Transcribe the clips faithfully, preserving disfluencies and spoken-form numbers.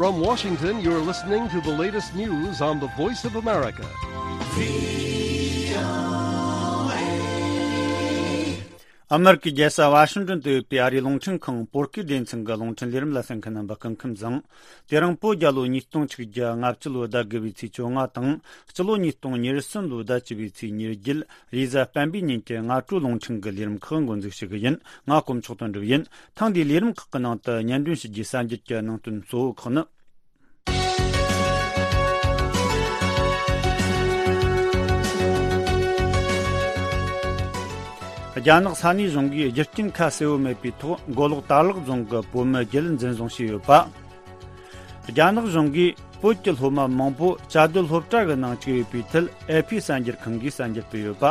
From Washington, you're listening to the latest news on the Voice of America. ཨ་མེ་རི་ཀའི་རྒྱལ་ས་ཝ་ཤིང་ཏོན་དུ་ཡོད་པའི་ཨ་རིའི་རླུང་འཕྲིན་ཁང་བོད་སྐད་སྡེ་ཚན་གྱི་རླུང་འཕྲིན་ལས་རིམ་ལ་གསན་མཁན་རྣམ་པ་སྐུ་ཁམས་བཟང་། དེ་རིང་བོད་རྒྱལ་ལོ་ཉིས་སྟོང་ཆིག་བརྒྱ་ལྔ་བཅུ་ལོའི་ཟླ་དགུ་པའི་ཚེས་བཅོ་ལྔ་དང་། སྤྱི་ལོ་ཉིས་སྟོང་ཉེར་གསུམ་ལོའི་ཟླ་བཅུ་པའི་ཚེས་ཉེར་བརྒྱད། རེས་གཟའ་སྤེན་པའི་ཉིན་གྱི་སྔ་དྲོའི་རླུང་འཕྲིན་གྱི་ལས་རིམ་ཁག་འགོ་འཛུགས་ཞུ་གི་ཡིན། ང་དཀོན་མཆོག་དོན་གྲུབ་ཡིན། ཐེངས་འདིའི་ལས་རིམ་ཁག་གི་ནང་དུ་སྙན་སྒྲོན་ཞུ་རྒྱུའི་གསར་འགྱུར་གྱི་ནང་དོན་གཙོ་བོ་ཁག་ནི། རྒྱ་ནག་ས་གནས་གཞུང་གིས་རྒྱུ་རྐྱེན་ཁ་གསལ་བོ་མེད་པའི་ཐོག་མགོ་ལོག་དར་ལག་རྫོང་གི་བོད་མི་བརྒྱད་འཛིན་བཟུང་བྱས་ཡོད་པ། རྒྱ་ནག་གཞུང་གིས་བོད་ཀྱི་སློབ་མ་མང་པོ་བཅའ་སྡོད་སློབ་གྲྭ་གི་ནང་བཅུག་ཡོད་པའི་ཐད་ཨེ་ཕི་གསར་འགྱུར་ཁང་གིས་གསར་འགྱུར་སྤེལ་ཡོད་པ།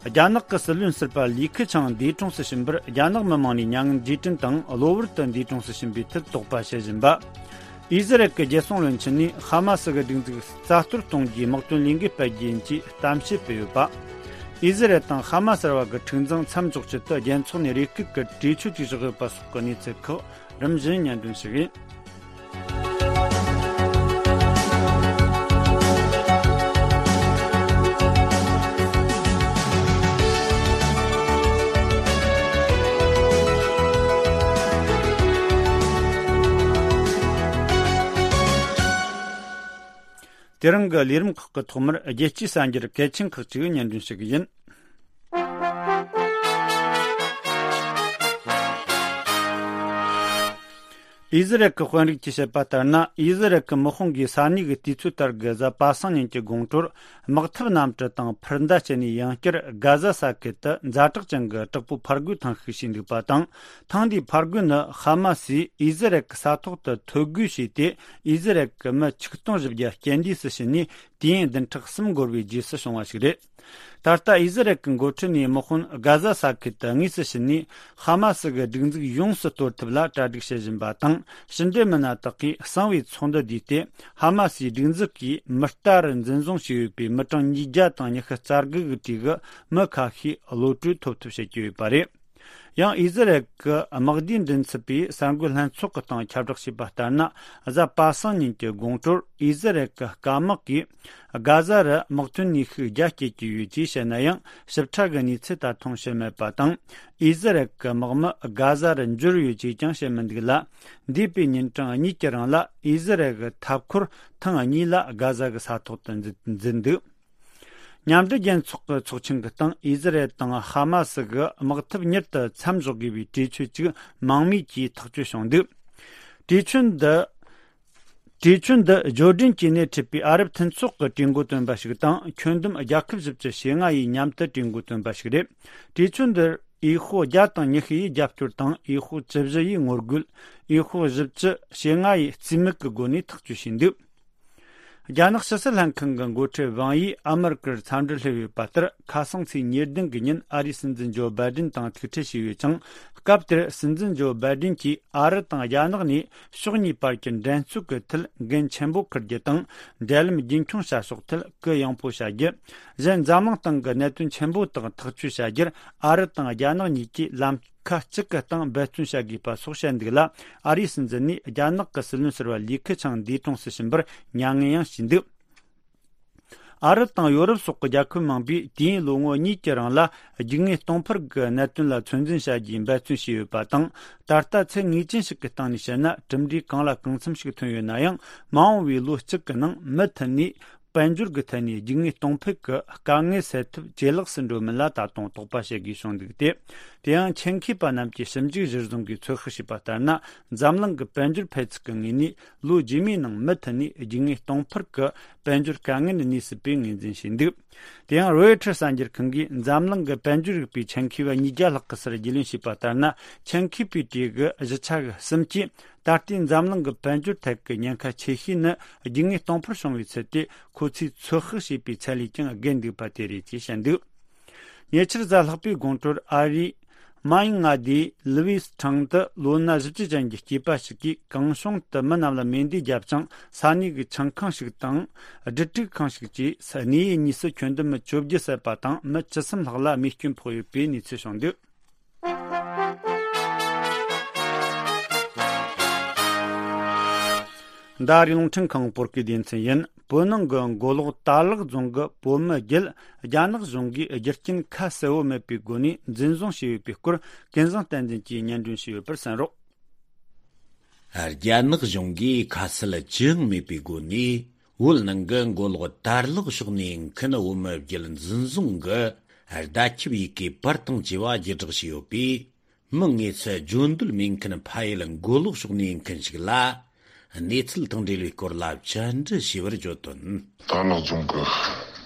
རྒྱ་ནག་གི་སྲིད་བློན་ཟུར་པ་ལི་ཁི་ཆང་འདས་གྲོངས་སུ་ཕྱིན་པར་རྒྱ་ནག་མི་མང་ནས་མྱ་ངན་རྗེས་དྲན་དང་གློ་བུར་དུ་འདས་གྲོངས་སུ་ཕྱིན་པའི་ཐད་དོགས་པ་བྱེད་བཞིན་པ། ཨི་ཟི་རལ་གྱི་རྒྱལ་སྲུང་བློན་ཆེན་ནས་ཧ་མ་སི་གི་སྒྲིག་འཛུགས་རྩ་གཏོར་གཏོང་རྒྱུའི་དམག་དོན་ལས་འགུལ་སྤེལ་རྒྱུ་ཡིན་ཅེས་གཏམ་བཤད་སྤེལ་ཡོད་པ། ཨི་ཟི་རལ་དང་ཧ་མ་སི་བར་གྱི་འཁྲུག་འཛིང་མཚམས་འཇོག་ཆེད་དུ་རྒྱལ་ཚོགས་ནས་རེ་སྐུལ་གྱི་གྲོས་ཆོད་ཅིག་བཞག་ཡོད་པ་སོགས་ཀྱི་གནས་ཚུལ་ཁག་རིམ་བཞིན་སྙན་སྒྲོན་ཞུ་གི་ཡིན། དེ་རིང་གི་ལས་རིམ་ཁག་གི་ཐོག་མར་རྒྱལ་སྤྱིའི་གསར་འགྱུར་གལ་ཆེན་ཁག་ཅིག་སྙན་སྒྲོན་ཞུ་གི་ཡིན། ཨི་ཟི་རལ་གྱི་དཔོན་རིགས་ཀྱིས་བཤད་པ་ལྟར་ན། ཨི་ཟི་རལ་གྱི་དམག་དཔུང་གིས་ས་གནས་ཀྱི་དུས་ཚོད་ལྟར་གྱི་གཟའ་པ་སངས་ཉིན་གྱི་དགོང་དྲོར་དམག་འཐབ་གནམ་གྲུ་དང་འཕུར་མདའ་སྤྱད་ནས་ཡང་བསྐྱར་གྷ་ཟ་ས་ཁུལ་དུ་ཛ་དྲག་ཅན་གྱི་དྲག་པོའི་ཕར་རྒོལ་ཐེངས་ཤིག་བྱས་འདུག་པ་དང་། ཐེངས་འདིའི་ཕར་རྒོལ་ནི་ཧ་མ་སིས་ཨི་ཟི་རལ་གྱི་ས་ཐོག་ཏུ་ཐོ་འགོད་བྱས་ཏེ། ཨི་ཟི་རལ་གྱི་མི་ཆིག་སྟོང་བཞི་བརྒྱ་རྐྱེན་འདས་སུ་ཕྱིན་ནས། དུས་ཡུན་བདུན་ཕྲག་གསུམ་འགོར་བའི་རྗེས་སུ་བྱུང་བ་ཞིག་རེད། ད་ལྟ་ཨི་ཟི་རལ་གྱི་འགོ་ཁྲིད་ནས་དམག་དཔོན་གྷ་ཟ་ས་ཁུལ་དུ་དངོས་སུ་ཕྱིན་ནས། ཧ་མ་སི་གི་སྒྲིག་འཛུགས་ཡོངས་སུ་གཏོར་ཐབས་ལ་གྲ་སྒྲིག་བྱེད་བཞིན་པ་དང་། ཕྱི་འབྲེལ་མི་སྣ་དག་གིས་གསང་བའི་ཚོགས་འདུ་བསྡུས་ཏེ། ཧ་མ་སིའི་སྒྲིག་འཛུགས་ཀྱིས་མི་རྟ་རུ་འཛིན་བཟུང་བྱས་ཡོད་པའི་མི་གྲངས་ཉིས་བརྒྱ་དང་ཉི་ཤུ་རྩ་དགུ་གི་གྲས་ཀྱི་མི་ཁ་ཤས་གློད་གྲོལ་ཐོབ་ཐབས་བྱེད་ཀྱི་ཡོད་པ་རེད། ཡང་ཨི་ཟི་རལ་གྱི་དམག་སྡེའི་མགྲིན་ཚབ་པས་གསར་འགོད་ལྷན་ཚོགས་ཀྱི་སྟེང་ཁྱབ་བསྒྲགས་བྱས་པ་ལྟར་ན། གཟའ་པ་སངས་ཉིན་གྱི་དགོང་དྲོར་ཨི་ཟི་རལ་གྱི་སྐམ་དམག་གིས་གྷ་ཟ་རུ་དམག་དོན་ནུས་ཤུགས་རྒྱ་བསྐྱེད་ཀྱི་ཡོད་ཅེས་བཤད་ན་ཡང་། ཞིབ་ཕྲ་གི་གནས་ཚུལ་ད་དུང་ཤེས་མེད་པ་དང་། ཨི་ཟི་རལ་གྱི་དམག་མི་གྷ་ཟ་རུ་འབྱོར་ཡོད་ཅེས་ཀྱང་བཤད་མི་འདུག་ལ། འདས་པའི་ཉིན་གྲངས་གཉིས་ཀྱི་རིང་ལ་ཨི་ཟི་རལ་གྱི་འཐབ་འཁོར་ཐེངས་གཉིས་ལ་གྷ་ཟ་གི་ས་ཐོག་ཏུ་འཛུལ་འཛུལ་འདུག་མཉམ་འབྲེལ་རྒྱལ་ཚོགས་ཀྱི་ཚོགས་ཆེན་གྱི་སྟེང་ཨི་ཟི་རལ་དང་ཧ་མ་སི་གི་དམག་འཐབ་མྱུར་དུ་མཚམས་འཇོག་དགོས་པའི་གྲོས་ཆོད་ཅིག་མང་མོས་ཀྱིས་ཐག་གཅོད་བྱུང་འདུག་གྲོས་ཆོད་འདི། གྲོས་ཆོད་འདི་ཇོར་ཌན་གྱི་སྣེ་ཁྲིད་པའི་ཨ་རབ་མཐུན་ཚོགས་ཀྱིས་གྲོས་འགོ་བཏོན་པ་ཞིག་དང་། ཁྱོན་བསྡོམས་རྒྱལ་ཁབ་བཞི་བཅུ་ཞེ་ལྔ་ཡིས་མཉམ་དུ་གྲོས་འགོ་བཏོན་པ་ཞིག་རེད། གྲོས་ཆོད་འདིར་འོས་ཤོག་བརྒྱ་དང་ཉི་ཤུ་ཡིས་རྒྱབ་སྐྱོར་དང་། འོས་ཤོག་བཅུ་བཞི་ཡིས་ངོ་རྒོལ། འོས་ཤོག་བཞི་བཅུ་ཞེ་ལྔ་ཡིས་རྩིས་མེད་ཀྱི་སྒོ་ནས་ཐག་གཅོད་བྱས་འདུག་རྒྱ་ནག་ཕྱི་སྲིད་ལྷན་ཁང་གི་འགོ་ཁྲིད་ཝང་ཡིས་ཨ་མེ་རི་ཀར་འཚམས་འདྲིར་སླེབས་ཡོད་པ་ལྟར། ཁ་སང་ཚེས་ཉེར་བདུན་གྱི་ཉིན་ཨ་རིའི་སྲིད་འཛིན་ཇོ་བྷའི་ཌེན་དང་ཐུག་འཕྲད་བྱས་ཡོད་ཅིང་། སྐབས་དེར་སྲིད་འཛིན་ཇོ་བྷའི་ཌེན་གྱིས་ཨ་རི་དང་རྒྱ་ནག་ནས་ཕྱོགས་གཉིས་བར་གྱི་འགྲན་རྩོད་ཀྱི་ཐད་འགན་ཆེན་པོ་འཁུར་རྒྱུ་དང་། འབྲེལ་ལམ་རྒྱུན་འཁྱོངས་བྱ་ཕྱོགས་ཐད་གུ་ཡངས་པོ་བྱ་རྒྱུ། གཞན་འཛམ་གླིང་སྟེང་གི་གནད་དོན་ཆེན་པོ་དག་ཐག་གཅོད་བྱ་རྒྱུར་ཨ་རི་དང་རྒྱ་ནག་གཉིས་ཀྱིས་ལམ་ཁ་གཅིག་གི་སྟེང་འབད་བརྩོན་བྱ་དགོས་པ་སོགས་བཤད་འདུག་ལ། ཨ་རིའི་སྲིད་འཛིན་ནས་རྒྱ་ནག་གི་སྲིད་བློན་ཟུར་པ་ལི་ཁི་ཆང་འདས་གྲོངས་སུ་ཕྱིན་པར་མྱ་ངན་ཡང་བྱས་འདུག་ཨ་རི་དང་ཡོ་རོབ་སོགས་ཀྱི་རྒྱལ་ཁབ་མང་པོས་དུས་ཡུན་ལོ་ངོ་གཉིས་ཀྱི་རིང་ལ་རྒྱུག་ངན་གཏོང་འཕུར་གྱི་གནད་དོན་ལ་ཚོད་འཛིན་བྱ་རྒྱུའི་འབད་བརྩོན་བྱས་ཡོད་པ་དང་། ད་ལྟ་ཚད་ངེས་ཅན་ཞིག་གི་སྟེང་ནས་བཤད་ན། གྲུབ་འབྲས་གང་ལ་གང་འཚམ་ཞིག་ཐོན་ཡོད་ན་ཡང་། མ་འོངས་པའི་ལོ་གཅིག་གི་ནང་མུ་མཐུད་ནས་དཔལ་འབྱོར་གྱི་ཐད་ནས་རྒྱུག་ངན་གཏོང་འཕུར་གྱི་དཀའ་ངལ་སེལ་ཐབས་ཇེ་ལེགས་སུ་འགྲོ་མིན་ལ་ད་དུང་དོགས་པ་བྱེད་དགོས་བྱུང་འདུག་སྟེ། དེ་ཡང་ཆེད་མཁས་པ་རྣམས་ཀྱིས་ཞིབ་འཇུག་གཞིར་བཟུང་གིས་ཚོད་དཔག་བྱས་པ་ལྟར་ན། འཛམ་གླིང་གི་དཔལ་འབྱོར་འཕེལ་ཚུལ་གྱི་ངོས་ནས། ལོ་རྗེས་མའི་ནང་མུ་མཐུད་ནས་རྒྱུག་ངན་གཏོང་འཕུར་གྱི་དཔལ་འབྱོར་དཀའ་ངལ་གནས་སྲིད་པའི་ངོས་འཛིན་བྱས་འདུག་དེ་ཡང་རོའི་ཊར་གསར་འགྱུར་ཁང་གིས་འཛམ་གླིང་གི་དཔལ་འབྱོར་རིག་པའི་ཆེད་མཁས་པ་ཉིས་བརྒྱ་ལྷག་གི་སར་རྒྱུས་ལོན་བྱས་པ་ལྟར་ན། ཆེད་མཁས་པའི་གྲས་ཀྱི་བཞི་ཆ་གི་གསུམ་གྱིས་ད་ལྟའི་འཛམ་གླིང་གི་དཔལ་འབྱོར་ཐད་ཀྱི་ཉེན་ཁ་ཆེ་ཤོས་ནི་རྒྱུག་ངན་གཏོང་འཕུར་བྱུང་བའི་ཚུལ་དེ། ཁོ་ཚོས་ཚོད་དཔག་བྱས་པའི་ཚད་ལས་ཀྱང་བརྒལ་འདུག་པ་དེ་རེད་ཅེས་བཤད་འདུག་ཉེ་ཆར་གཟའ་ལྷག་པའི་དགོང་དྲོར་ཨ་རིའི་མཱ་ཡིང་མངའ་སྡེའི་ལི་ཝིས་ཁྲང་དུ་ལོ་ན་བཞི་བཅུ་ཅན་གྱི་སྐྱེས་པ་ཞིག་གིས་གང་བྱུང་དུ་མི་རྣམས་ལ་མེ་མདས་བརྒྱབ་ཅིང་། ས་གནས་ཀྱི་ཆང་ཁང་ཞིག་དང་སྦྲུམ་སྒྲིག་ཁང་ཞིག་བཅས་གནས་ཡུལ་གཉིས་སུ་ཁྱོན་བསྡོམས་མི་བཅོ་བརྒྱད་བསད་པ་དང་། མི་བཅུ་གསུམ་ལྷག་ལ་རྨས་སྐྱོན་ཕོག་ཡོད་པའི་གནས་ཚུལ་བྱུང་འདུག་མདའ་རིགས་རླུང་འཕྲིན་ཁང་བོད་སྐད་སྡེ་ཚན་ཡིན། བོད་ནང་གི་མགོ་ལོག་དར་ལག་རྫོང་གི་བོད་མི་བརྒྱད་རྒྱ་ནག་གཞུང་གིས་རྒྱུ་རྐྱེན་ཁ་གསལ་བོ་མེད་པའི་སྒོ་ནས་འཛིན་བཟུང་བྱས་ཡོད་པའི་སྐོར། ཀུན་བཟང་བསྟན་འཛིན་གྱིས་སྙན་སྒྲོན་ཞུས་ཡོད་པར་གསན་རོགས། རྒྱ་ནག་གཞུང་གིས་ཁ་གསལ་ཅི་ཡང་མེད་པའི་སྒོ་ནས། བོད་ནང་གི་མགོ་ལོག་དར་ལག་ཕྱོགས་ནས་མཁན་བོད་མི་བརྒྱད་འཛིན་བཟུང་གི་བརྡ་ཁྱབ་ཡི་གེ་པར་དང་བཅས་པ་བརྒྱུད་བསྒྲགས་བྱས་ཡོད་པས། མི་དངོས་སུ་བརྗོད་འདོད་མེད་མཁན་ཕ་ཡུལ་མགོ་ལོག་ཕྱོགས་ནས་མཁན་ཞིག་ལ། གནས་ཚུལ་དང་འབྲེལ་བའི་སྐོར་ལ་བཅར་འདྲི་ཞུས་པར་བརྗོད་དོན། དར་ལག་རྫོང་གི་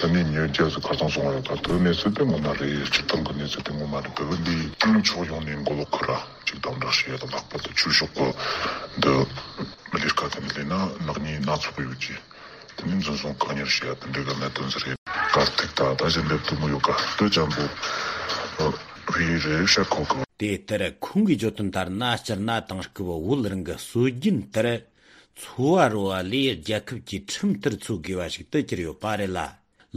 དེ་ནས་ཉེར་བརྒྱད་ཙམ་ཁ་སང་སོང་བ་ཡོད་ད། དེ་གནས་ཚུལ་དེ་ངོ་མ་རེད། སྤྱིར་བཏང་གི་གནས་ཚུལ་དེ་ངོ་མ་རེད། བོད་པ་འདི་ཕྱོགས་ཡོངས་ནས་མགོ་ལོག་ཁུལ་ར་ཅིག་དམ་དྲག་བྱེད་ཡ་དང་། ལྷག་པར་དུ་ཆོས་ཕྱོགས་ཀྱི་འདི་མི་ལས་ཀ་དེ་འདི་ལས་ན་ནག་ཉེས་སྣ་ཚོགས་ཡོད་ཀྱི། དེ་ནས་འཛིན་བཟུང་བཀག་ཉར་བྱེད་ཡ་དེ་འདྲ་གི་གནད་དོན་ཟིག་རེད། དཀའ་སྡུག་ད་ད་གཞི་འདེབས་ཐུབ་མོ་ཡོད་ཀ་ལྟོས་ཅམ་པོ་བི་རེ་ཤ་ཁོ་གི། དེ་ལྟར་ཁོང་གིས་བརྗོད་དོན་ལྟར་ན། སྤྱིར་ན་དེང་སྐབས་བོད་རང་གི་སྲོལ་རྒྱུན་ལྟར་འཚོ་བ་རོལ་བ་ལས་རྒྱལ་ཁབ་ཀྱི་ཁྲིམས་ལྟར་འཚོ་དགོས་པ་ཞིག་ཏུ་གྱུར་ཡོད་པ་རེད་ལ།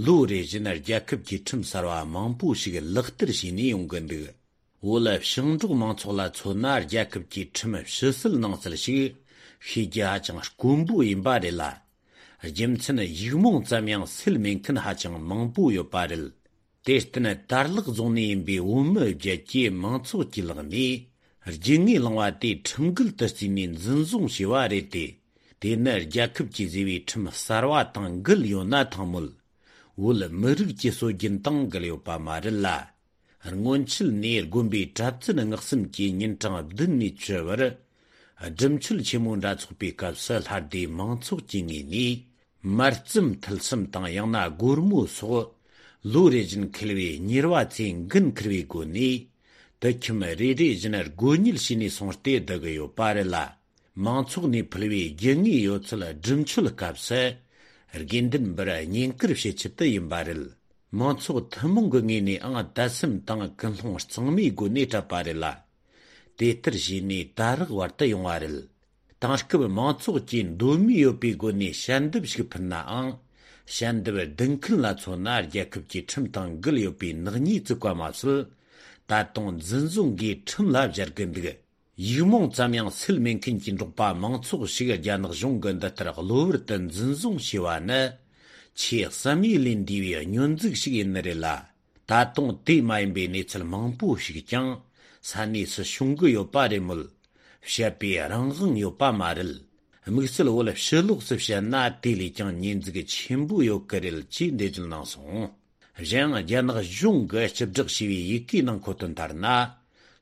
ལོ་རེ་བཞིན་རྒྱལ་ཁབ་ཀྱི་ཁྲིམས་གསར་བ་མང་པོ་ཞིག་ལག་བསྟར་བྱས་ནས་ཡོང་གི་འདུག་བོད་ཞིང་འབྲོག་མང་ཚོགས་ལ་མཚོན་ན། རྒྱལ་ཁབ་ཀྱི་ཁྲིམས་ཕྱི་སེལ་ནང་སེལ་ཞིག་ཤེས་རྒྱུ་ཧ་ཅང་དཀོན་པོ་ཡིན་པ་རེད་ལ། རྒྱུ་མཚན་ཡིག་རྨོངས་ཙམ་ཡང་སེལ་མེད་མཁན་ཧ་ཅང་མང་པོ་ཡོད་པ་རེད། དེར་བརྟེན་དར་ལག་རྫོང་ནས་ཡིན་པའི་བོད་མི་བརྒྱད་ཀྱིས་མང་ཚོགས་ཀྱི་ལག་ནས་རྒྱུ་དངོས་བླངས་པ་དེ་ཁྲིམས་འགལ་དུ་བརྩིས་ནས་འཛིན་བཟུང་བྱས་པ་རེད་དེ། དེ་ནི་རྒྱལ་ཁབ་ཀྱིས་བཟོས་པའི་ཁྲིམས་གསར་བ་དང་འགལ་ཡོད་ན་ཐང་མོད། བོད་མི་རིགས་ཀྱི་སྲོལ་རྒྱུན་དང་འགལ་ཡོད་པ་མ་རེད་ལ། སྔོན་ཆད་ནས་དགོན་པའི་གྲྭ་བཙུན་སྔགས་གསུམ་གྱིས་ཉིན་གྲངས་བདུན་ནས་བཅུ་བར་སྒྲུབ་མཆོད་ཆེན་མོ་འདྲ་ཚོགས་པའི་སྐབས་སུ། ལྷ་སྡེ་མང་ཚོགས་ཀྱི་ངོས་ནས་མར་རྩམ་ཐུད་གསུམ་དང་། ཡང་ན་སྒོར་མོ་སོགས་ལོ་རེ་བཞིན་འཁེལ་བའི་གཉེར་བ་ཚོས་འགན་འཁུར་བའི་སྒོ་ནས། དུད་ཁྱིམ་རེ་རེ་བཞིན་སྒོ་ཉལ་བྱས་ནས་སོང་སྟེ་བསྡད་ཀྱི་ཡོད་པ་རེད་ལ། མང་ཚོགས་ནས་ཕུལ་བའི་རྒྱུ་དངོས་ཡོད་ཚད་སྒྲུབ་མཆོད་སྐབས་སུ་དགེ་འདུན་པར་བསྙེན་བཀུར་བྱེད་ཆེད་དུ་ཡིན་པ་རེད། མང་ཚོགས་ཐུན་མོང་གི་ངོས་ནས་ཨང་དད་སེམས་དང་ཀུན་སློང་གཙང་མའི་སྒོ་ནས་སྤྲད་པ་རེད་ལ། དེ་ལྟར་བྱས་ནས་ད་རག་བར་དུ་ཡོང་བ་རེད། དེང་སྐབས་མང་ཚོགས་ཀྱིས་འདོད་མོས་ཡོད་པའི་སྒོ་ནས་ཞལ་འདེབས་ཤིག་ཕུལ་ནའང་། ཞལ་འདེབས་ལྡུག་མཁན་ལ་མཚོན་ན། རྒྱལ་ཁབ་ཀྱི་ཁྲིམས་དང་འགལ་ཡོད་པའི་ནག་ཉེས་བཙུགས་པ་མ་ཟད། ད་དུང་འཛིན་བཟུང་གིས་ཁྲིམས་ལ་སྦྱར་གི་འདུག་ཡིག་རྨོངས་ཙམ་ཡང་སེལ་མེད་མཁན་གྱི་འབྲོག་པ་མང་ཚོགས་ཤིག་རྒྱ་ནག་གཞུང་གིས་འདི་ལྟར་གློ་བུར་དུ་འཛིན་བཟུང་བྱས་པ་ནི། ཆེས་བསམ་ཡས་ལས་འདས་པའི་སྙོན་འཛུགས་ཤིག་ཡིན་ནི་རེད་ལ། ད་དུང་དེ་མ་ཡིན་པའི་གནས་ཚུལ་མང་པོ་ཞིག་ཀྱང་ས་གནས་སུ་བྱུང་གི་ཡོད་པ་རེད་མོད། བཤད་པའི་རང་དབང་ཡོད་པ་མ་རེད། དམིགས་བསལ་བོད་ཕྱི་ལོགས་སུ་བཤད་ན་དེ་ལས་ཀྱང་ཉེས་འཛུགས་ཆེན་པོ་ཡོད་ཀྱི་རེད་ཅེས་འགྲེལ་བརྗོད་གནང་སོང་། གཞན་ཡང་རྒྱ་ནག་གཞུང་གིས་སྤྱི་བསྒྲགས་བྱས་པའི་ཡི་གེའི་ནང་འཁོད་དོན་ལྟར་ན།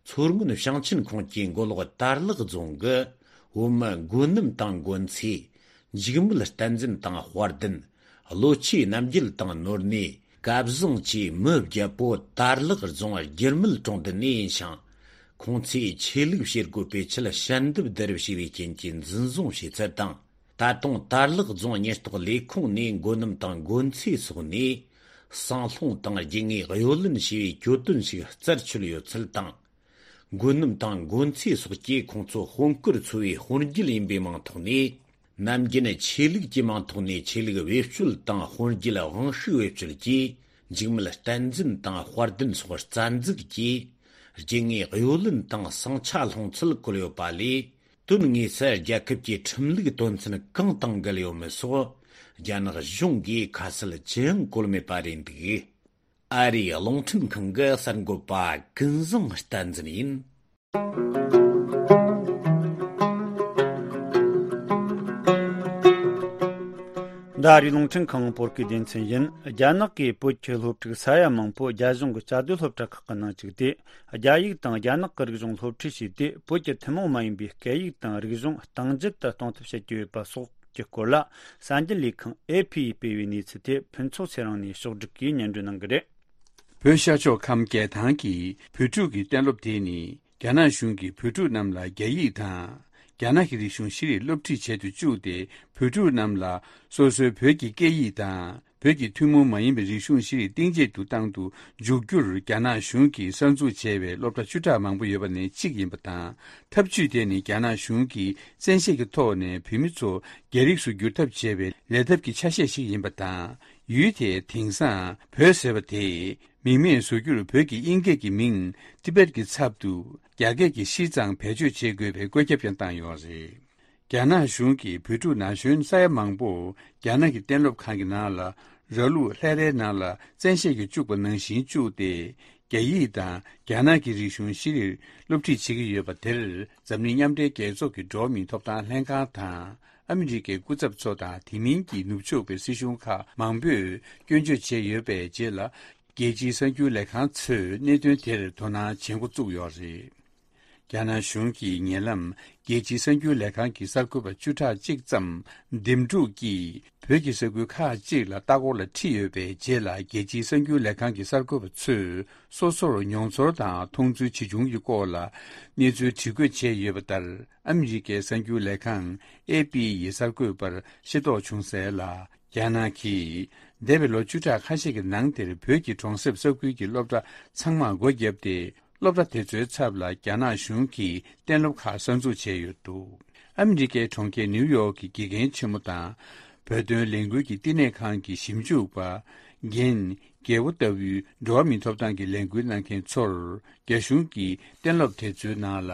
མཚོ་སྔོན་ཞིང་ཆེན་ཁོངས་ཀྱི་མགོ་ལོག་དར་ལག་རྫོང་གི་བོད་མི་མགོ་གནམ་དང་མགོན་ཚེ། འཇིགས་མེད་བསྟན་འཛིན་དང་དཔལ་ལྡན། བློ་ཆོས་རྣམ་རྒྱལ་དང་ནོར་གནས། སྐལ་བཟང་བཅས་མི་བརྒྱད་པོ་དར་ལག་རྫོང་རྒྱུད་སྨད་གྲོང་རྡལ་ནས་ཡིན་ཞིང་། ཁོང་ཚོས་ཆོས་ལུགས་བྱེད་སྒོ་སྤེལ་ཆེད་ཞལ་འདེབས་བསྡུ་རུབ་བྱས་པའི་རྐྱེན་གྱིས་འཛིན་བཟུང་བྱས་ཚུལ་དང་། ད་དུང་དར་ལག་རྫོང་ཉེན་རྟོག་ལས་ཁུངས་ནས་མགོ་གནམ་དང་མགོན་ཚེ་སོགས་ནས་ཟངས་ལྷུང་དང་རྒྱུ་དངོས་གཡོ་ལེན་བྱས་པའི་གྱོད་དོན་ཞིག་རྩད་ཆོད་ཡོད་ཚུལ་དང་། མགོ་གནམ་དང་མགོན་ཚེ་སོགས་ཀྱིས་ཁོང་ཚོ་དཔོན་སྐོར་འཚོ་བའི་དཔོན་རྒྱུད་ཡིན་པའི་མིང་ཐོག་ནས། ནམ་རྒྱུན་ཆོས་ལུགས་ཀྱི་མིང་ཐོག་ནས་ཆོས་ལུགས་བེད་སྤྱོད་དང་། དཔོན་རྒྱུད་དབང་ཤུགས་བེད་སྤྱོད་ཀྱིས་འཇིགས་མེད་བསྟན་འཛིན་དང་། དཔལ་ལྡན་སོགས་རྩ་འཛུགས་ཀྱིས་རྒྱུ་དངོས་གཡོ་ལེན་དང་ཟིང་ཆ་སློང་ཚུལ་བཀོད་ཡོད་པ་ལས། དོན་དངོས་སུ་རྒྱལ་ཁབ་ཀྱི་ཁྲིམས་ལུགས་དོན་ཚན་གང་དང་འགལ་ཡོད་མེད་སོགས་རྒྱ་ནག་གཞུང་གིས་ཁ་གསལ་ཅི་ཡང་བཀོད་མེད་པ་རེད་འདུག་ཨ་རིའི་རླུང་འཕྲིན་ཁང་གི་གསར་འགོད་པ་ཀུན་བཟང་བསྟན་འཛིན་ཡིན། འདི་ཨ་རིའི་རླུང་འཕྲིན་ཁང་བོད་སྐད་སྡེ་ཚན་ཡིན། རྒྱ་ནག་གིས་བོད་ཀྱི་སློབ་ཕྲུག་ས་ཡ་མང་པོ་རྒྱ་གཞུང་གི་བཅའ་སྡོད་སློབ་གྲྭ་ཁག་གི་ནང་བཅུག་སྟེ། རྒྱ་ཡིག་དང་རྒྱ་ནག་གི་རིག་གཞུང་སློབ་ཁྲིད་བྱས་ཏེ། བོད་ཀྱི་ཐུན་མོང་མ་ཡིན་པའི་སྐད་ཡིག་དང་རིག་གཞུང་གཏིང་འཇགས་སུ་གཏོང་ཐབས་བྱེད་ཀྱི་ཡོད་པ་སོགས་ཀྱི་སྐོར་ལ། གསར་འགྱུར་ལས་ཁང་ཨེ་ཕི་ཡིས་སྤེལ་བའི་གནས་ཚུལ་དེ་ཕུན་ཚོགས་ཚེ་རིང་ནས་ཕྱོགས་བསྒྲིགས་ཀྱིས་སྙན་སྒྲོན་གནང་གི་རེད། བོད་ཤར་ཕྱོགས་ཁམས་རྒྱལ་ཐང་གི་བོད་ཕྲུག་གི་གཏན་སློབ་དེ་ནི། རྒྱ་ནག་གཞུང་གིས་བོད་ཕྲུག་རྣམས་ལ་རྒྱ་ཡིག་དང་། རྒྱ་ནག་གི་རིག་གཞུང་ཤེས་རིག་སློབ་ཁྲིད་བྱེད་དུ་བཅུག་སྟེ། བོད་ཕྲུག་རྣམས་ལ་སོ་སོའི་བོད་ཀྱི་སྐད་ཡིག་དང་། བོད་ཀྱི་ཐུན་མོང་མ་ཡིན་པའི་རིག་གཞུང་ཤེས་རིག་གཏིང་ཇེ་ཏུ་བཏང་དུ་འཇུག་རྒྱུར། རྒྱ་ནག་གཞུང་གིས་གསར་འཛུགས་བྱས་པའི་སློབ་གྲྭ་བཅུ་ཕྲག་མང་པོ་ཡོད་པ་ནས་གཅིག་ཡིན་པ་དང་། ཐབས་ཇུས་དེ་ནི་རྒྱ་ནག་གཞུང་གིས་བཙན་ཤེད་ཀྱི་ཐོག་ནས་བོད་མི་ཚོ་རྒྱ་རིགས་སུ་བསྒྱུར་ཐབས་བྱས་པའི་ལས་ཐབས་ཀྱི་ཆ་ཤས་ཤིག་ཡིན་པ་དང་། ཡུལ་དེའི་དེང་སང་བོད་ཟེར་བ་དེ་མིང་མེད་བཟོ་རྒྱུར་བོད་ཀྱི་དབྱིན་སྐད་ཀྱི་མིང་ཏི་བེད་ཀྱི་ཚབ་ཏུ་རྒྱ་སྐད་ཀྱི་ཤིས་ཙང་བེད་སྤྱོད་བྱེད་དགོས་པའི་བཀོད་ཁྱབ་ཀྱང་བཏང་ཡོད་རེད། རྒྱ་ནག་གཞུང་གིས་བོད་ཕྲུག་ན་གཞོན་ས་ཡ་མང་པོ་རྒྱ་ནག་གི་གཏན་སློབ་ཁང་གི་ནང་ལ་ར་ལུག་ལྷས་རའི་ནང་ལ་བཙན་ཤེད་ཀྱིས་བཅུག་པ་ནང་བཞིན་བཅུག་སྟེ། རྒྱ་ཡིག་དང་རྒྱ་ནག་གི་རིག་གཞུང་ཤེས་རིག་སློབ་ཁྲིད་བྱེད་ཀྱི་ཡོད་པ་དེར། འཛམ་གླིང་མཉམ་འབྲེལ་རྒྱལ་ཚོགས་ཀྱི་འགྲོ་བ་མིའི་ཐོབ་ཐང་ལྷན་ཁང་དང་། ཨ་མི་རི་ཀའི་སྐུ་ཚབ་ཚོ་དང་། དེ་མིན་གྱི་ནུབ་ཕྱོགས་པའི་སྲིད་གཞུང་ཁག་མང་པོས་སྐྱོན་བརྗོད་བྱས་ཡོད་པའི་རྗེས་ལ། རྒྱལ་སྤྱིའི་གསར་འགྱུར་ལས་ཁང་ཚོས་གནད་དོན་དེར་དོ་སྣང་བྱེད་འགོ་བཙུགས་ཡོད་རེད། རྒྱ་ནག་གཞུང་གིས་ཉེ་ལམ་རྒྱལ་སྤྱིའི་གསར་འགྱུར་ལས་ཁང་གི་གསར་འགོད་པ་བཅུ་ཕྲག་གཅིག་ཙམ་འདེམས་སྒྲུག་གིས་བོད་ཀྱི་ས་ཁུལ་ཁག་ཅིག་ལ་ལྟ་སྐོར་ལ་ཁྲིད་ཡོད་པའི་རྗེས་ལ། རྒྱལ་སྤྱིའི་གསར་འགྱུར་ལས་ཁང་གི་གསར་འགོད་པ་ཚོས་སོ་སོར་མྱོང་ཚོར་དང་མཐོང་ཚུལ་ཇི་བྱུང་གི་སྐོར་ལ་གནས་ཚུལ་བྲིས་འགོད་བྱས་ཡོད་པ་ལྟར། ཨ་མི་རི་ཀའི་གསར་འགྱུར་ལས་ཁང་ཨེ་པི་ཡི་གསར་འགོད་པར་ཤེས་རྟོགས་བྱུང་གསལ་ལ། རྒྱ་ནག་གིས་འདས་པའི་ལོ་བཅུ་ཕྲག་ཁ་ཤས་ཀྱི་ནང་དེར་བོད་ཀྱི་གྲོང་གསེབ་ས་ཁུལ་གྱི་སློབ་གྲྭ་ཚང་མར་སྒོ་བརྒྱབ་སྟེ། སློབ་གྲྭ་དེ་ཚོའི་ཚབ་ལ་རྒྱ་ནག་གཞུང་གིས་གཏན་སློབ་ཁག་གསར་འཛུགས་བྱས་ཡོད་འདུག་ཨ་མི་རི་ཀའི་གྲོང་ཁྱེར་ནིའུ་ཡོག་གི་དགེ་རྒན་ཆེན་མོ་དང་། བོད་དོན་ལས་འགུལ་གྱི་བསྟི་གནས་ཁང་གི་ཞིབ་འཇུག་པ། རྒན། རྒྱལ་པོ་ལྟ་བུའི་འགྲོ་བ་མིའི་ཐོབ་ཐང་གི་ལས་འགུལ་གནང་མཁན་ཚོར་རྒྱ་གཞུང་གིས་གཏན་སློབ་དེ་ཚོའི་ནང་ལ།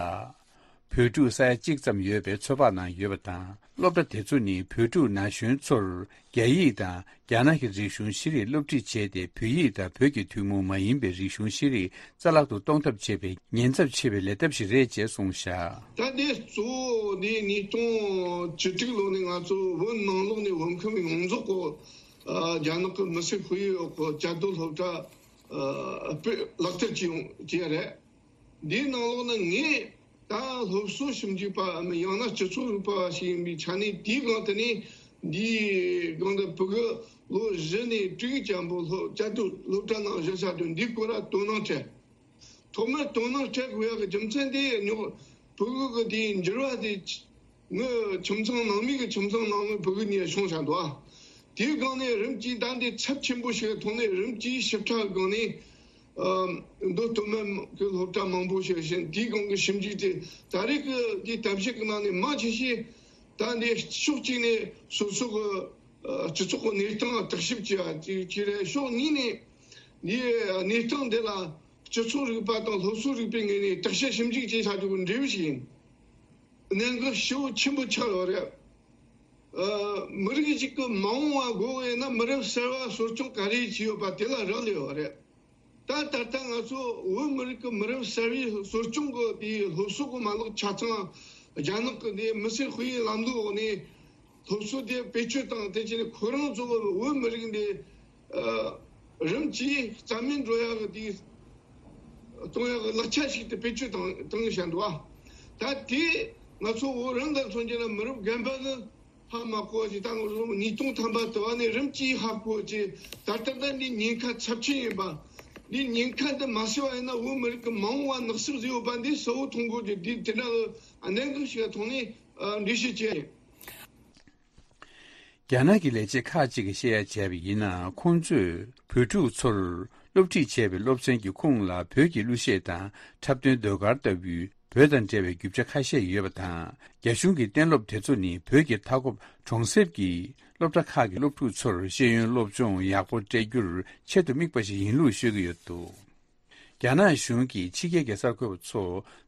བོད་ཕྲུག་ས་ཡ་གཅིག་ཙམ་ཡོད་པའི་ཚོད་དཔག་གནང་ཡོད་པ་དང་། སློབ་གྲྭ་དེ་ཚོ་ནི་བོད་ཕྲུག་ན་གཞོན་ཚོར་རྒྱ་ཡིག་དང་རྒྱ་ནག་གི་རིག་གཞུང་ཤེས་རིག་སློབ་ཁྲིད་བྱས་ཏེ། བོད་ཡིག་དང་བོད་ཀྱི་ཐུན་མོང་མ་ཡིན་པའི་རིག་གཞུང་ཤེས་རིག་རྩ་བརླག་ཏུ་གཏོང་ཐབས་བྱེད་པའི་ཉེན་ཚབས་ཆེ་བའི་ལས་ཐབས་ཤིག་རེད་ཅེས་གསུངས་བཞག་ད་དེ་གཙོ་བོ་ནི་ཉིས་སྟོང་བཅུ་དྲུག་ལོ་ནས་ང་ཚོ་བོད་ནང་ལོགས་ནས་བོད་ཁམས་ཡོངས་རྫོགས་གོ་རྒྱ་ནག་གི་མི་སེར་ཁོར་ཡུག་གོ་བཅའ་སྡོད་སློབ་གྲྭ་སྤེལ་ལག་བསྟར་བྱས་ཡོང་བྱས་རེད། འདིའི་ནང་ལོགས་ན་ངས་ད་སློབ་གསོ་ཞིབ་འཇུག་པའམ་ཡང་ན་སྤྱི་ཚོགས་རིག་པ་བ་ཞིག་ཡིན་པའི་ཆ་ནས། དེའི་སྒང་དེ་ནས་འདིའི་སྒང་དུ་ཕྲུ་གུ་ལོ་བཞི་ནས་དྲུག་ཙམ་པོ་སློབ་བཅའ་སྡོད་སློབ་གྲྭ་ནང་བཞག་བཞག་དུས། འདིའི་སྐོར་ལ་དོ་སྣང་སྤྲད། ཐོག་མར་དོ་སྣང་སྤྲད་དགོས་ཡག་གི་རྒྱུ་མཚན་དེ་ཉོག་ཕྲུ་གུ་གི་དེའི་འགྱུར་བ་དེ། ངའི་ཁྱིམ་ཚང་ནང་མི་གི་ཁྱིམ་ཚང་ནང་མི་ཕྲུ་གུ་གཉིས་བྱུང་བཞག་འདུག་ཨ། དེའི་སྒང་ནས་རིམ་གྱིས་ད་འདི་ཚབས་ཆེན་པོ་ཞིག་ཐོག་ནས་རིམ་གྱིས་ཞིབ་ཕྲ་སྒང་ནས། ཨ། མདོ་སྟོད་སྨད་ཀྱི་སློབ་གྲྭ་མང་པོ་ཞིག་བཞིན། དེའི་སྒང་གི་ཞིབ་འཇུག་དེ་ད་རེས་ཀྱི་འདིའི་གཏམ་བཤད་ཀྱི་ནང་ནས་མང་ཆེ་ཤོས་ད་འདི་ཕྱོགས་གཅིག་ནས་སོ་སོ་གི་ཨ་སྤྱི་ཚོགས་ཀྱི་གནས་སྟངས་བརྟག་ཞིབ་བྱས་པ་ཅིག་རེད། ཕྱོགས་གཉིས་ནས་འདིའི་གནས་སྟངས་འདི་ལ་སྤྱི་ཚོགས་རིག་པ་དང་སློབ་གསོ་རིག་པའི་ངོས་ནས་བརྟག་དཔྱད་ཞིབ་འཇུག་བྱས་བྱ་རྒྱུ་གི་འབྲས་བུ་ཞིག་ཡིན། གནད་འགག་ཞེ་པོ་ཆེན་པོ་ཆགས་ཡོད་རེད། ཨ། མི་རིགས་ཤིག་གི་མ་འོངས་པ་དགོས་ཡོད་ན། མི་རབས་གསར་བ་གསོ་སྐྱོང་ག་རེ་བྱས་ཡོད་པ་དེ་ལ་རག་ལས་ཡོད་རེད། ད་ད་ལྟ་ང་ཚོ་བོད་མི་རིགས་ཀྱི་མི་རབས་གསར་བའི་གསོ་སྐྱོང་གི་དེའི་སློབ་གསོ་གི་མ་ལག་ཆ་ཚང་རྒྱ་ནག་གི་འདི་མི་སེར་དཔེ་ཡིག་ལམ་ལུགས་འོག་ནས་སློབ་གསོ་དེ་བེད་སྤྱོད་བཏང་། དེ་བྱས་ནས་ཁོ་རང་ཚོ་བོད་མི་རིགས་འདི་ཨ་རིམ་གྱིས་རྩ་མེད་འགྲོ་ཡག་གི་དེ་གཏོང་ཡག་གི་ལག་ཆ་ཞིག་ཏུ་བེད་སྤྱོད་བཏང་བཏང་བཞག་འདུག་ཨ། ད་དེ་ང་ཚོ་བོད་རང་ལ་མཚོན་རྒྱུ་ན་མི་རབས་རྒན་པ་ནི་ཧ་མ་གོ་བ་ཅིག་ད་ང་ཚོ་ཉིས་སྟོང་ཐམ་པ་དུ་བ་ནས་རིམ་གྱིས་ཧ་གོ་བ་ཅིག་ད་ལྟ་ད་འདི་ཉེན་ཁ་ཚབས་ཆེན་ཡིན་པ། འདི་ཉེན་ཁ་འདི་མ་སེལ་བ་ཡིན་ན་བོད་མི་རིགས་ཀྱི་མ་འོངས་པ་ནག་སུབ་ཟིག་ཡོད་པ་འདི་གསལ་བོ་མཐོང་གོ་རྒྱུ། འདི་དེ་འདྲ་གི་གནད་འགག་ཞིག་ལ་ཐོག་ནས་འགྲེལ་བཤད་བྱས། རྒྱ་ནག་གི་ལས་བྱེད་ཁག་ཅིག་གིས་བཤད་ཡ་བྱས་པ་ཡིན་ན། ཁོང་ཚོས་བོད་ཕྲུག་ཚོར་སློབ་ཁྲིད་བྱས་པའི་སློབ་ཚན་གྱི་ཁུངས་ལ་བོད་ཀྱི་གླུ་གཞས་དང་འཁྲབ་སྟོན་ཟློས་གར་ལྟ་བུའི་བོད་དང་འབྲེལ་བའི་རྒྱུ་ཆ་ཁ་ཤས་ཡོད་པ་དང་། རྒྱ་གཞུང་གི་གཏན་སློབ་དེ་ཚོ་ནི་བོད་ཀྱི་མཐའ་འཁོབ་གྲོང་གསེབ་ཀྱི་སློབ་གྲྭ་ཁག་གི་སློབ་ཕྲུག་ཚོར་ཤེས་ཡོན་སློབ་སྦྱོང་ཡག་པོ་སྤྲད་རྒྱུར་ཆེད་དུ་དམིགས་པ་ཞིག་ཡིན་ལུགས་ཤོད་ཀྱི་ཡོད་འདུག་རྒྱ་ནག་གཞུང་གིས་ཕྱི་རྒྱལ་གྱི་གསར་འགོད་པ་ཚོ་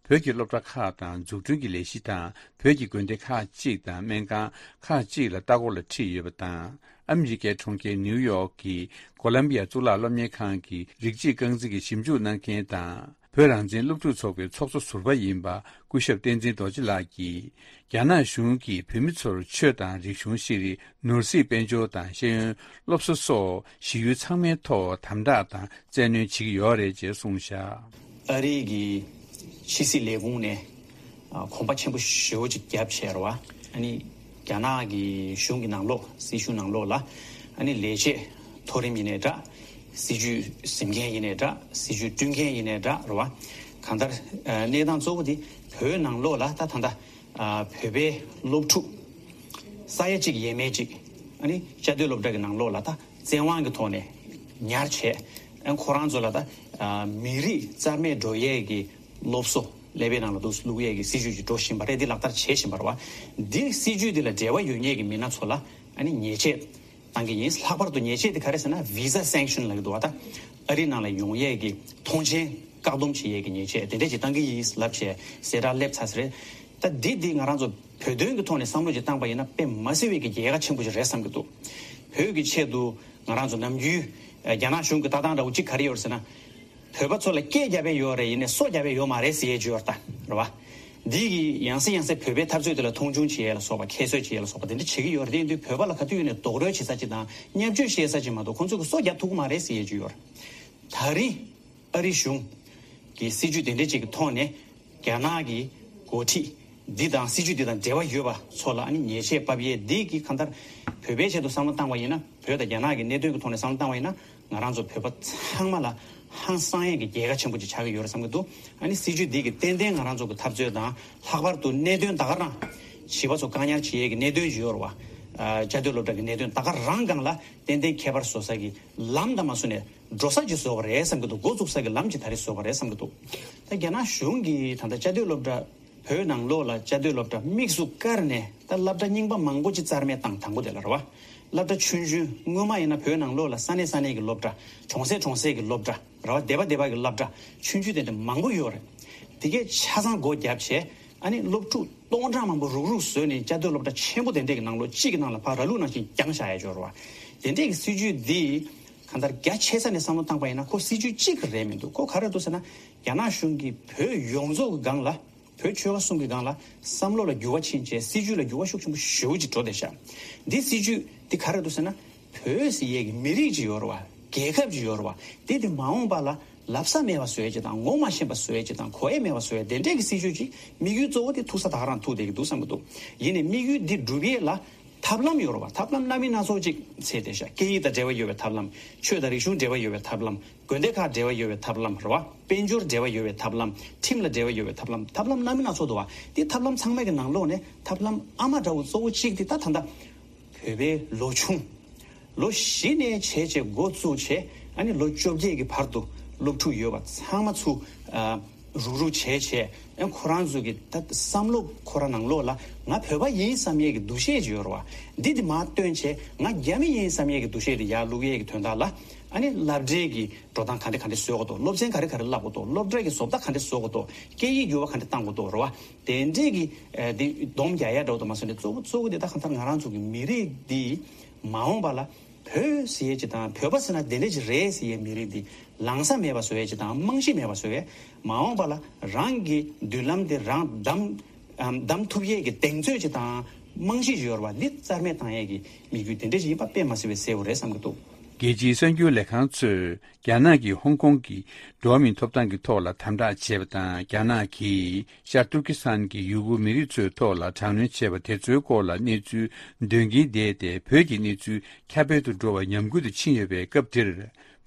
བོད་ཀྱི་སློབ་གྲྭ་ཁག་དང་། འཛུགས་སྐྲུན་གྱི་ལས་གཞི་དང་། བོད་ཀྱི་དགོན་སྡེ་ཁག་ཅིག་དང་སྨན་ཁང་ཁག་ཅིག་ལ་ལྟ་སྐོར་ལ་ཁྲིད་ཡོད་པ་དང་། ཨ་མི་རི་ཀའི་གྲོང་ཁྱེར་ནིའུ་ཡོག་གི་ཀོ་ལམ་བི་ཡ་གཙུག་ལག་སློབ་གཉེར་ཁང་གི་རིགས་གཅིག་རྐང་འཛིན་གྱི་ཞིབ་འཇུག་གནང་མཁན་དང་། བོད་རང་བཙན་སློབ་ཕྲུག་ཚོགས་པའི་ཚོགས་གཙོ་ཟུར་པ་ཡིན་པ་སྐུ་ཞབས་བསྟན་འཛིན་རྡོ་རྗེ་ལགས་ཀྱིས། རྒྱ་ནག་གཞུང་གིས་བོད་མི་ཚོར་ཆོས་དང་རིག་གཞུང་། ཤེས་རིག་ནོར་སྲིད། དཔལ་འབྱོར་དང་ཤེས་ཡོན། སློབ་གསོ་སོགས་གཞི་ཡུལ་ཚང་མའི་ཐོག་དམ་དྲག་དང་བཙན་གནོན་བྱེད་ཀྱི་ཡོད་རེད་ཅེས་གསུངས་བཞག་ཨ་རི་གི་ཕྱི་སྲིད་ལས་ཁུངས་ནས་ཨ་གོམ་པ་ཆེན་པོ་ཞེ་པོ་ཅིག་བརྒྱབ་བྱས་རེད་བ། ཨ་ནི་རྒྱ་ནག་གི་གཞུང་གི་ནང་ལོགས། སྲིད་གཞུང་ནང་ལོགས་ལ་ཨ་ནི་ལས་བྱེད་མཐོ་རིམ་ཡིན་ནའི་འདྲ། སྲིད་ཇུས་འཛིན་མཁན་ཡིན་ནའི་འདྲ། སྲིད་ཇུས་བསྐྲུན་མཁན་ཡིན་ནའི་འདྲ་རེད་བ། གང་ལྟར་ཨ་གནས་སྟངས་གཙོ་བོ་དེ་བོད་ནང་ལོགས་ལ་ད་ད་ལྟ་ཨ་བོད་པའི་སློབ་ཕྲུག་ས་ཡ་གཅིག་ཡས་མས་གཅིག་ཨ་ནི་བཅའ་སྡོད་སློབ་གྲྭ་གི་ནང་ལོགས་ལ་ད་བཙན་དབང་གི་ཐོག་ནས་ཉར་བྱས། ཨ་ཁོ་རང་ཚོ་ལ་ད་ཨ་མི་རིགས་རྩ་མེད་འགྲོ་ཡས་ཀྱི་སློབ་གསོ་ཀླད་པའི་ནང་ལ་འདུག་བླུག་ཡས་ཀྱི་སྲིད་ཇུས་ཅིག་འགྲོ་བཞིན་པ་རེད། འདི་ལག་བསྟར་བྱེད་བཞིན་པ་རེད་བ། འདི་སྲིད་ཇུས་འདི་ལ་འབྲེལ་བ་ཡོད་མཁན་གྱི་མི་སྣ་ཚོ་ལ་ཨ་ནི་ཉེས་ཆད་བཏང་གི་ཡིན། ལྷག་པར་དུ་ཉེས་ཆད་དེ་ག་རེ་ཟེར་ན། Visa Sanction ལབ་ཀྱི་འདུག་བ། ད་ཨ་རི་ནང་ལ་ཡོང་ཡས་ཀྱི་ཐོངས་མཆན་བཀག་སྡོམ་བྱེད་ཡས་ཀྱི་ཉེས་ཆད་དེ་འདྲས་ཅིག་བཏང་གི་ཡིན་ལབ་བྱས་གསལ་བསྒྲགས་སླེབས་ཚར་ས་རེད། ད་འདི་འདི་ང་རང་ཚོ་བོད་དོན་གྱི་ཐོག་ནས་བསམ་བློ་ཅིག་བཏང་པ་ཡིན་ན་དཔེ་མ་སྲིད་པའི་གི་རྒྱལ་ཁ་ཆེན་པོ་ཞིག་རེད་བསམ་གྱི་འདུག་བོད་ཀྱི་ཆེད་དུ་ང་རང་ཚོ་ནམ་རྒྱུན་རྒྱ་ནག་གཞུང་གི་ལྟ་སྟངས་འདྲ་བོ་གཅིག་ག་རེ་ཡོད་རེད་ཟེར་ན། བོད་པ་ཚོ་ལ་སྐད་རྒྱབ་པའི་ཡོད་རེད། ཡིན་ནའི་སོ་རྒྱབ་པའི་ཡོད་མ་རེད་ཟེར་ཡས་ཅིག་ཡོད་རེད་ད། རེད་བ། འདི་གི་ཡང་སེ་ཡང་སེ་བོད་པའི་འཐབ་རྩོད་དེ་ལ་མཐོང་ཆུང་བྱེད་ཡས་ལ་སོགས་པ། ཁྱད་གསོད་བྱེད་ཡས་ལ་སོགས་པ་དེ་འདྲ་བྱེད་ཀྱི་ཡོད་རེད། དེ་ཡིན་དུས་བོད་པ་ལ་ག་དུས་ཡིན་ནའི་རྡོག་རོལ་བྱེད་ས་ཅིག་དང་བརྙས་བཅོས་བྱེད་ས་ཅིག་མ་གཏོགས་ཁོང་ཚོ་གི་སོ་རྒྱབ་ཐུབ་ཀྱི་མ་རེད་ཟེར་ཡས་ཅིག་ཡོད་རེད། ད་རིང་ཨ་རི་གཞུང་གི་སྲིད་ཇུས་དེ་འདྲ་ཅིག་གི་ཐོག་ནས་རྒྱ་ནག་གི་འགོ་ཁྲིད་འདི་དང་སྲིད་ཇུས་འདི་དང་འབྲེལ་བ་ཡོད་པ་ཚོ་ལ་ཨ་ནི་ཉེས་ཆད་ཕབ་ཡས་འདི་གི་གང་ལྟར་བོད་པའི་ཆེད་དུ་བསམ་བློ་བཏང་བ་ཡིན་ན། བོད་དང་རྒྱ་ནག་གི་གནད་དོན་གྱི་ཐོག་ནས་བསམ་བློ་བཏང་བ་ཡིན་ན། ང་རང་ཚོ་བོད་པ་ཚང་མ་ལ་ཧང་སང་ཡས་ཀྱི་རྒྱལ་ཁ་ཆེན་པོ་ཅིག་ཆགས་ཀྱི་ཡོད་རེད་བསམ་གྱི་འདུག་ཨ་ནི་སྲིད་ཇུས་འདི་གི་ཏན་ཏན་ང་རང་ཚོ་གི་འཐབ་རྩོད་དང་། ལྷག་པར་དུ་གནད་དོན་ད་ག་རང་བྱིས་པ་ཚོ་བཀག་ཉར་བྱེད་ཡས་ཀྱི་གནད་དོན་ཅིག་ཡོད་རེད་བ། ཨ། བཅའ་སྡོད་སློབ་གྲྭ་གི་གནད་དོན་ད་ག་རང་སྒང་ལ་ཏན་ཏན་ཁྱད་པར་བཟོ་ས་གི་ལམ་དང་མ་བཟོ་ནས་འགྲོ་ས་ཅིག་བཟོ་བ་རེད་བསམ་གྱི་འདུག་འགོ་བཙུགས་ས་གི་ལམ་ཅིག་ད་རེས་བཟོ་བ་རེད་བསམ་གྱི་འདུག་ད་རྒྱ་ནག་གཞུང་གིས་ད་ལྟ་བཅའ་སྡོད་སློབ་གྲྭ། བོད་ནང་ལོགས་ལ་བཅའ་སྡོད་སློབ་གྲྭ་དམིགས་སུ་བཀར་ནས་ད་སློབ་གྲྭ་རྙིང་པ་མང་པོ་ཅིག་རྩ་མེད་བཏང་། དང་པོ་དེ་ལ་རེད་བ། སློབ་གྲྭ་ཆུང་ཆུང་སྔོན་མ་ཡིན་ན་བོད་ནང་ལོགས་ལ་ས་གནས་ས་གནས་ཀྱི་སློབ་གྲྭ། གྲོང་གསེབ་གྲོང་གསེབ་ཀྱི་སློབ་གྲྭ་རེད་བ། སྡེ་པ་སྡེ་པ་གི་སློབ་གྲྭ་ཆུང་ཆུང་དེ་འདྲ་མང་པོ་ཡོད་རེད། དེ་གས་ཆ་ཚང་སྒོ་བརྒྱབ་བྱས། ཨ་ནི་སློབ་ཕྲུག་སྟོང་ཕྲག་མང་པོ་རུག་རུག་བཟོས་ནས་བཅའ་སྡོད་སློབ་གྲྭ་ཆེན་པོ་དེ་འདྲས་ཀྱི་ནང་ལོགས་གཅིག་གི་ནང་ལ་ཕར་ར་ལུག་ནང་བཞིན་བརྒྱངས་བཞག་ཡ་ཅིག་ཡོད་རེད་བ། དེ་འདྲས་ཀྱི་སྲིད་ཇུས་འདི་གང་ལྟར་རྒྱ་ཆེ་ས་ནས་བསམ་བློ་བཏང་པ་ཡིན་ན་ཁོ་སྲིད་ཇུས་གཅིག་རེད་མི་འདུག་ཁོ་ག་རེ་འདུག་ཟེར་ན། རྒྱ་ནག་གཞུང་གིས་བོད་ཡོངས་རྫོགས་ཀྱི་སྒང་ལ། བོད་ཆོལ་ཁ་གསུམ་གྱི་སྒང་ལ་བསམ་བློ་ལ་འགྱུར་བ་ཕྱིན་བྱས། སྲིད་ཇུས་ལ་འགྱུར་བ་ཤུགས་ཆེན་པོ་ཞེ་པོ་ཅིག་འགྲོ་བསྡད་ཤག་འདི་སྲིད་ཇུས་འདི་ག་རེ་འདུག་ཟེར་ན། བོད་ཟེར་ཡས་ཀྱི་མི་རིགས་ཅིག་ཡོད་རེད་བ། རྒྱལ་ཁབ་ཅིག་ཡོད་རེད་བ། དེ་དེ་མ་འོངས་པ་ལ་ལབ་ས་མེད་པ་བཟོ་ཡས་ཅིག་དང་། ངོ་མ་ཤེས་པ་བཟོ་ཡས་ཅིག་དང་། གོ་ཡས་མེད་པ་བཟོ་ཡས། དེ་འདྲས་ཀྱི་སྲིད་ཇུས་ཅིག་དམིགས་ཡུལ་གཙོ་བོ་དེ་ཐུག་ས་ད་ག་རང་ཐུག་བསྡད་ཀྱི་འདུག་བསམ་གྱི་འདུག་ཡིན་ནའི་དམིགས་ཡུལ་འདི་འགྲུབ་ཡས་ལ་ཐབས་ལམ་ཡོད་རེད་བ། ཐབས་ལམ་སྣ་མིན་སྣ་ཚོགས་ཅིག་འཚོལ་བསྡད་ཤག་སྐད་ཡིག་དང་འབྲེལ་བ་ཡོད་པའི་ཐབས་ལམ། ཆོས་དང་རིག་གཞུང་འབྲེལ་བ་ཡོད་པའི་ཐབས་ལམ། དགོན་སྡེ་ཁག་འབྲེལ་བ་ཡོད་པའི་ཐབས་ལམ་རེད་བ། དཔལ་འབྱོར་འབྲེལ་བ་ཡོད་པའི་ཐབས་ལམ། ཁྲིམས་ལ་འབྲེལ་བ་ཡོད་པའི་ཐབས་ལམ། ཐབས་ལམ་སྣ་མིན་སྣ་ཚོགས་འདུག་བ། དེ་ཐབས་ལམ་ཚང་མའི་གི་ནང་ལོགས་ནས་ཐབས་ལམ་ཨ་མ་འདྲ་བོ་གཙོ་བོ་གཅིག་དེ་ད་ད་ལྟ་བོད་པའི་ལོ་ཆུང་། ལོ་བཞི་ནས་བྱས་བྱས་འགོ་བཙུགས་བྱས། ཨ་ནི་ལོ་བཅོ་བརྒྱད་ཀྱི་བར་དུ་སློབ་ཕྲུག་ཡོད་པ་ཚང་མ་ཚུར། ཨ། རུག་རུག་བྱས་བྱས། ཨ། ཁོ་རང་ཚོ་གི་ད་བསམ་བློ་ཁོ་རང་ནང་ལོགས་ལ་ང་བོད་པ་ཡིན་བསམ་ཡས་ཀྱི་འདུ་ཤེས་ཅིག་ཡོད་རེད་བ། འདི་དེ་མར་བཏོན་བྱས། ང་རྒྱ་མི་ཡིན་བསམ་ཡས་ཀྱི་འདུ་ཤེས་དེ་ཡར་བླུག་ཡས་ཀྱི་དོན་དག་ལ། ཨ་ནི་སློབ་གྲྭའི་གི་འགྲོ་སྟངས་ག་འདྲ་ག་འདྲ་བཟོ་དགོས་འདུག་སློབ་ཚན་ག་རེ་ག་རེ་བསླབ་དགོས་འདུག་སློབ་གྲྭའི་གི་བཟོ་ལྟ་ག་འདྲ་བཟོ་དགོས་འདུག་སྐད་ཡིག་འགྱུར་བ་ག་འདྲ་གཏང་དགོས་འདུག་རེད་བ། དེ་འདྲས་ཀྱི། ཨ། འདི་སྡོམ་རྒྱག་ཡ་འདྲ་བོ་དང་མ་སོང་ནས། གཙོ་བོ་གཙོ་བོ་དེ་ད་གང་ལྟར་ང་རང་ཚོ་གི་མི་རིགས་འདི་མ་འོངས་པ་ལ་བོད་ཟེར་ཡས་ཅིག་དང་། བོད་པ་ཟེར་ན་དེ་འདྲས་ཅིག་རེད་ཟེར་ཡས་མི་རིགས་འདི་ལངས་ས་མེད་པ་བཟོ་ཡས་ཅིག་དང་། རྨང་གཞི་མེད་པ་བཟོ་ཡས། མ་འོངས་པ་ལ་རང་གི་མདུན་ལམ་དེ་རང་བདམས། ཨམ། བདམས་ཐུབ་ཡས་ཀྱི་གདེང་ཚོད་ཅིག་དང་རྨང་གཞི་ཅིག་ཡོད་རེད་བ། འདི་རྩ་མེད་བཏང་ཡས་ཀྱི་དམིགས་ཡུལ་དེ་འདྲས་ཅིག་ཡིན་པ་དཔེ་མ་སྲིད་པའི་གསལ་པོ་རེད་བསམ་གྱི་འདུག་རྒྱལ་སྤྱིའི་གསར་འགྱུར་ལས་ཁང་ཚོས་རྒྱ་ནག་གིས་ཧོང་ཀོང་གི་འགྲོ་བ་མིའི་ཐོབ་ཐང་གི་ཐོག་ལ་དམ་དྲག་བྱས་པ་དང་། རྒྱ་ནག་གིས་ཤར་ཏུར་ཀི་སི་ཐན་གྱི་ཡུ་གུར་མི་རིགས་ཚོའི་ཐོག་ལ་དྲག་གནོན་བྱས་པ་དེ་ཚོའི་སྐོར་ལ་གནས་ཚུལ་འདོན་གྱིན་བསྡད་དེ། བོད་ཀྱི་གནས་ཚུལ་ཁྱབ་སྤེལ་དུ་འགྲོ་བ་ཉམས་རྒུད་དུ་ཕྱིན་ཡོད་པའི་སྐབས་འདིར།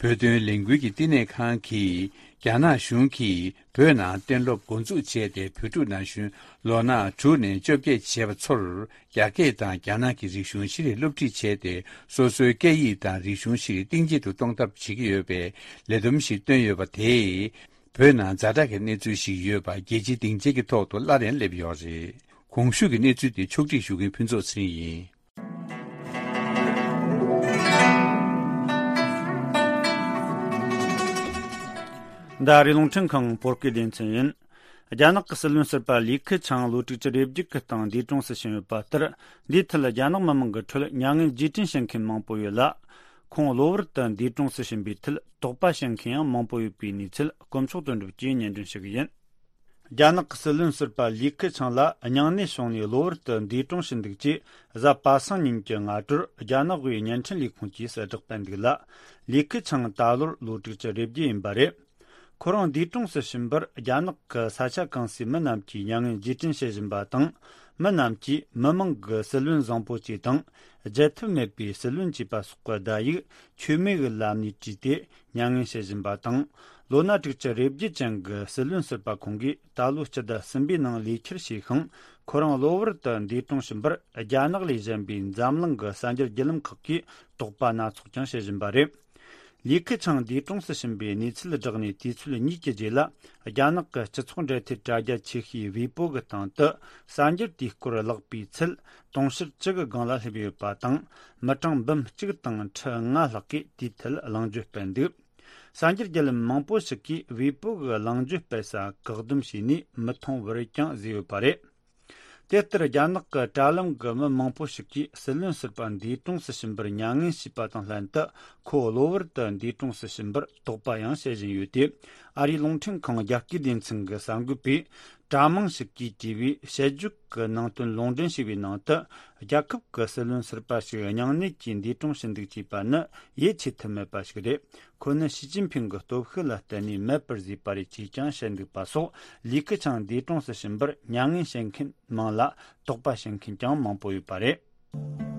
བོད་དོན་ལས་འགུལ་གྱི་བསྟི་གནས་ཁང་གིས། རྒྱ་ནག་གཞུང་གིས་བོད་ནང་གཏན་སློབ་འགོ་འཛུགས་བྱས་ཏེ། བོད་ཕྲུག་ན་གཞོན་ལོ་ན་དྲུག་ནས་བཅོ་བརྒྱད་བྱས་པ་ཚོར་རྒྱ་སྐད་དང་རྒྱ་ནག་གི་རིག་གཞུང་ཤེས་རིག་སློབ་ཁྲིད་བྱས་ཏེ། སོ་སོའི་སྐད་ཡིག་དང་རིག་གཞུང་ཤེས་རིག་གཏིང་ཇེ་ཆེར་གཏོང་ཐབས་བྱེད་ཀྱི་ཡོད་པའི་ལས་བསྡོམས་ཤིག་བཏོན་ཡོད་པ་དེས། བོད་ནང་ཛ་དྲག་གི་གནས་ཚུལ་ཞིག་ཡོད་པ་རྒྱལ་སྤྱིའི་སྡིངས་ཆའི་ཐོག་ཏུ་སླར་ཡང་སླེབས་ཡོད་རེད། གོང་ཞུས་ཀྱི་གནས་ཚུལ་དེ་ཕྱོགས་སྒྲིག་ཞུ་མཁན་ཕུན་ཚོགས་ཚེ་རིང་ཡིན། འདི་ཨ་རིའི་རླུང་འཕྲིན་ཁང་བོད་སྐད་སྡེ་ཚན་ཡིན། རྒྱ་ནག་གི་སྲིད་བློན་ཟུར་པ་ལི་ཁེ་ཆང་ལོ་དྲུག་ཅུ་རེ་བརྒྱད་ཀྱི་སྟེང་འདས་གྲོངས་སུ་ཕྱིན་ཡོད་པ་ལྟར། འདིའི་ཐད་རྒྱ་ནག་མི་མང་གི་ཁྲོད་མྱ་ངན་རྗེས་དྲན་བྱེད་མཁན་མང་པོ་ཡོད་ལ། ཁོང་གློ་བུར་དུ་འདས་གྲོངས་སུ་ཕྱིན་པའི་ཐད་དོགས་པ་བྱེད་མཁན་ཡང་མང་པོ་ཡོད་པའི་གནས་ཚུལ་དཀོན་མཆོག་དོན་གྲུབ་ཀྱིས་སྙན་སྒྲོན་ཞུ་གི་ཡིན། རྒྱ་ནག་གི་སྲིད་བློན་ཟུར་པ་ལི་ཁེ་ཆང་ལགས་སྙིང་ནད་བྱུང་ནས་གློ་བུར་དུ་འདས་གྲོངས་ཕྱིན་འདུག་ཅེས་གཟའ་པ་སངས་ཉིན་གྱི་སྔ་དྲོར་རྒྱ་ནག་དབུས་བརྙན་འཕྲིན་ལས་ཁུངས་ཀྱིས་གསལ་བསྒྲགས་སྤེལ་འདུག་ལ། ལི་ཁེ་ཆང་ད་ལོར་ལོ་དྲུག་ཅུ་རེ་བརྒྱད་ཡིན་པ་རེད། ཁོ་རང་འདས་གྲོངས་སུ་ཕྱིན་པར་རྒྱ་ནག་གི་ས་ཆ་གང་སའི་མི་རྣམས་ཀྱིས་མྱ་ངན་རྗེས་དྲན་བྱེད་བཞིན་པ་དང་། མི་རྣམས་ཀྱིས་མི་མང་གི་སྲིད་བློན་བཟང་པོ་བཅས་དང་བརྗེད་ཐབས་མེད་པའི་སྲིད་བློན་ཅེས་པ་སོགས་ཀྱི་བརྡ་ཡིག་མཆོད་མེ་གི་ལམ་ནས་བྲིས་ཏེ། མྱ་ངན་བྱེད་བཞིན་པ་དང་། ལོ་ན་དྲུག་ཅུ་རེ་བརྒྱད་ཅན་གྱི་སྲིད་བློན་ཟུར་པ་ཁོང་གིས་ད་ལོ་སྤྱི་ཟླ་གསུམ་པའི་ནང་ལས་འཁྱུར་བྱས་ཤིང་། ཁོ་རང་གློ་བུར་དུ་འདས་གྲོངས་ཕྱིན་པར་རྒྱ་ནག་ལས་གཞན་པའི་འཛམ་གླིང་གི་གསར་འགྱུར་བརྒྱུད་ལམ་ཁག་གིས་དོགས་པ་སྣ་ཚོགས་ཀྱང་བྱེད་བཞིན་པ་རེད། ལི་ཁེ་ཆང་འདས་གྲོངས་སུ་ཕྱིན་པའི་གནས་ཚུལ་བསྒྲགས་ནས་དུས་ཚོད་གཉིས་ཀྱི་རྗེས་ལ། རྒྱ་ནག་གི་སྤྱི་ཚོགས་འབྲེལ་མཐུད་དྲ་རྒྱ་ཆེ་ཤོས་ཝེ་པོ་གི་སྟེང་དུ་གསར་འགྱུར་དེའི་སྐོར་བཀླགས་པའི་ཚད་དུང་ཕྱུར་བཅུ་གི་སྒང་ལ་སླེབས་ཡོད་པ་དང་། མི་གྲངས་འབུམ་གཅིག་དང་ཁྲི་ལྔ་ལྷག་གིས་དེའི་ཐད་གླེང་བརྗོད་སྤེལ་འདུག་གསར་འགྱུར་བརྒྱུད་ལམ་མང་པོ་ཞིག་གིས་ཝེ་པོ་གི་གླེང་བརྗོད་སྤེལ་ས་བཀག་སྡོམ་བྱས་ནས་མི་མཐོང་བར་ཀྱང་བཟོས་ཡོད་པ་རེད། དེ་ལྟར་རྒྱ་ནག་གི་དྲ་ལམ་གྱི་མི་མང་པོ་ཞིག་གིས་སྲིད་བློན་ཟུར་པ་འདས་གྲོངས་སུ་ཕྱིན་པར་མྱ་ངན་ཞུས་པ་དང་ལྷན་དུ། ཁོ་གློ་བུར་དུ་འདས་གྲོངས་སུ་ཕྱིན་པར་དོགས་པ་ཡང་བྱེད་བཞིན་ཡོད་དེ། ཨ་རིའི་རླུང་འཕྲིན་ཁང་རྒྱ་སྐད་སྡེ་ཚན་གྱི་གསར་འགོད་པས། དྲ་མང་ཞིག་གིས་བྲིས་པའི་དཔྱད་བརྗོད་ཀྱི་ནང་དོན་ལུང་འདྲེན་བྱས་པའི་ནང་དུ། རྒྱལ་ཁབ་ཀྱི་སྲིད་བློན་ཟུར་པ་ཞིག་སྙིང་ནད་ཀྱིས་འདས་གྲོངས་ཕྱིན་འདུག་ཅེས་པ་ནི་ཡིད་ཆེས་ཐུབ་མེད་པ་ཞིག་རེད། ཁོ་ནི་ཞི་ཅིན་ཕིང་གི་སྟོབས་ཤུགས་ལ་བརྟེན་ནས་མེད་པར་བཟོས་པ་རེད་ཅེས་ཀྱང་བཤད་འདུག་པ་སོགས། ལི་ཁེ་ཆང་འདས་གྲོངས་སུ་ཕྱིན་པར་མྱ་ངན་བྱེད་མཁན་མང་ལ། དོགས་པ་བྱེད་མཁན་ཀྱང་མང་པོ་ཡོད་པ་རེད།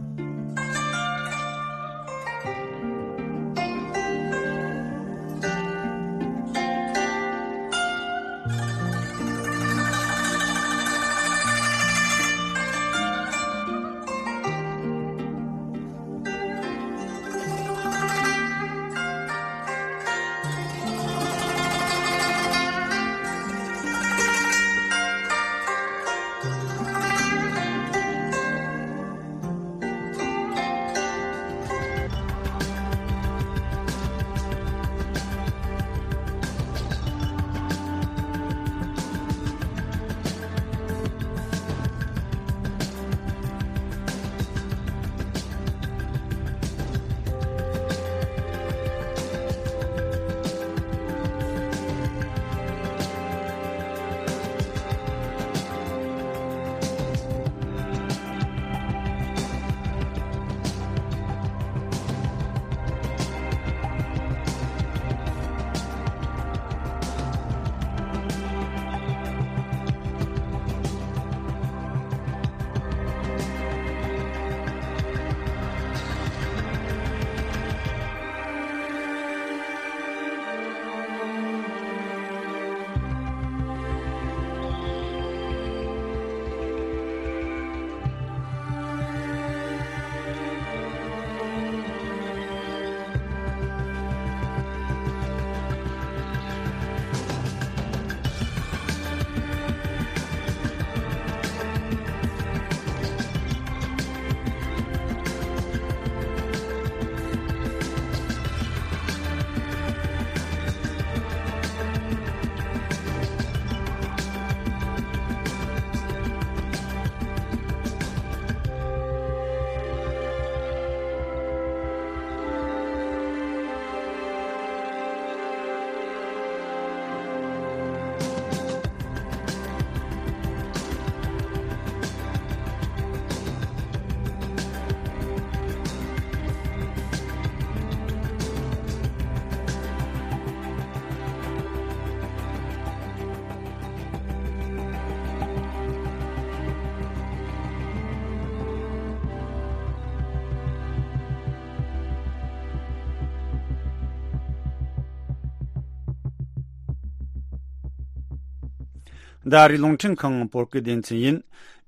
འདི་ཨ་རིའི་རླུང་འཕྲིན་ཁང་བོད་སྐད་སྡེ་ཚན་ཡིན།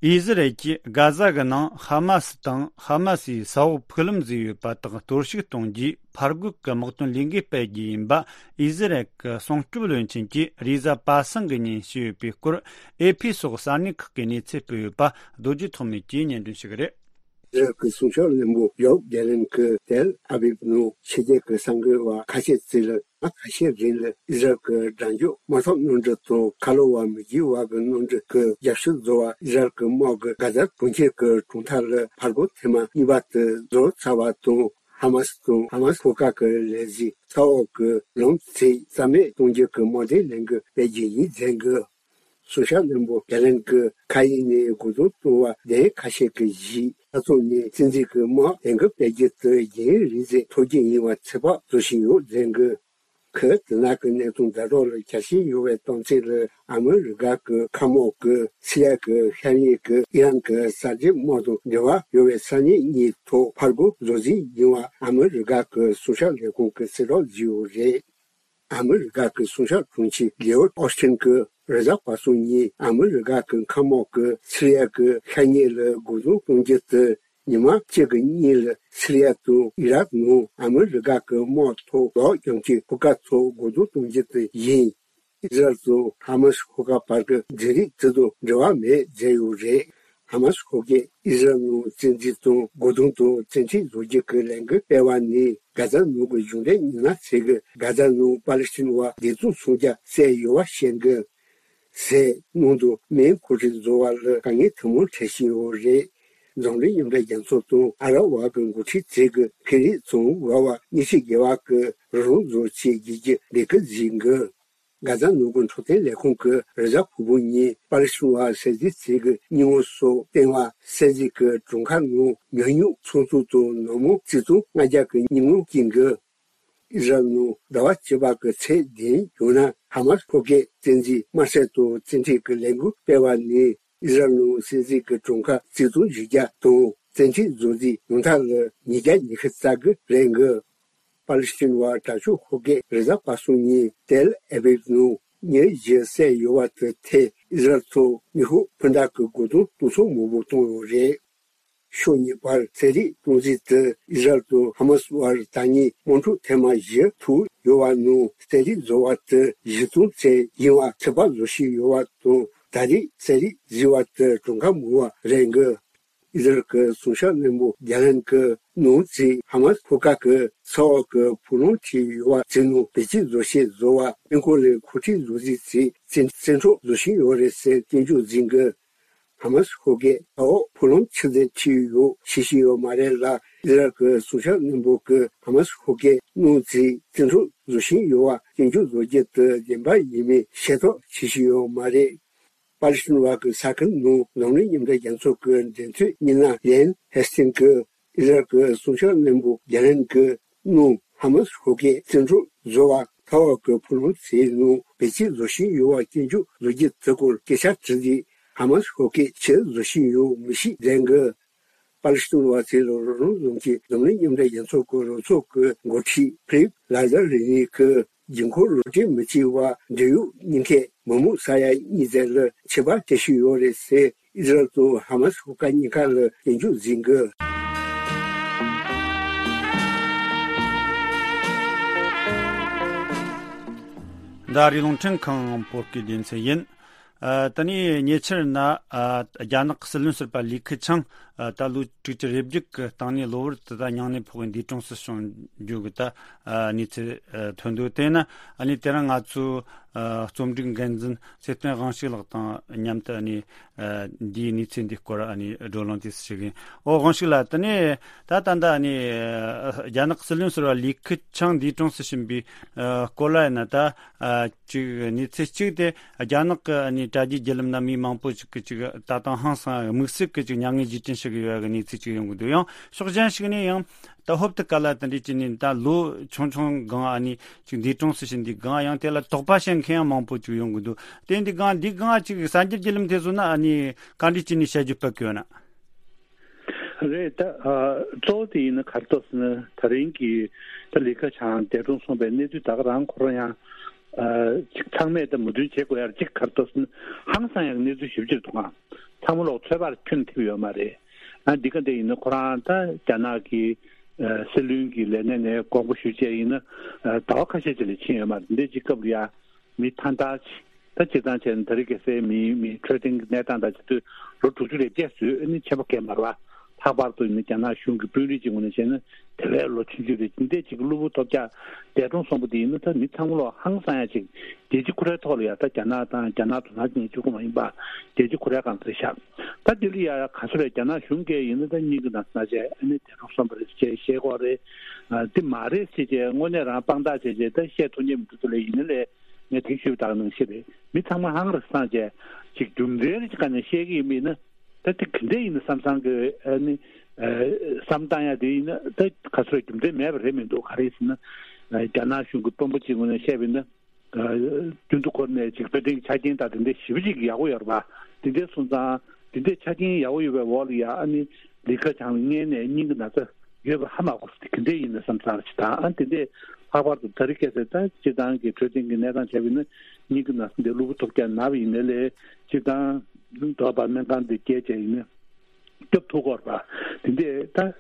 ཨི་ཟི་རལ་གྱིས་གྷ་ཟ་གི་ནང་ཧ་མ་སི་དང་ཧ་མ་སིའི་ས་འོག་ཕུག་ལམ་བཟོས་ཡོད་པ་དག་གཏོར་བཤིག་གཏོང་རྒྱུའི་ཕར་རྒོལ་གྱི་དམག་དོན་ལས་འགུལ་སྤེལ་རྒྱུ་ཡིན་པ། ཨི་ཟི་རལ་གྱི་སྲུང་སྐྱོབ་བློན་ཆེན་གྱིས་རེས་གཟའ་པ་སངས་ཀྱི་ཉིན་ཞུས་ཡོད་པའི་སྐོར། ཨེ་ཕི་སོགས་གསར་གནས་ཁག་གིས་གནས་ཚུལ་སྤེལ་ཡོད་པ། རྡོ་རྗེ་ཐོགས་མེད་ཀྱིས་སྙན་སྒྲོན་ཞུ་གི་རེད། ཨི་ཟི་རལ་གྱི་སྲུང་སྐྱོབ་བློན་པོ་ཡོབ་གྷེ་ལན་གྱིས་ཏེལ་ཨ་བིབ་ནང་ཕྱི་རྒྱལ་གྱི་གསར་འགོད་པ་ཁ་ཤས་ཚོ་ལ་ཟླ་ཁ་ཤས་རིང་ལ་ཨི་ཟི་རལ་གྱི་དགྲ་འཇོམས་དམག་འཐབ་གནམ་གྲུ་དང་ཁ་ལོ་བ་མི་རྒྱུད་བར་གྱི་གནམ་གྲུ་གི་རྒྱབ་ཤོད་བཟོ་བར་ཨི་ཟི་རལ་གྱི་དམག་གིས་གྷ་ཟ་གྲོང་ཁྱེར་གྱི་གྲོང་རྡལ་ལ་ཕར་རྒོལ་ཐེངས་མ་གཉིས་པ་དེ་རྫོགས་ཚར་བ་དང་། ཧ་མ་སི་དང་ཧ་མ་སི་ཤོག་ཁག་གི་ལས་གཞི་ས་འོག་གི་ལམ་ཚད་རྩ་མེད་གཏོང་རྒྱུ་གི་དམག་དོན་ལས་འགུལ་སྤེལ་རྒྱུ་ཡིན་ཟེར་གི། སྲུང་སྐྱོབ་བློན་པོ་གྷེ་ལན་གྱིས་ཁ་ཡིག་ནས་དགོངས་དོན་གཏོང་བ་བདེན་ཁ་ཤས་ཀྱི་གཞི་ས་མཚམས་ནས་བཙན་འཛུལ་གྱི་དམག་དོན་གྱི་སྤེལ་རྒྱུ་དེ་རྒྱུན་རིང་ཟིན་ཐུབ་རྒྱུ་ཡིན་པ་ཚོད་དཔག་བཟོ་བཞིན་ཡོད་ཟེར་གི། ཁོས་དེ་ནང་གི་གནད་དོན་དྲ་གྲོགས་ལ་ཁྱབ་བཤད་ཡོད་པའི་གཏམ་ཚིག་ལ་ཨ་མི་རི་ཀ་གི་མཁའ་དམག་གིས་སི་རི་ཡ་གི་ཤར་ཉེ་གི་ཨི་རན་གྱི་གསར་བརྗེ་དམག་དང་འབྲེལ་བ་ཡོད་པའི་ས་གནས་གཉིས་ཐོག་ཕར་རྒོལ་བཟོ་རྩིས་ཡིན་པ་ཨ་མི་རི་ཀ་གི་སྲུང་སྐྱོབ་ལས་ཁུངས་ཀྱིས་གསལ་བསྒྲགས་བཟོས་ཡོད་རེད། ཨ་མི་རི་ཀ་གི་སྲུང་སྐྱོབ་དྲུང་ཆེ་ལེའོ་ཨོ་སི་ཊིན་གྱིས་རེས་གཟའ་པ་སངས་ཉིན་ཨ་མི་རི་ཀ་གི་མཁའ་དམག་གིས་སི་རི་ཡ་གི་ཤར་ཉེ་ལ་རྒོལ་རྡུང་གཏོང་རྒྱུ་དེ་ཉི་མ་གཅིག་གི་སྔོན་ལ་སི་རི་ཡ་དང་ཨི་རག་ནང་ཨ་མི་རི་ཀ་གི་དམག་ཐོག་ལོག་ཀྱང་གི་ཕུ་ཀ་ཐོག་རྒོལ་རྡུང་གཏོང་རྒྱུ་དེ་ཡིན། ཨི་ཟི་རལ་དང་ཧ་མ་སི་ཤོག་ཁག་བར་གྱི་འབྲེལ་རིགས་དེ་དང་འབྲེལ་བ་མེད་ཟེར་ཡོད་རེད། ཧ་མ་སི་ཤོག་ཁག་གིས་ཨི་ཟི་རལ་ནང་བཙན་འཛུལ་དང་རྒོལ་རྡུང་དང་བཙན་ཁྲིད་བཟོ་རྒྱུ་གི་ལས་འགུལ་སྤེལ་བ་ནི་གྷ་ཛ་ནང་གི་གཞུང་འབྲེལ་མི་སྣ་ཚོས་གི་གྷ་ཛ་ནང་པ་ལི་སི་ཐན་བ་བདེ་སྡུག་སྲུང་རྒྱུ་བསལ་ཡོད་པ་བཤད་གི། ཟེར་གནང་འདུག་མིའི་འགོ་ཁྲིད་བཟོ་བ་ལ་དཀའ་ངལ་ཐུན་མོང་འཕྲད་བཞིན་ཡོད་རེད། འཛམ་གླིང་མཉམ་འབྲེལ་རྒྱལ་ཚོགས་དང་ཨ་ར་བ་གི་འགོ་ཁྲིད་ཚོས་ཀྱི་ཕན་རེས་བྱུང་བ་བ་ཉི་ཤུ་བརྒལ་བ་གི་རང་དབང་རྫོང་ཆེད་བརྒྱུད་ཀྱི་ལས་ཀ་གཟིགས་འགོ། གྷ་ཛ་ནང་གི་འཕྲོད་བསྟེན་ལས་ཁུངས་ཀྱི་རེས་གཟའ་ཕུར་བུ་ཉིན་པ་ལི་སི་ཐན་བ་སེ་ཟི་ཚོས་ཀྱི་སྙིང་བོ་སོགས་བསྟེན་བ་སེ་ཟི་གི་གྲོང་ཁྱེར་ནང་ཉུང་ཉུང་ཚོགས་འཛུགས་དང་ནང་མི་ཆིག་སྟོང་ལྔ་བརྒྱ་གི་སྙིང་བོ་སྐྱིན་གི། ཨི་ཟི་རལ་ནང་ཟླ་བ་བཅུ་པ་གི་ཚེས་བདུན་ཡོང་ན་ཧ་མ་སི་ཕོ་སྐྱེས་བཙན་འཛུལ་དམར་གསོད་དང་བཙན་ཁྲིད་ཀྱི་ལས་འགུལ་སྤེལ་བ་ནི་ཨི་ཟི་རལ་ནང་སེ་ཟི་གི་གྲོང་ཁྱེར་ཆིག་སྟོང་བཞི་བརྒྱ་དང་བཙན་ཁྲིད་བཟོ་རྩིས་ཡོང་ཐབས་ལ་ཉིས་བརྒྱ་ཉི་ཤུ་རྩ་དགུ་རེད་འགོ། པ་ལི་སི་ཐན་བ་དྲག་སྤྱོད་ཤོག་སྒོར་རེས་གཟའ་པ་སངས་ཉིན་ཏེལ་ཨ་བིབ་ནང་མི་བཞི་བསད་ཡོད་པ་དེ་ཐད་ཨི་ཟི་རལ་ཚོ་ནུས་ཤུགས་འཕུར་མདའ་གི་རྒོལ་རྡུང་གཏོང་ཚོགས་མང་པོ་བཏང་ཡོད་རེད། ཕྱོགས་གཉིས་བར་ཟས་རིགས་གཏོང་རྩིས་དེ་ཨི་ཟི་རལ་དང་ཧ་མ་སི་བར་ད་ཉིན་དམག་འཁྲུག་ཐེངས་མ་བཞི་ཐུག་ཡོད་པ་ནང་ཟས་རིགས་བཟོ་བ་དེ་གཞི་རྩའི་ཚད་ཡིན་པ་ཚོད་དཔག་བཟོ་བཞིན་ཡོད་པ་དང་ད་རེས་ཟས་རིགས་བཟོས་པ་དེ་གྲངས་ཀ་མང་བ་རེད་འགོ། ཨི་ཟི་རལ་གྱི་སྲུང་སྐྱོབ་བློན་པོ་གྷ་ལན་གྱིས་གནང་རྩིས་ཧ་མ་སི་ཤོག་ཁག་གི་ས་འོག་གི་ཕུག་ལམ་ཁྲིད་ཡོད་པ་ཚོའི་ནང་བེད་སྤྱོད་བཟོ་ཤེས་བཟོ་བ་སྨན་ཁང་ལ་མཁོ་སྤྲོད་བཟོ་རྩིས་ཚོས་བཙན་བཙན་འཕྲོག་བཟོ་བཞིན་ཡོད་རེད་ཟེར་སྐྱོན་བརྗོད་གཟིགས་འགོ། ཧ་མ་སི་ཤོག་སྒོར་ས་འོག་ཕུག་ལམ་ཆུ་ཚན་ཁྲིད་ཡོད་ཤེས་ཀྱི་ཡོད་མ་རེད་ལ། ཨི་ཟི་རལ་གྱི་སྲུང་སྐྱོབ་བློན་པོ་གིས་ཧ་མ་སི་ཤོག་སྒོར་གནང་རྩིས་བཙན་འཕྲོག་བཟོ་བཞིན་ཡོད་པ་སྐྱོན་བརྗོད་བཟོ་རྒྱུ་དེ་བདེན་པ་ཡིན་མིན་ཤེས་རྟོགས་བྱེད་ཀྱི་ཡོད་མ་རེད། པ་ལི་སི་ཐན་བ་གི་ས་ཁུལ་ནང་འཛམ་གླིང་མཉམ་འབྲེལ་རྒྱལ་ཚོགས་ཀྱི་འབྲེལ་མཐུད་མི་སྣ་ལན་ཧེ་སི་ཐིང་གིས་ཨི་ཟི་རལ་གྱི་སྲུང་སྐྱོབ་བློན་པོ་གྷ་ལན་གྱིས་གནང་ཧ་མ་སི་ཤོག་སྒོར་བཙན་འཕྲོག་བཟོ་བ་ས་འོག་གི་ཕུག་ལམ་ཚོའི་ནང་བེད་སྤྱོད་བཟོ་བཞིན་ཡོད་པ་སྐྱོན་བརྗོད་བཟོ་རྒྱུ་དེ་སྐོར་སྐད་ཆ་དྲིས་རྗེས་ཧ་མ་སི་ཤོག་སྒོར་ཕྱིར་བཟོ་བཞིན་ཡོད་མི་ཤེས་ལན་གྱིས། པ་ལི་སི་ཐན་བ་ཚོས་རང་དབང་རྫོང་གི་འཛམ་གླིང་མཉམ་འབྲེལ་རྒྱལ་ཚོགས་ཀྱི་རོགས་ཚོགས་ཀྱི་འགོ་ཁྲིད་ཕི་ལིབ་ལ་ཛར་རི་ནི་གིས་རྒྱུན་འཁོར་རོགས་སྐྱོར་མི་བྱེད་པར་འབྲེལ་ཡོད་གཉིས་ཀས་མི་མང་ས་ཡ་གཉིས་ཙམ་ལ་ཆད་པ་གཏོང་བཞིན་ཡོད་རེད་ཟེར་ཨི་ཟི་རལ་དང་ཧ་མ་སི་ཤོག་ཁག་གཉིས་ཀ་ལ་སྐྱོན་བརྗོད་གཟིགས་འགོ། འདི་ཨ་རིའི་རླུང་འཕྲིན་ཁང་བོད་སྐད་སྡེ་ཚན་ཡིན། ཨ། ད་ནི་ཉེ་ཆར་ན། ཨ། རྒྱ་ནག་གི་སྲིད་བློན་ཟུར་པ་ལི་ཁི་ཆང་། ཨ། ད་ལོ་དྲུག་ཅུ་རེ་བརྒྱད་ཀྱི་སྟེང་ནས་གློ་བུར་དུ་ད་སྙིང་ནད་ཕོག་གི་འདས་གྲོངས་སུ་སོང་རྒྱུ་གི་ད། ཨ། གནས་ཚུལ། ཨ། ཐོན་འདུག་དེས་ན་ཨ་ནི་དེ་རིང་ང་ཚོའི། ཨ། རྩོམ་སྒྲིག་འགན་འཛིན་ཚེ་བརྟན་དབང་ཕྱུག་ལགས་དང་མཉམ་དུ་ཨ་ནི། ཨ། འདིའི་གནས་ཚུལ་འདིའི་སྐོར་ཨ་ནི་བགྲོ་གླེང་དེ་ཞུ་གི་ཡིན། ཨོ། དབང་ཕྱུག་ལགས། དེ་ནས་ད་ད་ལྟ་ཨ་ནི། ཨ། རྒྱ་ནག་གི་སྲིད་བློན་ཟུར་པ་ལི་ཁི་ཆང་འདས་གྲོངས་སུ་ཕྱིན་པའི། ཨ། སྐོར་ལ་ཡིན་ན་ད། ཨ། ཅིག་གནས་ཚུལ་གཅིག་དེ་རྒྱ་ནག་གི་ཨ་ནི་དྲ་རྒྱའི་བརྒྱུད་ལམ་ན་མི་མང་པོ་ཅིག་གིས་ཅིག་ད་དུང་ཧང་སང་དམིགས་བསལ་གྱི་ཅིག་མྱ་ངན་རྗེས་དྲན་ཞུ་གི་ཡོད་པའི་གནས་ཚུལ་ཅིག་ཡོང་གི་འདུག་ཡང་ཕྱོགས་གཞན་ཞིག་ནས་ཡང་ད་ཧོབ་ཏེ་ག་ལ་དེ་འདྲ་བྱས་ནས་ད་ལོ་ཆུང་ཆུང་སྒང་ཨ་ནི་ཅིག་འདས་གྲོངས་སུ་ཕྱིན་དུས་སྒང་ཡང་དེ་ལ་དོགས་པ་བྱེད་མཁན་ཡང་མང་པོ་ཅིག་ཡོང་གི་འདུག་དེ་འདི་སྒང་འདི་སྒང་ཅིག་གསར་འགྱུར་བརྒྱུད་ལམ་དེ་ཚོ་ན་ཨ་ནི་ག་འདྲ་བྱས་ནས་བཤད་རྒྱུ་སྤེལ་གི་ཡོད་ན། རེད། ད་ཨ་གཙོ་བོ་དེ་ཡིན་ན་ག་རེ་འདུག་ཟེར་ན་ད་རིང་གི་ད་ལི་ཁ་ཆང་འདས་གྲོངས་སོང་པའི་གནས་ཚུལ་ད་ག་རང་ཁོ་རང་ཡང་ཨ་ཅིག་ཚང་མས་ད་མོས་མཐུན་བྱེད་དགོས་ཡ་གཅིག་ག་རེ་འདུག་ཟེར་ན་ཧང་སང་ཡག་གནས་ཚུལ་ཞེ་པོ་ཅིག་འདུག་ག་ཚང་མ་ལོག་ཚོད་དཔག་ཁྱོན་ཐེབས་ཡོད་མ་རེད། ཨ་འདི་ག་འདྲ་ཡིན་ན་ཁོ་རང་ད་རྒྱ་ནག་གི་ཨ་སྲིད་བློན་གྱི་ལས་གནས་ནས་དགོངས་པ་ཞུས་བྱས་ཡིན་ན་ཨ་ཟླ་བ་ཁ་ཤས་ཅིག་ལས་ཕྱིན་ཡོད་མ་རེད། འདི་འདྲའི་ཅིག་སྐབས་ལ་ཡ། མི་ཐང་ཐག་ཅིག་ད་སྤྱིར་བཏང་བྱས་ན་ད་རེས་ཁ་སའི་མིའི་མི་འཕྲོད་བསྟེན་གྱི་གནས་སྟངས་དང་བྱེད་དུས་ལོ་དྲུག་ཅུ་རེ་བརྒྱད་བཟོས་ཨ་ནི་ཆད་པ་བཀལ་མ་རེད་པ། ལྷག་པར་དུ་ནི་རྒྱ་ནག་གཞུང་གི་དཔོན་རིགས་ཀྱི་ངོས་ནས་བྱས་ན་དེ་བས་ལོ་ཆུང་ཆུང་རེད། འདི་འདྲས་ཅིག་གློ་བུར་ཐོལ་རྒྱག་འདས་གྲོངས་སོང་པ་འདི་ཡིན་ན་ད་མི་ཚང་མ་ལོག་ཧང་སང་ཡ་ཅིག་རྒྱལ་སྤྱི་ཁོ་རའི་ཐོག་ལ་ཡ་ད་རྒྱ་ནག་དང་རྒྱ་ནག་དོ་སྣང་བྱེད་མཁན་གཅིག་པོ་མ་ཡིན་པ་རྒྱལ་སྤྱི་ཁོ་རའི་སྒང་ཚུད་ཤག་ད་འདི་ལ་ཡ་ག་ཚོད་རེད། རྒྱ་ནག་གཞུང་གིས་ཡིན་ན་ད་སྙིང་གི་ནང་ན་བྱས་ཨ་ནི་འདས་གྲོངས་སོང་པ་རེད་ཅེས་བཤད་ཀྱི་ཡོད་རེད། ཨ་འདི་མ་རེད་ཟེར་བྱས་དངོས་གནས་རང་དཔང་རྟགས་བྱས་བྱས་ད་བཤད་ཐུབ་མཁན་མི་འདུག་ད་ལས་ཡིན་ན་ལས། ངས་དེ་ཞུས་པ་དག་ནང་བཞིན་རེད། མི་ཚང་མ་ཧང་རེ་སངས་བྱས་ཅིག་རྒྱུ་མཚན་རེ་ཅིག་ག་ནས་བཤད་ཀྱི་ཡིན་མིན་ན། ད་དེ་ག་འདྲས་ཡིན་ན་བསམ་བསམ་གི་ཨ་ནི་ཨ་བསམ་བཏང་ཡ་དེ་ཡིན་ན་ད་ག་ཚོད་རྒྱུ་མཚན་མེད་པ་རེད་མི་འདུག་ག་རེ་ཡིན་ཟེར་ན། ཨ་རྒྱ་ནག་གཞུང་གི་དཔོན་པོ་གཅིག་ངོས་ནས་བཤད་པ་ཡིན་ན། ཨ་རྒྱུན་དུ་འཁོར་ནས་ཅིག་དཔེ་སྟེང་གི་ཆ་རྐྱེན་དང་དེ་འདྲས་ཞེ་པོ་ཅིག་ཡག་པོ་ཡོད་རེད་པ། དེ་འདྲས་སོང་ཙང་དེ་འདྲས་ཆ་རྐྱེན་ཡག་པོ་ཡོད་པའི་འོག་ལ་ཡ་ཨ་ནི་ལི་ཁ་ཆང་ལ་མངལ་ནས་སྙིང་གི་ན་ཚ། ཡོད་པ་ཧ་མ་གོ་སོང་། དེ་ག་འདྲས་ཡིན་ན་བསམ་བསམ་ཅིག་དང་ཨ་དེ་འདྲས་ལྷག་པར་དུ་ད་རེས་ཁ་སང་ད་སྤྱིར་བཏང་གི་འཕྲོད་བསྟེན་གྱི་གནས་སྟངས་བྱས་པ་ཡིན་ན་སྙིང་གི་ན་ཚ་འདི་གློ་བུར་ཐོལ་རྒྱག་ན་བ་ཡིན་ན་ལས་སྤྱིར་བཏང་འགྲོ་བ་སྨན་ཁང་འདི་བརྒྱད་བྱས་ཡིན་ན་སྐྱོབ་ཐུབ་ཀྱི་ཡོད་རེད་པ། དེ་འདྲས་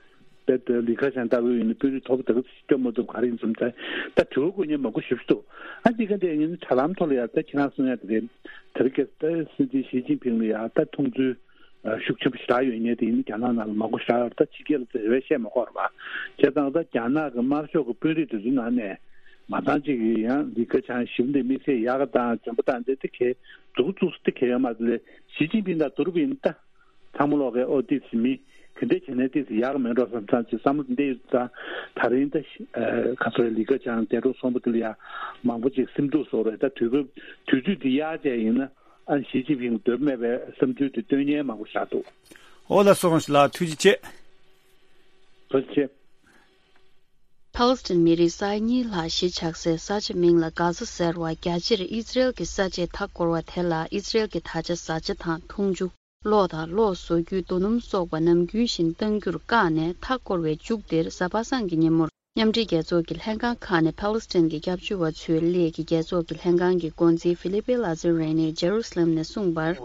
ད་དཔེ་ད་ལི་ཁ་ཆང་ལྟ་བུ་ཡིན་ན་དཔོན་རིགས་མཐོ་པོ་ད་ག་སྐྱོབ་མ་ཐུབ་ག་རེ་ཡིན་བསམ་ད་ད་དྲི་བ་བཀོད་མཁན་མང་པོ་ཞེ་པོ་ཅིག་འདུག་ཨ་འདི་ག་འདྲས་ཡིན་ན་དྲ་ལམ་ཐོག་ལ་ཡ་ད་ཁྱེད་རང་གསུང་ཡ་དེ་རེད། ད་རེས་ཁ་སང་ད་སྲིད་འཛིན་ཞི་ཅིན་ཕིང་ལ་ཡ་ད་མཐོང་ཚུལ། ཤུགས་ཆེན་པོ་ཞེ་དྲག་ཡོད་མཁན་དེ་ཡིན་ན་རྒྱ་ནག་ནང་ལ་མང་པོ་ཞེ་དྲག་ཡོད་རེད། ད་ཕྱི་རྒྱལ་ལ་དེ་བས་བཤད་མ་དགོས་རེད་པ། བྱས་ཙང་ད་རྒྱ་ནག་གི་དམར་ཤོག་གི་དཔོན་རིགས་དེ་ཚོའི་ནང་ནས་ མ་ཚང་གཅིག་གིས་ཡང་ལི་ཁེ་ཆང་ཞིམ་འདི་དམིགས་བསལ་ཡག་ག་དང་འཇོན་པོ་དང་འདི་དེ་གས་འདུག་བཙུགས་སུ་དེ་གས་ཡོད་མ་རེད། ཞི་ཅིན་ཕིང་དང་ཏུ་རུ་པིན་ད་ཚང་མ་ལོག་གས་ཨོ་ཏི་སི་མི་ག་འདྲས་བྱས་ནས་ཏི་སི་ཡག་མེད་འགྲོ་བསམ་ཚང་ཅིག་བསམ་བློ་འདི་ཡོད་ཙང་། ད་རིང་ད་ཤི་ཨ་ག་ཚོད་ལི་ཁེ་ཆང་འདས་གྲོངས་སོང་བ་དེ་ལ་ཡང་མང་པོ་ཅིག་སེམས་སྡུག་བཟོ་རེད། ད་དུས་སྐབས་དུས་ཚོད་འདི་ཡག་བྱས་ཡིན་ན་ཨ་ཞི་ཅིན་ཕིང་འདོད་མེད་པའི་བསམ་ཚུལ་དེ་སྟོན་མཁན་མང་པོ་བཞག་འདུག་ཨོ་ལགས་སོ་ལགས་ཐུགས་རྗེ་ཆེ། ཐུགས་རྗེ་ཆེ། ཕཱ་ལེ་སི་ཐན་མི་རིགས་ས་ཡ་གཉིས་ལྷག་གཞིས་ཆགས་སའི་ས་ཆ་མིང་ལ་གྷ་ཛ་ཟེར་བ། རྒྱ་ཆེར་ཨི་ཛི་རེལ་གྱི་ས་ཆའི་མཐའ་བསྐོར་བ་དེ་ལ་ཨི་ཛི་རེལ་གྱི་ད་ཆ་བཟའ་བཅའ་དང་འཐུང་ཆུ། གློག་དང་གློག་བཟོ་རྒྱུའི་རྡོ་སྣུམ་སོགས་པ་ནམ་རྒྱུན་བཞིན་གཏང་རྒྱུར་བཀག་ནས། མཐའ་བསྐོར་བའི་མཇུག་དེར་གཟའ་པ་སངས་ཀྱི་ཉིན་མོར་མཉམ་འབྲེལ་རྒྱལ་ཚོགས་ཀྱི་ལྷན་ཁང་ཁག་ནས་ཕཱ་ལེ་སི་ཐན་གྱི་སྐྱབས་བཅོལ་བ་ཚོའི་སླད་ཀྱི་རྒྱལ་ཚོགས་ཀྱི་ལྷན་ཁང་གི་འགོ་འཛིན་ཧྥི་ལི་པེ་ལ་ཛི་རེ་ནི་ཇེ་རུ་སི་ལེམ་ནས་གསུངས་པར།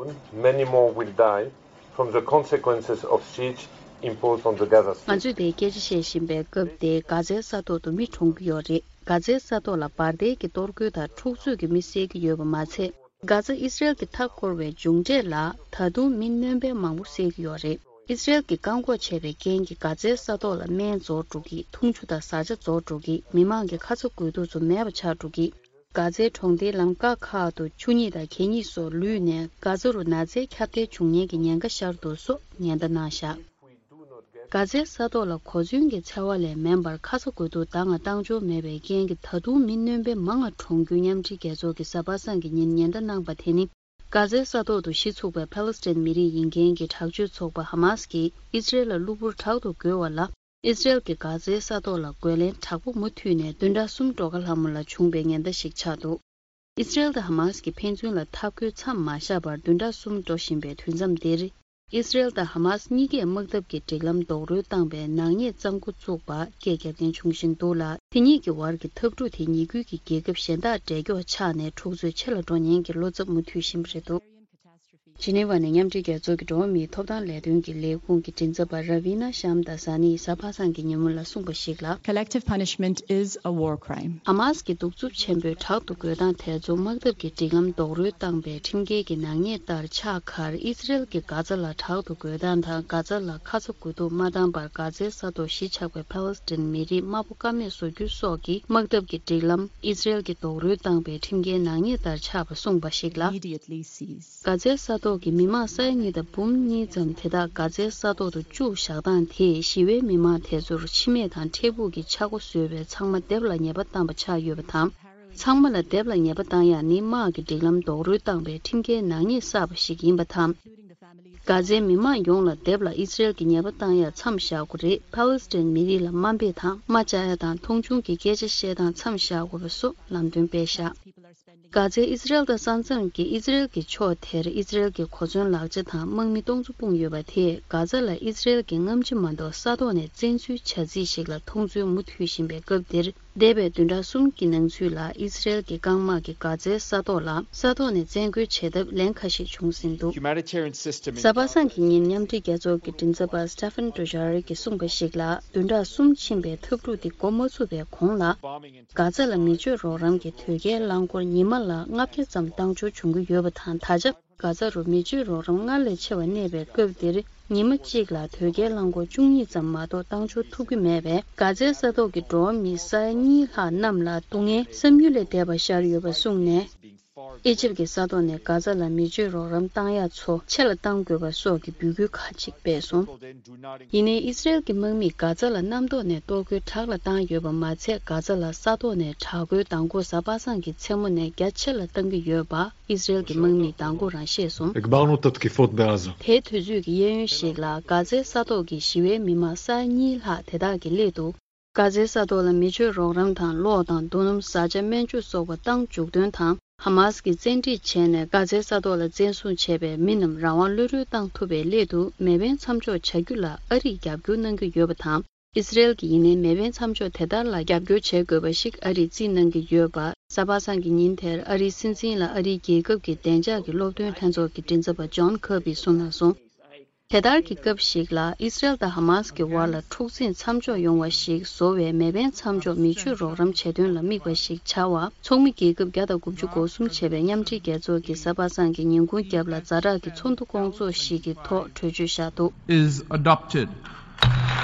Many more will die from the consequences of siege imposed on the Gaza Strip. ང་ཚོས་དེའི་སྐད་ཆ་བཤད་བཞིན་པའི་སྐབས་དེ། གྷ་ཛའི་ས་ཐོག་ཏུ་མི་གྲོངས་ཀྱི་ཡོད་རེད། གྷ་ཛའི་ས་ཐོག་ལ་འབར་མདེལ་གྱི་གཏོར་རྒོལ་དང་འཁྲུག་རྩོད་ཀྱི་མི་བསད་ཀྱི་ཡོད་པ་མ་ཚད། གྷ་ཛ་ཨི་ཛི་རེལ་གྱི་མཐའ་བསྐོར་བའི་མཇུག་འབྲས་ལ་ད་དུང་མི་སྣོན་པ་མང་པོ་བསད་ཀྱི་ཡོད་རེད། ཨི་ཛི་རེལ་གྱིས་བཀག་འགོག་བྱས་པའི་རྐྱེན་གྱིས་གྷ་ཛའི་ས་ཐོག་ལ་སྨན་རྫོགས་འགྲོ་གི། འཐུང་ཆུ་དང་བཟའ་བཅའ་རྫོགས་འགྲོ་གི། མི་མང་གི་ཁ་ཚ་དགོས་གཏུགས་ཚོ་མེད་པ་ཆགས་འགྲོ་གི། གྷ་ཛའི་གྲོང་སྡེའི་ལམ་ཀ་ཁག་ཏུ་ཆུ་སྙིགས་དང་གད་སྙིགས་སོགས་ལུད་ནས། གྷ་ཛ་རུ་ན་ཚའི་ཁྱབ་གདལ་འབྱུང་ཉེན་གྱི་ཉེན་ཁ་ཤར་འདུག་སོགས་ཉེན་བརྡ་གནང་བཞག་གྷ་ཛའི་ས་ཐོག་ལ་གོ་མཚོན་གྱི་འཚེ་བ་ལས་མིན་པར་ཁ་ཚ་དགོས་གཏུགས་ད་སྔ་བཏང་འབྱོར་མེད་པའི་རྐྱེན་གྱིས་ད་དུང་མི་སྣོན་པ་མང་བ་གྲོངས་རྒྱུ་མཉམ་འབྲེལ་རྒྱལ་ཚོགས་ཀྱིས་གཟའ་པ་སངས་ཀྱི་ཉིན་ཉེན་བརྡ་གནང་པ་དེ་ནི། གྷ་ཛའི་ས་ཐོག་ཏུ་གཞི་ཚུགས་པའི་ཕཱ་ལེ་སི་ཐན་མི་རིགས་ཡིན་མཁན་གྱི་དྲག་སྤྱོད་ཚོགས་པ་ཧ་མཱ་སི་ཀྱིས་ཨི་ཛི་རེལ་ལ་གློ་བུར་དྲག་ཏུ་རྒོལ་བ་ལ། ཨི་ཛི་རེལ་གྱིས་གྷ་ཛའི་ས་ཐོག་ལ་རྒོལ་ལན་དྲག་པོ་མུ་མཐུད་ནས་བདུན་ཕྲག་གསུམ་འགྲོ་ག་ལྷ་མོ་ལ་བྱུང་བའི་ཉེན་བརྡ་ཞིག་ཆགས་འདུག་ཨི་ཛི་རེལ་དང་ཧ་མཱ་སི་ཀྱི་ཕན་ཚུན་ལ་འཐབ་རྒོལ་མཚམས་མ་བཞག་པར་བདུན་ཕྲག་གསུམ་འགྲོ་བཞིན་པའི་དུས་མཚམས་འདིར། ཨི་ཛི་རེལ་དང་ཧ་མཱ་སི་གཉིས་ཀས་དམག་འཐབ་ཀྱི་སྒྲིག་ལམ་རྡོག་རོལ་བཏང་པའི་ནག་ཉེས་བཙང་འགོ་བཙུགས་པ་སྐད་རྒྱབ་མཁན་བྱུང་བཞིན་འདུག་ལ། དེ་གཉིས་ཀྱི་བར་གྱི་འཐབ་འཁྲུག་དེ་ཉེ་ཁུལ་གྱི་རྒྱལ་ཁབ་གཞན་དག་འབྲེལ་འགྱོག་ཆགས་ནས་འཁྲུག་རྩོད་ཆེ་ལ་འགྲོ་ཉེན་གྱི་བློ་འཚབ་མུ་མཐུད་བཞིན་པ་རེད་འདུག་ཇི་ནི་ཝ་ནས་མཉམ་འབྲེལ་རྒྱལ་ཚོགས་ཀྱི་འགྲོ་བ་མིའི་ཐོབ་ཐང་ལས་དོན་གྱི་ལས་ཁུངས་ཀྱི་མགྲིན་ཚབ་པ་ར་བི་ན་ཤམ་དཱ་ས་ནིས་གཟའ་པ་སངས་ཀྱི་ཉིན་མོ་ལ་གསུངས་པ་ཞིག་ལ། Collective punishment is a war crime. ཧ་མཱ་སི་ཀྱི་གདུག་རྩུབ་ཆེན་པོས་དྲག་ཏུ་རྒོལ་སྟངས་དེ་ཚོ་དམག་འཐབ་ཀྱི་སྒྲིག་ལམ་རྡོག་རོལ་བཏང་པའི་ཁྲིམས་འགལ་གྱི་ནག་ཉེས་ལྟར་ཆགས་ཁར། ཨི་ཛི་རེལ་གྱིས་གྷ་ཛ་ལ་དྲག་ཏུ་རྒོལ་སྟངས་དང་། གྷ་ཛ་ལ་ཁ་ཚ་དགོས་གཏུགས་མ་བཏང་བར་གྷ་ཛའི་ས་ཐོག་གཞིས་ཆགས་པའི་ཕཱ་ལེ་སི་ཐན་མི་རིགས་དམའ་པོ་ཀ་མེད་བཟོ་རྒྱུ་སོགས་ཀྱི་དམག་འཐབ་ཀྱི་སྒྲིག་ལམ་ཨི་ཛི་རེལ་གྱིས་རྡོག་རོལ་བཏང་པའི་ཁྲིམས་འགལ་ནག་ཉེས་ལྟར་ཆགས་པ་གསུངས་པ་ཞིག་ལ། Immediately cease. གྷ་ཛའི་ས་ཐོག་གི་མི་མང་ས་ཡ་གཉིས་དང་འབུམ་གཉིས་ཙམ་དེ་དག་གྷ་ཛའི་ས་ཐོག་ཏུ་བཅུག་བཞག་སྟངས་དེས་ཞི་བའི་མི་མང་དེ་ཚོར་འཆི་རྨས་དང་འཕྲལ་ཕུགས་ཀྱི་ཆག་སྒོ་བཟོས་པས་ཚང་མ་སྡེབ་ལ་ཉེས་པ་བཏང་པ་ཆགས་ཡོད་པ་དང་། ཚང་མ་ལ་སྡེབ་ལ་ཉེས་པ་བཏང་ཡག་ནི་དམག་གི་སྒྲིག་ལམ་རྡོག་རོལ་བཏང་པའི་ཁྲིམས་འགལ་ནག་ཉེས་བསགས་པ་ཞིག་ཡིན་པ་དང་། གྷ་ཛའི་མི་མང་ཡོངས་ལ་སྡེབ་ལ་ཨི་ཛི་རེལ་གྱི་ཉེས་པ་བཏང་ཡག་མཚམས་བཞག་དགོས་རེད། ཕཱ་ལེ་སི་ཐན་མི་རིགས་ལ་དམའ་འབེབས་དང་དམའ་བཅའ་ཡག་དང་མཐོང་ཆུང་གི་སྐད་ཆ་བཤད་སྟངས་མཚམས་བཞག་དགོས་པ་སོགས་ལམ་སྟོན་སྤེལ་བཞག་གྷ་ཛའི་ཨི་ཛི་རེལ་དང་ས་མཚམས་ཀྱི་ཨི་ཛི་རེལ་གྱི་ཕྱོགས་དེར་ཨི་ཛི་རེལ་གྱི་གོ་མཚོན་ལག་ཆ་དང་དམག་མི་སྟོང་ཚོ་སྤུངས་ཡོད་པ་དེས་གྷ་ཛ་ལ་ཨི་ཛི་རེལ་གྱི་རྔམ་བརྗིད་མ་གཏོགས་ས་ཐོག་ནས་བཙན་འཛུལ་བྱ་རྩིས་ཤིག་ལ་མཐོང་ཚུལ་མུ་མཐུད་བཞིན་པའི་སྐབས་འདིར། འདས་པའི་བདུན་ཕྲག་གསུམ་གྱི་ནང་ཚུད་ལ་ཨི་ཛི་རེལ་གྱི་རྐང་དམག་གིས་གྷ་ཛའི་ས་ཐོག་ལ་ས་ཐོག་ནས་བཙན་རྒོལ་བྱེད་ཐབས་ལན་ཁ་ཤས་བྱུང་ཟིན་འདུག Humanitarian system in གཟའ་པ་སངས་ཀྱི་ཉིན་མཉམ་འབྲེལ་རྒྱལ་ཚོགས་ཀྱི་མགྲིན་ཚབ་པ་Stéphane Dujarric གིས་གསུངས་པ་ཞིག་ལ། བདུན་ཕྲག་གསུམ་ཕྱིན་པའི་འཐབ་འཁྲུག་འདི་འགོ་མ་ཚུགས་པའི་གོང་ལ། གྷ་ཛ་ལ་མི་སྤྱོད་རོགས་རམ་གྱི་དོས་སྐྱེལ་རླངས་འཁོར་ཉི་མ་ལ་ལྔ་བརྒྱ་ཙམ་བཏང་འབྱོར་བྱུང་གི་ཡོད་པ་དང་། ད་ཆ་གྷ་ཛ་རུ་མི་སྤྱོད་རོགས་རམ་སྔར་ལས་ཆེ་བ་གནས་པའི་སྐབས་འདིར་ཉི་མ་གཅིག་ལ་དོས་སྐྱེལ་རླངས་འཁོར་བཅུ་གཉིས་ཙམ་མ་གཏོགས་བཏང་འབྱོར་ཐུབ་ཀྱི་མེད་པས། གྷ་ཛའི་ས་ཐོག་གི་འགྲོ་བ་མི་ས་ཡ་གཉིས་ལྷག་རྣམས་ལ་སྡུག་བསྔལ་བསམ་ཡུལ་ལས་འདས་པ་ཤར་ཡོད་པ་གསུངས་ནས། ཨི་ཇིབ་ཀྱི་ས་ཐོག་ནས་གྷ་ཛ་ལ་མི་སྤྱོད་རོགས་རམ་བཏང་ཡག་ཚོ་ཆེ་ལ་གཏང་དགོས་པ་སོགས་ཀྱི་འབོད་སྐུལ་ཁག་ཅིག་སྤེལ་སོང་། ཡིན་ནའི་ཨི་སི་རེལ་གྱི་དམག་མིས་གྷ་ཛ་ལ་གནམ་ཐོག་ནས་གཏོར་རྒོལ་དྲག་ལ་བཏང་ཡོད་པ་མ་ཚད། གྷ་ཛ་ལ་ས་ཐོག་ནས་དྲག་རྒོལ་མདང་དགོང་གཟའ་པ་སངས་ཀྱི་མཚན་མོ་ནས་རྒྱ་ཆེ་ལ་བཏང་གི་ཡོད་པ་ཨི་སི་རེལ་གྱི་དམག་མིས་མདང་དགོང་རང་བཤད་སོང་། הגברנו את התקיפות בעזה. དེའི་དུས་ཚོད་ཀྱི་གཡས་གཡོན་ཞིག་ལ་གྷ་ཛའི་ས་ཐོག་གི་ཞི་བའི་མི་མང་ས་ཡ་གཉིས་ལྷག་དེ་དག་གི་སླད་དུ། གྷ་ཛའི་ས་ཐོག་ལ་མི་སྤྱོད་རོགས་རམ་དང་གློག་དང་རྡོ་སྣུམ་བཟའ་བཅའ་སྨན་བཅོས་སོགས་པ་བཏང་འཇུག་དོན་དང་། ཧ་མཱ་སི་ཀྱིས་བཙན་ཁྲིད་བྱས་ནས་གྷ་ཛའི་ས་ཐོག་ལ་བཙན་བཟུང་བྱས་པའི་མི་རྣམས་རང་དབང་གློད་གྲོལ་བཏང་ཐུབ་པའི་སླད་དུ་མེ་འཕེན་མཚམས་འཇོག་བྱ་རྒྱུ་ལ་ཨ་རིས་རྒྱབ་སྐྱོར་གནང་གི་ཡོད་པ་དང་། ཨི་སི་རེལ་གྱིས་ཡིན་ནའི་མེ་འཕེན་མཚམས་འཇོག་དེ་ལྟར་ལ་རྒྱབ་སྐྱོར་བྱེད་དགོས་པ་ཞིག་ཨ་རིས་རྩིས་གནང་གི་ཡོད་པ། གཟའ་པ་སངས་ཀྱི་ཉིན་དེར་ཨ་རིའི་སྲིད་འཛིན་ལ་ཨ་རིའི་རྒྱལ་ཁབ་ཀྱི་བདེ་འཇགས་ཀྱི་སློབ་སྟོན་ལྷན་ཚོགས་ཀྱི་མགྲིན་ཚབ་པ་ཇོན་ཁར་བིས་གསུངས་གནང་སོང་། དེ་ལྟར་གྱི་སྐབས་ཤིག་ལ་ཨི་སི་རེལ་དང་ཧ་མཱ་སི་ཀྱི་བར་ལ་འཁྲུག་འཛིང་མཚམས་འཇོག་ཡོང་བ་ཞིག་བཟོ་བའི་མེ་འཕེན་མཚམས་འཇོག་མི་ཆོས་རོགས་རམ་བྱེད་དོན་ལ་དམིགས་པ་ཞིག་བྱ་བ། ཚོགས་མི་རྒྱལ་ཁབ་བརྒྱ་དང་དགུ་བཅུ་གོ་གསུམ་བྱས་པའི་མཉམ་འབྲེལ་རྒྱལ་ཚོགས་ཀྱིས་གཟའ་པ་སངས་ཀྱི་ཉིན་གུང་རྒྱབ་ལ་ཛ་དྲག་གི་ཚོགས་འདུ་སྐོང་ཚོགས་ཤིག་གི་ཐོག་གྲོས་ཆོད་བཞག་འདུག is adopted.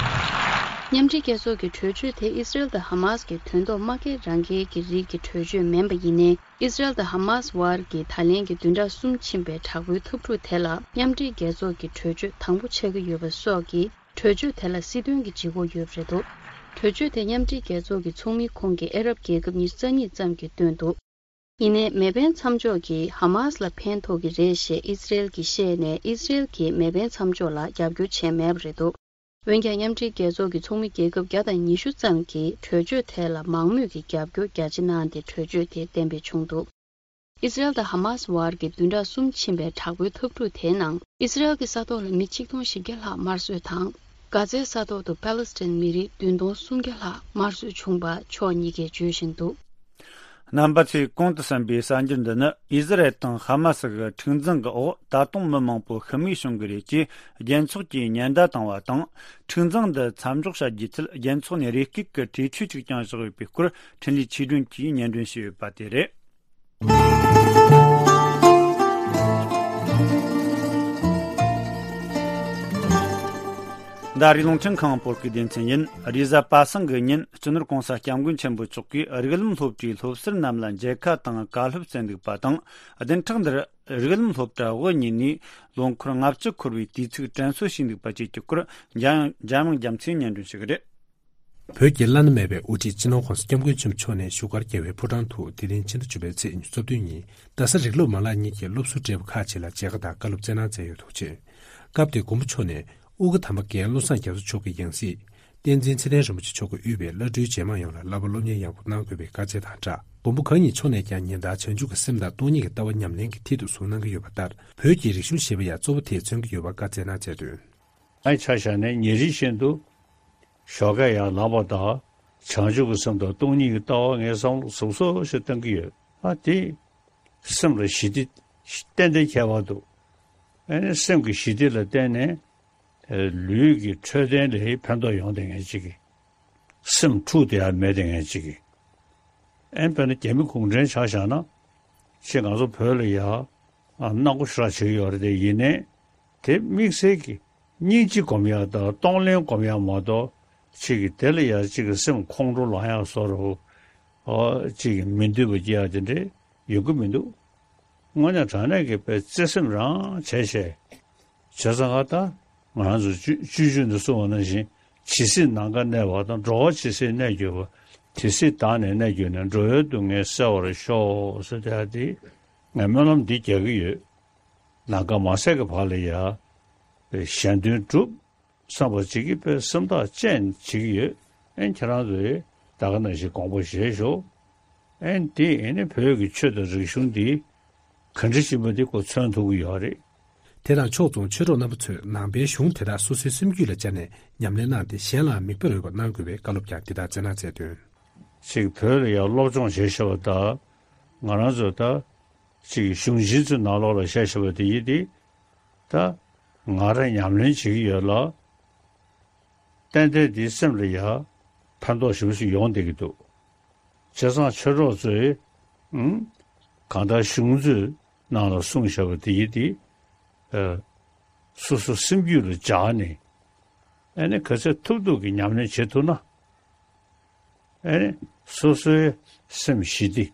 མཉམ་འབྲེལ་རྒྱལ་ཚོགས་ཀྱི་གྲོས་ཆོད་དེ་ཨི་སི་རེལ་དང་ཧ་མ་སི་ཀྱི་དོན་ཐོག་དམག་འཁྲུག་རང་འགུལ་གྱི་རིགས་ཀྱི་གྲོས་ཆོད་མིན་པ་ཡིན་ནའི། ཨི་སི་རེལ་དང་ཧ་མ་སི་དབར་གྱི་ད་ལན་གྱི་བདུན་ཕྲག་གསུམ་ཕྱིན་པའི་དྲག་པོའི་འཐབ་འཁྲུག་དེ་ལ་མཉམ་འབྲེལ་རྒྱལ་ཚོགས་ཀྱི་གྲོས་ཆོད་དང་པོ་ཆགས་ཀྱི་ཡོད་པ་སོགས་ཀྱིས། གྲོས་ཆོད་དེ་ལ་སྲིད་དོན་གྱི་ལྗིད་ཁོག་ཡོད་པ་རེད་འདུག་གྲོས་ཆོད་དེ་མཉམ་འབྲེལ་རྒྱལ་ཚོགས་ཀྱི་ཚོགས་མིའི་ཁོངས་ཀྱི་ཨ་རབ་རྒྱལ་ཁབ་ཉི་ཤུ་རྩ་གཉིས་ཙམ་གྱིས་བཏོན་འདུག་ཡིན་ནའི་མེ་འཕེན་མཚམས་འཇོག་གིས་ཧ་མ་སི་ལ་ཕན་ཐོགས་ཀྱི་རེད་ཞེས་ཨི་སི་རེལ་གྱིས་བཤད་ནས། ཨི་སི་རེལ་གྱིས་མེ་འཕེན་མཚམས་འཇོག་ལ་རྒྱབ་སྐྱོར་བྱས་མེད་པ་རེད་འདུག་འོན་ཀྱང་། མཉམ་འབྲེལ་རྒྱལ་ཚོགས་ཀྱི་ཚོགས་མི་རྒྱལ་ཁབ་བརྒྱ་དང་ཉི་ཤུ་ཙམ་གྱིས་གྲོས་ཆོད་དེ་ལ་མང་མོས་ཀྱིས་རྒྱབ་སྐྱོར་རྒྱ་ཆེ་གནང་སྟེ། གྲོས་ཆོད་དེ་གཏན་འབེབས་བྱུང་འདུག་ཨི་སི་རེལ་དང་ཧ་མ་སི་དབར་གྱི་བདུན་ཕྲག་གསུམ་ཕྱིན་པའི་དྲག་པོའི་འཐབ་འཁྲུག་དེའི་ནང་། ཨི་སི་རེལ་གྱི་ས་ཐོག་ལ་མི་ཆིག་སྟོང་བཞི་བརྒྱ་ལྷག་དམར་གསོད་དང་། གྷ་ཛའི་ས་ཐོག་ཏུ་པ་ལི་སི་ཐན་མི་རིགས་བདུན་སྟོང་སུམ་བརྒྱ་ལྷག་དམར་གསོད་བྱུང་བ་ཕྱོགས་གཉིས་ཀས་བརྗོད་བཞིན་འདུག་རྣམ་པ་ཚོས་གོང་དུ་གསན་པའི་གསར་འགྱུར་འདི་ནི། ཨི་ཟི་རལ་དང་ཧ་མ་སི་གི་འཁྲུག་འཛིང་གི་འོག་ད་དུང་མི་མང་པོ་ཤི་རྨས་བྱུང་གི་རེད་ཅེས་རྒྱལ་ཚོགས་ཀྱིས་ཉེན་བརྡ་བཏང་བ་དང་། འཁྲུག་འཛིང་འདི་མཚམས་འཇོག་བྱ་རྒྱུའི་ཆེད། རྒྱལ་ཚོགས་ནས་རེ་སྐུལ་གྱི་གྲོས་ཆོད་ཅིག་བསྐྱངས་བཞག་ཡོད་པའི་སྐོར། འཕྲིན་ལས་ཆོས་སྒྲོན་གྱིས་སྙན་སྒྲོན་ཞུས་ཡོད་པ་དེ་རེད། འདི་རིགས་རླུང་འཕྲིན་ཁང་བོད་སྐད་སྡེ་ཚན་ཡིན། རེས་གཟའ་པ་སངས་ཀྱི་ཉིན། སྤྱི་ནོར་༸གོང་ས་༸སྐྱབས་མགོན་ཆེན་པོ་མཆོག་གིས་རིགས་ལམ་སློབ་གྲྭའི་སློབ་ཟུར་རྣམས་ལ་མཇལ་ཁ་དང་བཀའ་སློབ་སྩལ་འདུག་པ་དང་། བདུན་ཕྲག་འདིར་རིགས་ལམ་སློབ་གྲྭ་དབུ་བརྙེས་ནས་ལོ་འཁོར་ལྔ་བཅུ་འཁོར་བའི་དུས་ཚིགས་དྲན་གསོ་ཞུས་འདུག་པ་བཅས་ཀྱི་སྐོར། འཇམ་དབྱངས་རྒྱ་མཚོས་སྙན་སྒྲོན་ཞུ་གི་རེད། བོད་ཀྱི་བླ་ན་མེད་པའི་དབུ་ཁྲིད་སྤྱི་ནོར་༸གོང་ས་༸སྐྱབས་མགོན་ཆེན་པོ་མཆོག་ནས་བཞུགས་སྒར་རྒྱལ་བའི་ཕོ་བྲང་དུ་དེ་རིང་ཕྱི་ཟླ་བཅུ་པའི་ཚེས་ཉི་ཤུ་རྩ་བདུན་ཉིན། རྡ་ས་རིགས་སློབ་མ་ལག་གཉིས་ཀྱི་སློབ་ཟུར་བགྲེས་པོ་ཁག་ཅིག་ལ་མཇལ་ཁ་དང་བཀའ་སློབ་སྩལ་གནང་མཛད་ཡོད་འདུག་ཅེས། སྐབས་དེར་མགོན་པོ་མཆོག་ནས་དབུ་དགའ་དམ་པ་རྒན་བློ་བཟང་རྒྱ་མཚོ་མཆོག་གི་ཡང་སྲིད། བསྟན་འཛིན་ཚེ་བརྟན་རིན་པོ་ཆེ་མཆོག་གིས་དབུས་པའི་བླ་སྤྲུལ་རྗེས་མ་ཡོངས་ལ་བསླབ་པ་སློབ་གཉེར་ཡག་པོ་གནང་དགོས་པའི་བཀའ་སྩལ་དང་སྦྲགས། མགོན་པོ་གང་ཉིད་མཆོག་ནས་ཀྱང་ཉིན་ལྟར་བྱང་ཆུབ་ཀྱི་སེམས་དང་སྟོང་ཉིད་ཀྱི་ལྟ་བ་ཉམས་ལེན་གྱི་མཐིལ་དུ་བཟུང་གནང་གི་ཡོད་པ་ལྟར། བོད་ཀྱི་རིག་གཞུང་ཞེས་པ་ཡང་གཙོ་བོ་དེས་མཚོན་གྱི་ཡོད་པར་བཀའ་སྩལ་གནང་མཛད་དོན། ཨ་ཆ་བཞག་ནས་ཉིན་རེ་བཞིན་དུ་ཞོགས་ཀས་ཡར་ལངས་པ་དང་། བྱང་ཆུབ་ཀྱི་སེམས་དང་སྟོང་ཉིད་ཀྱི་ལྟ་བ་ངས་བསམ་བློ་ཟབ་ཟབ་ཞིག་བཏང་གི་ཡོད། ཨ་དེ་སེམས་ལ་ཞི་བདེ་ཏན་ཏན་ཁྱད་པར་འདུག་ཨ་ནི་སེམས་ཀྱི་ཞི་བདེ་ལ་བརྟེན་ནས་ལུས་ཀྱི་འཕྲོད་བསྟེན་ལ་ཕན་ཐོགས་ཡོང་བསྡད་མཁན་ཅིག་གིས། སེམས་འཁྲུག་བསྡད་ཡ་མེད་བསྡད་མཁན་ཅིག་གིས། ཨེ་དཔེར་ན་རྒྱ་མི་གུང་ཁྲན་ཆ་བཞག་ན། ཅིག་ང་ཚོ་བོད་ལ་ཡ་ཨ་སྣང་བ་ཞེ་དྲག་བྱེད་ཀྱི་ཡོད་རེད་དེ། ཡིན་ནའི་དེ་དམིགས་བསལ་གྱི་སྙིང་རྗེ་སྒོམ་ཡ་དང་གཏོང་ལེན་སྒོམ་ཡ་མ་གཏོགས། ཅིག་གིས་དེ་ལ་ཡ་ཅིག་གི་སེམས་ཁོང་ཁྲོ་ལངས་ཡ་བཟོ་འདྲ། ཨོ་ཅིག་གིས་མི་འདོད་པ་སྐྱེ་ཡ་དེ་འདྲ་ཡོང་གི་མི་འདུག་དངོས་གནས་དྲང་གནས་ཀྱི་དཔེ་བརྩེ་སེམས་རང་བྱས་བྱས། བྱས་ཙང་ད་ང་རང་ཚོ་སྤྱོད་སྤྱོད་འཇུག་ནས་གསུངས་པ་ནང་བཞིན། ཇི་སྲིད་ནམ་མཁའ་གནས་པ་དང་། འགྲོ་བ་ཇི་སྲིད་གནས་གྱུར་པ། དེ་སྲིད་བདག་ནི་གནས་གྱུར་ནས། འགྲོ་བའི་སྡུག་བསྔལ་སེལ་བར་ཤོག་ཟེར་དེ། ཨ་དེ་ངས་སྨོན་ལམ་འདི་རྒྱག་གི་ཡོད། ནམ་མཁའ་མ་ཟད་ཀྱི་བར་ལ་ཡ་གཞན་དོན་སྒྲུབ་བསམ་པ་ཅིག་གིས་དཔེ་སེམས་ཐག་བཅད་བྱེད་ཀྱི་ཡོད། ཨེ་ཁྱེད་རང་ཚོས་ད་ག་ནང་བཞིན་དགོངས་པ་བཞེས་ཤོག་ཨེ་འདི་ཨེ་ནི་བོད་ཀྱི་ཆོས་དང་རིག་གཞུང་འདི་ག་འདྲ་ཞིག་མ་འདི་ཁོ་མཚོན་ཐུབ་ཀྱི་ཡོད་རེད། དེ་དང་ཕྱོགས་མཚུངས་ཆོས་གྲོགས་རྣམ་པ་ཚོས་ནང་པའི་གཞུང་དེ་དག་སོ་སོའི་སེམས་རྒྱུད་ལ་བཅངས་ནས་ཉམས་ལེན་གནང་སྟེ། གཞན་ལའང་མིག་དཔེར་འོས་པ་གནང་དགོས་པའི་བཀའ་སློབ་ཀྱང་འདི་ལྟར་སྩལ་གནང་མཛད་དོན། ཅིག་བོད་ལ་ཡང་སློབ་སྦྱོང་བྱེད་ཤེས་པ་དང་། ང་རང་ཚོ་ད་ཅིག་གཞུང་ཆེན་ཚོའི་ནང་ལོགས་ལ་བཤད་ཤེས་པ་དེ་ཡིན་ཏེ། ད་ང་རང་ཉམས་ལེན་བྱེད་ཀྱི་ཡོད་ལ། ཏན་ཏན་དེའི་སེམས་ལ་ཡང་ཕན་ཐོགས་ཞེ་པོ་ཞིག་ཡོང་བསྡད་ཀྱི་འདུག་བྱས་ཙང་ཆོས་གྲོགས་ཚོས་ཨང་། གང་ལྟར་གཞུང་ཚོའི་ནང་ལ་གསུངས་བཞག་པ་དེ་ཡིན་ཏེ། ཨ། སོ་སོ་སེམས་རྒྱུད་ལ་འཇགས་ནས། ཨ་ནི་ག་ཚོད་ཐུབ་ཐུབ་ཀྱི་ཉམས་ལེན་བྱེད་ཐུབ་ན། ཨ་ནི་སོ་སོའི་སེམས་ཞི་བདེ་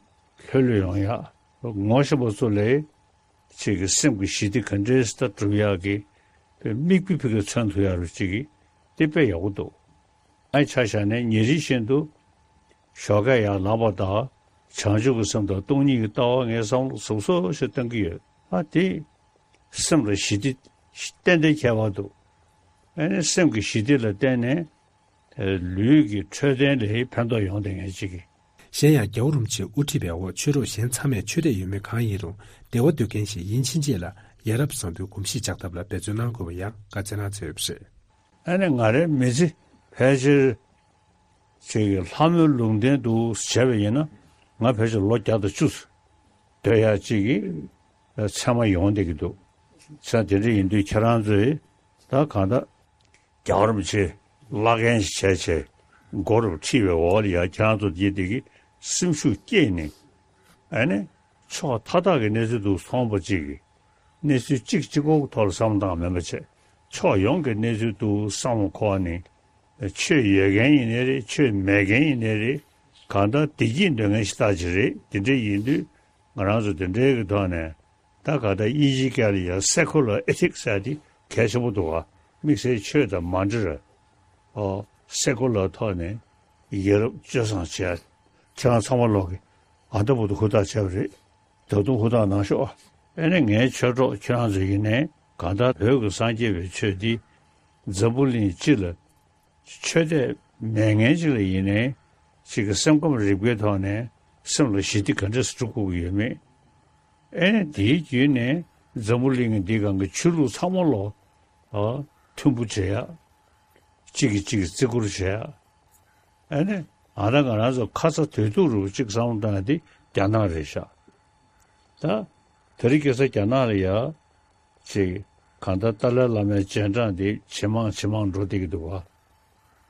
ལྷོད་ལྷོད་ཡོང་ཡག་ངོ་ཤེས་པ་ཚོ་ལས་ཅིག་གི་སེམས་ཀྱི་ཞི་བདེ་ག་འདྲས་ད་སྒྲུབ་ཡག་གི་དཔེ་མིག་དཔེ་ཕ་གིར་མཚོན་ཐུབ་ཡག་རུ་ཅིག་གི་དེ་དཔེ་ཡག་པོ་འདུག་ཨ་ཆ་བཞག་ནས་ཉིན་རེ་བཞིན་དུ་ཞོགས་ཀས་ཡར་ལངས་པ་དང་། བྱང་ཆུབ་ཀྱི་སེམས་དང་སྟོང་ཉིད་ཀྱི་ལྟ་བ་ངས་བསམ་བློ་ཟབ་ཟབ་ཞིག་བཏང་གི་ཡོད། ཨ་དེ་སེམས་ལ་ཞི་བདེ་ཏན་ཏན་ཁྱད་པར་འདུག་ཨ་ནི་སེམས་ཀྱི་ཞི་བདེ་ལ་བརྟེན་ནས་ལུས་ཀྱི་འཕྲོད་བསྟེན་ལ་ཕན་ཐོགས་ཡོང་བསྡད་མཁན་ཅིག་གིས། གཞན་ཡང་རྒྱལ་བ་རིན་པོ་ཆེ་དབུ་ཁྲིད་པའི་འོག་ཆོས་གྲོགས་གཞན་ཚང་མས་ཆོས་དད་ཡོད་མེད་གང་ཡིན་རུང་བདེ་བ་འདོད་མཁན་ཞིག་ཡིན་ཕྱིན་ཆད་ལ་ཡ་རབས་བཟང་པོའི་གོམས་གཤིས་འཇགས་ཐབས་ལ་འབད་བརྩོན་གནང་དགོས་པ་ཡང་བཀའ་སྩལ་གནང་མཛད་ཡོད་པ་རེད། ཨ་ནི་ང་རའི་མི་ཚེ་ཕལ་ཆེར་ཅིག་གི་ལྷ་མོའི་ལུང་བསྟན་དུ་བྱས་པ་ཡིན་ན། ང་ཕལ་ཆེར་ལོ་བརྒྱ་དང་བཅུ་སྡོད་ཡག་ཅིག་གི་མཚན་མ་ཡོང་བསྡད་ཀྱི་འདུག་ས་དེ་འདྲ་ཡིན་དུས་ཁྱེད་རང་ཚོས་ད་གང་ལྟར་རྒྱལ་བ་རིན་པོ་ཆེ་བླ་རྒན་ཞིག་བྱས་བྱས་མགོ་རུ་ཁྲིད་པའི་འོག་ལ་ཡ་ཁྱེད་རང་ཚོ་དེ་དེ་གི་སེམས་ཤུགས་བསྐྱེད་ནས། ཨ་ནི་ཕྱོགས་མཐའ་དག་གི་གནས་ཚུལ་དུ་སོང་པ་ཅིག་གི་གནས་ཚུལ་གཅིག་གཅིག་པོ་གི་ཐོག་ལ་བསམ་བློ་བཏང་མིན་པ་བྱས། ཕྱོགས་ཡོངས་ཀྱི་གནས་ཚུལ་དུ་བསམ་བློ་འཁོར་བ་ནི། ཆོས་ཡོད་མཁན་ཡིན་ནའི་རེད། ཆོས་མེད་མཁན་ཡིན་ནའི་རེད། གང་ལྟར་བདེ་སྐྱིད་འདོད་མཁན་ཞིག་རྟག་ཅིག་རེད། དེ་འདྲ་ཡིན་དུས་ང་རང་ཚོ་དེ་འདྲའི་གི་ཐོག་ནས་ད་གང་ལྟར་དབྱིན་ཇིའི་སྐད་ལ་ཡང་སེ་ཁུ་ལར་ཨེ་ཐིག་ཟེར་ཡ་དེ་གལ་ཆེན་པོ་འདུག་ག་དམིགས་བསལ་ཆོས་དང་མ་འབྲེལ་བའི་ཨོ་སེ་ཁུ་ལར་ཐོག་ནས་ཡ་རབས་སྤྱོད་བཟང་བྱས། ཁྱེད་རང་ཚང་མ་ལོག་གི་ཨ་ད་བུ་དུ་ཧུར་ཐག་བྱས་པ་རེད། ད་དུང་ཧུར་ཐག་གནང་ཤོག་ཨ་ནི་ངའི་ཆོས་གྲོགས་ཁྱེད་རང་ཚོ་ཡིན་ནའི་གང་ལྟར་བོད་ཀྱི་སངས་རྒྱས་པའི་ཆོས་འདི་འཛམ་བུ་གླིང་སྤྱི་ལ་ཆོས་དད་མེད་མཁན་ཅིག་ལ་ཡིན་ནའི་ཅིག་གི་སེམས་ཁམས་རིག་པའི་ཐོག་ནས་སེམས་ལ་ཞི་བདེ་ག་འདྲས་སེ་སྒྲུབ་དགོས་ཀྱི་ཡོད་མེད། ཨེ་ནས་དེའི་བརྒྱུད་ནས་འཛམ་བུ་གླིང་གི་འདི་སྒང་གི་ཆོས་ལུགས་ཚང་མ་ལོ་ཨ་མཐུན་པོ་བྱེད་ཡ། གཅིག་གིས་གཅིག་གི་བརྩི་བཀུར་བྱེད་ཡ། ཨེ་ནས་ང་རང་ང་རང་ཚོ་ཁ་ཚ་དོད་ཐུག་རུ་གཅིག་བསམ་བློ་བཏང་ཡ་དེ་རྒྱ་ནག་རེད་ཤག་ད་དེ་རིང་ཁ་སང་རྒྱ་ནག་ལ་ཡ་ཅིག་གང་ལྟར་ཏཱ་ལའི་བླ་མའི་རྗེས་འབྲང་དེ་ཇེ་མང་ཇེ་མང་འགྲོ་བསྡད་ཀྱི་འདུག་བ།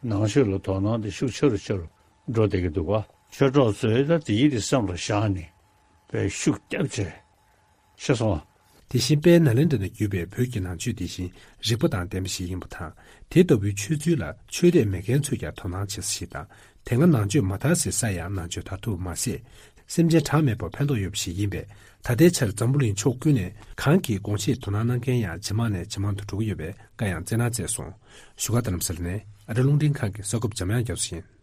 ནང་ཆོས་ལ་དོ་སྣང་དེ་ཤུགས་ཆེ་རུ་ཆེ་རུ་འགྲོ་བསྡད་ཀྱི་འདུག་ག་ཆོས་གྲོགས་ཚོས་ད་དེ་ཡིད་དེ་སེམས་ལ་བཞག་ནས་དཔེ་ཤུགས་བརྒྱབ་བྱས་ཤེས་སོང་ཨ། དེ་བཞིན་དཔལ་ནཱ་ལེནྡྲ་ནས་བརྒྱུད་པའི་བོད་ཀྱི་ནང་ཆོས་དེ་བཞིན་རིག་པ་དང་ལྡན་པ་ཞིག་ཡིན་པ་དང་། དེ་ལྟ་བུའི་ཆོས་ཚུལ་ལ་ཆོས་དད་མེད་མཁན་ཚོས་ཀྱང་དོ་སྣང་བྱེད་ས་ཞིག་དང་། དེ་སྔ་ནང་ཆོས་མ་དར་སའི་ས་ཡང་ནང་ཆོས་དར་ཐུབ་མ་ཟད། སེམས་ཅན་གྲངས་མེད་པར་ཕན་ཐོགས་ཡོད་པ་ཞིག་ཡིན་པས། ད་ལྟའི་ཆར་འཛམ་བུ་གླིང་ཕྱོགས་ཀུན་ནས་གང་གིས་དགོངས་བཞེས་དོ་སྣང་གནང་མཁན་ཡང་ཇེ་མང་ནས་ཇེ་མང་དུ་འགྲོ་གི་ཡོད་པའི་བཀའ་ཡང་སྩལ་གནང་མཛད་སོང་། བཞུགས་སྒར་རྡ་རམ་ས་ལ་ནས་ཨ་རི་རླུང་འཕྲིན་ཁང་གི་གསར་འགོད་པ་འཇམ་དབྱངས་རྒྱ་མཚོ་ཡིན།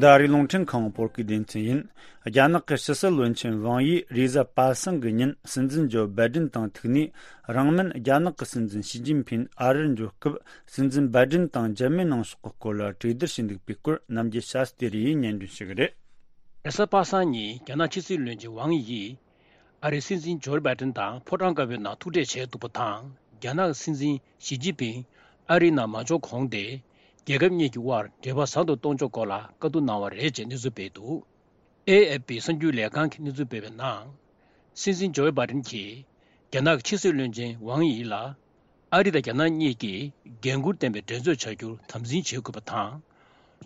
འདི་ཨ་རིའི་རླུང་འཕྲིན་ཁང་བོད་སྐད་སྡེ་ཚན་ཡིན། རྒྱ་ནག་གི་ཕྱི་སྲིད་བློན་ཆེན་ཝང་ཡིས་རེས་གཟའ་པ་སངས་ཀྱི་ཉིན་སྲིད་འཛིན་ཇོ་བྷའི་ཌེན་དང་ཐུག་ནས། རིང་མིན་རྒྱ་ནག་གི་སྲིད་འཛིན་ཞི་ཅིན་ཕིན་ཨ་རིར་འབྱོར་སྐབས་སྲིད་འཛིན་བྷའི་ཌེན་དང་མཇལ་མོལ་གནང་ཕྱོགས་ཀྱི་སྐོར་ལ་གྲོས་བསྡུར་བྱས་འདུག་པའི་སྐོར་ནམ་རྒྱུན་ཤ་སྟེ་རེ་ཡིས་སྙན་སྒྲོན་ཞུ་གི་རེད། རེས་གཟའ་པ་སངས་ཉིན་རྒྱ་ནག་ཕྱི་སྲིད་བློན་ཆེན་ཝང་ཡིས་ཨ་རིའི་སྲིད་འཛིན་ཇོ་བྷའི་ཌེན་དང་ཕོ་བྲང་དཀར་པོའི་ནང་ཐུག་འཕྲད་བྱས་འདུག་པ་དང་། རྒྱ་ནག་སྲིད་འཛིན་ཞི་ཅིན་ཕིན་ཨ་རིའི་ནང་མ་འབྱོར་གོང་དེ། རྒྱལ་ཁབ་གཉིས་ཀྱི་དབར་འབྲེལ་བ་ཟབ་ཏུ་གཏོང་ཕྱོགས་སྐོར་ལ་བཀའ་བསྡུར་གནང་བ་རེད་ཅེས་གནས་ཚུལ་སྤེལ་འདུག་ཨེ་ཨེཕ་པི་གསར་འགྱུར་ལས་ཁང་གིས་གནས་ཚུལ་སྤེལ་བའི་ནང་། སྲིད་འཛིན་ཇོ་བྷའི་ཌེན་གྱིས་རྒྱ་ནག་གི་ཕྱི་སྲིད་བློན་ཆེན་ཝང་ཡི་ལ། ཨ་རི་དང་རྒྱ་ནག་གཉིས་ཀྱིས་འགན་འཁུར་ལྡན་པའི་འགྲན་རྩོད་བྱ་རྒྱུར་དམ་འཛིན་བྱེད་དགོས་པ་དང་།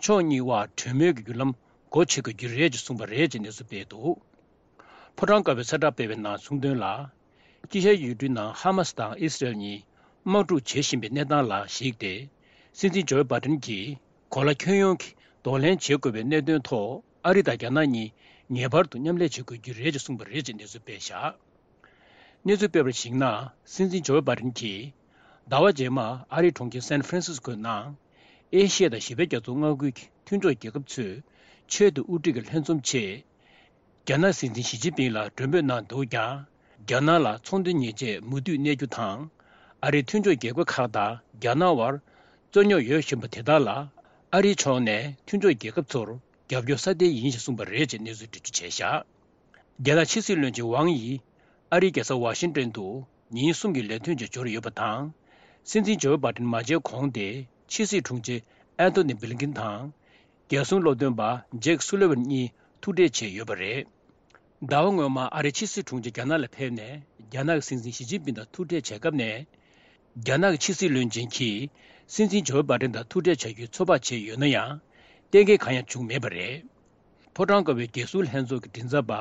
ཕྱོགས་གཉིས་དབར་གྲོས་མོལ་གྱི་བརྒྱུད་ལམ་སྒོ་ཕྱེ་དགོས་ཀྱི་རེད་ཅེས་གསུངས་པ་རེད་ཅེས་གནས་ཚུལ་སྤེལ་འདུག་ཕོ་བྲང་དཀར་པོའི་གསལ་བསྒྲགས་སྤེལ་བའི་ནང་གསུངས་དོན་ལ། དཀྱིལ་ཤར་ཡུལ་གྲུའི་ནང་ཧ་མ་སི་དང་ཨི་སི་རེལ་གཉིས་དམག་འཁྲུག་བྱེད་བཞིན་པའི་གནས་སྟངས་ལ་གཞིགས་ཏེ། སྲིད་འཛིན་ཇོ་བྷའི་ཌེན་གྱིས་གོ་ལ་ཁྱོན་ཡོངས་ཀྱི་གདོང་ལེན་བྱེད་དགོས་པའི་གནད་དོན་ཐོག་ཨ་རི་དང་རྒྱ་ནག་གཉིས་ངེས་པར་དུ་མཉམ་ལས་བྱེད་དགོས་ཀྱི་རེད་ཅེས་གསུངས་པ་རེད་ཅེས་གནས་ཚུལ་སྤེལ་བཞག་གནས་ཚུལ་སྤེལ་བར་གཞིགས་ན། སྲིད་འཛིན་ཇོ་བྷའི་ཌེན་གྱིས་ཟླ་བ་རྗེས་མར་ཨ་རིའི་གྲོང་ཁྱེར་སན་ཧྥ་རན་སིས་ཀོའི་ནང་། ཨེ་ཤི་ཡ་དང་བཞི་པའི་རྒྱ་མཚོ་མངའ་ཁུལ་གྱི་མཐུན་གྲོགས་རྒྱལ་ཁབ་ཚོས་ཆེད་དུ་དབུ་ཁྲིད་ཀྱི་ལྷན་འཛོམས་ཆེད། རྒྱ་ནག་སྲིད་འཛིན་ཞི་ཅིན་ཕིང་ལ་མགྲོན་འབོད་གནང་འདུག་ཀྱང་། རྒྱ་ནག་ལ་ཚོང་དོན་ཉེས་ཆད་མུ་མཐུད་གནས་རྒྱུ་དང་། ཨ་རིའི་མཐུན་ཕྱོགས་རྒྱལ་ཁབ་ཁག་དང་རྒྱ་ནག་དབར་རྩོད་རྙོག་ཡོད་བཞིན་པ་དེ་དག་ལ་ཨ་རིའི་ཕྱོགས་ནས་མཐུན་ཕྱོགས་རྒྱལ་ཁབ་ཚོར་རྒྱབ་སྐྱོར་སྲ་བརྟན་ཡིན་ཞེས་གསུངས་པ་རེད་ཅེས་གནས་ཚུལ་འགྲེལ་བརྗོད་བྱས་བཞག་རྒྱ་ནག་ཕྱི་སྲིད་བློན་ཆེན་ཝང་ཡིས་ཨ་རིའི་རྒྱལ་ས་ཝ་ཤིང་ཏོན་དུ་ཉིན་གསུམ་གྱི་ལས་དོན་ཆེད་འབྱོར་ཡོད་པ་དང་། སྲིད་འཛིན་ཇོ་བྷའི་ཌེན་མ་མཇལ་གོང་དེ་ཕྱི་སྲིད་དྲུང་ཆེ་ཨན་ཐོ་ནི་བྷི་ལིན་ཀིན་དང་། རྒྱལ་སྲུང་སློབ་སྟོན་པ་ཇེག་སུ་ལི་ཝན་གཉིས་ཐུག་འཕྲད་བྱས་ཡོད་པ་རེད། ཟླ་བ་སྔོན་མ་ཨ་རིའི་ཕྱི་སྲིད་དྲུང་ཆེ་རྒྱ་ནག་ལ་ཕེབས་ནས་རྒྱ་ནག་གི་སྲིད་འཛིན་ཞི་ཅིན་ཕིང་དང་ཐུག་འཕྲད་བྱས་སྐབས་ནས། རྒྱ་ནག་གི་ཕྱི་སྲིད་བློན་ཆེན་གྱིས་སྲིད་འཛིན་ཇོ་བྷའི་ཌེན་དང་ཐུག་འཕྲད་བྱ་རྒྱུའི་ཚོད་དཔག་བྱས་ཡོད་ན་ཡང་། གཏན་འཁེལ་གང་ཡང་བྱུང་མེད་པ་རེད། ཕོ་བྲང་དཀར་པོའི་རྒྱལ་སྲུང་ལྷན་ཚོགས་ཀྱི་མགྲིན་ཚབ་པ་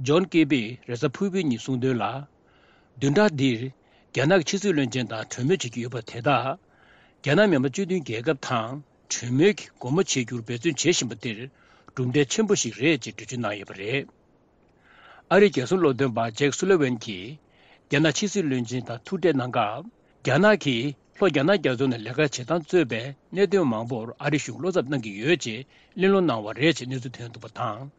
ཇོན་ཀེ་པིས་རེས་གཟའ་ཕུར་བུའི་ཉིན་གསུངས་དོན་ལ། བདུན་ཕྲག་འདིར་རྒྱ་ནག་གི་ཕྱི་སྲིད་བློན་ཆེན་དང་གྲོས་མོལ་བྱེད་ཀྱི་ཡོད་པ་དེ་དག་རྒྱ་ནག་མི་དམངས་སྤྱི་མཐུན་རྒྱལ་ཁབ་དང་གྲོས་མོལ་གྱི་སྒོ་མོ་འབྱེད་རྒྱུར་འབད་བརྩོན་བྱེད་བཞིན་པ་འདིར་གྲུབ་འབྲས་ཆེན་པོ་ཞིག་རེད་ཅེས་འགྲེལ་བརྗོད་གནང་ཡོད་པ་རེད། ཨ་རིའི་རྒྱལ་སྲུང་སློབ་སྟོན་པ་ཇེག་སུ་ལི་ཝན་གྱིས་རྒྱ་ནག་ཕྱི་སྲིད་བློན་ཆེན་དང་ཐུག་འཕྲད་གནང་སྐབས། རྒྱ་ནག་གིས་ལྷོ་རྒྱ་ནག་རྒྱ་མཚོ་ནས་ལས་ཀ་བྱེད་སྟངས་གཙོས་པའི་གནད་དོན་མང་པོར་ཨ་རི་གཞུང་བློ་འཚབ་གནང་གི་ཡོད་ཅེས་གླེང་སློང་གནང་བ་རེད་ཅེས་གནས་ཚུལ་ཐོན་འདུག་པ་དང་།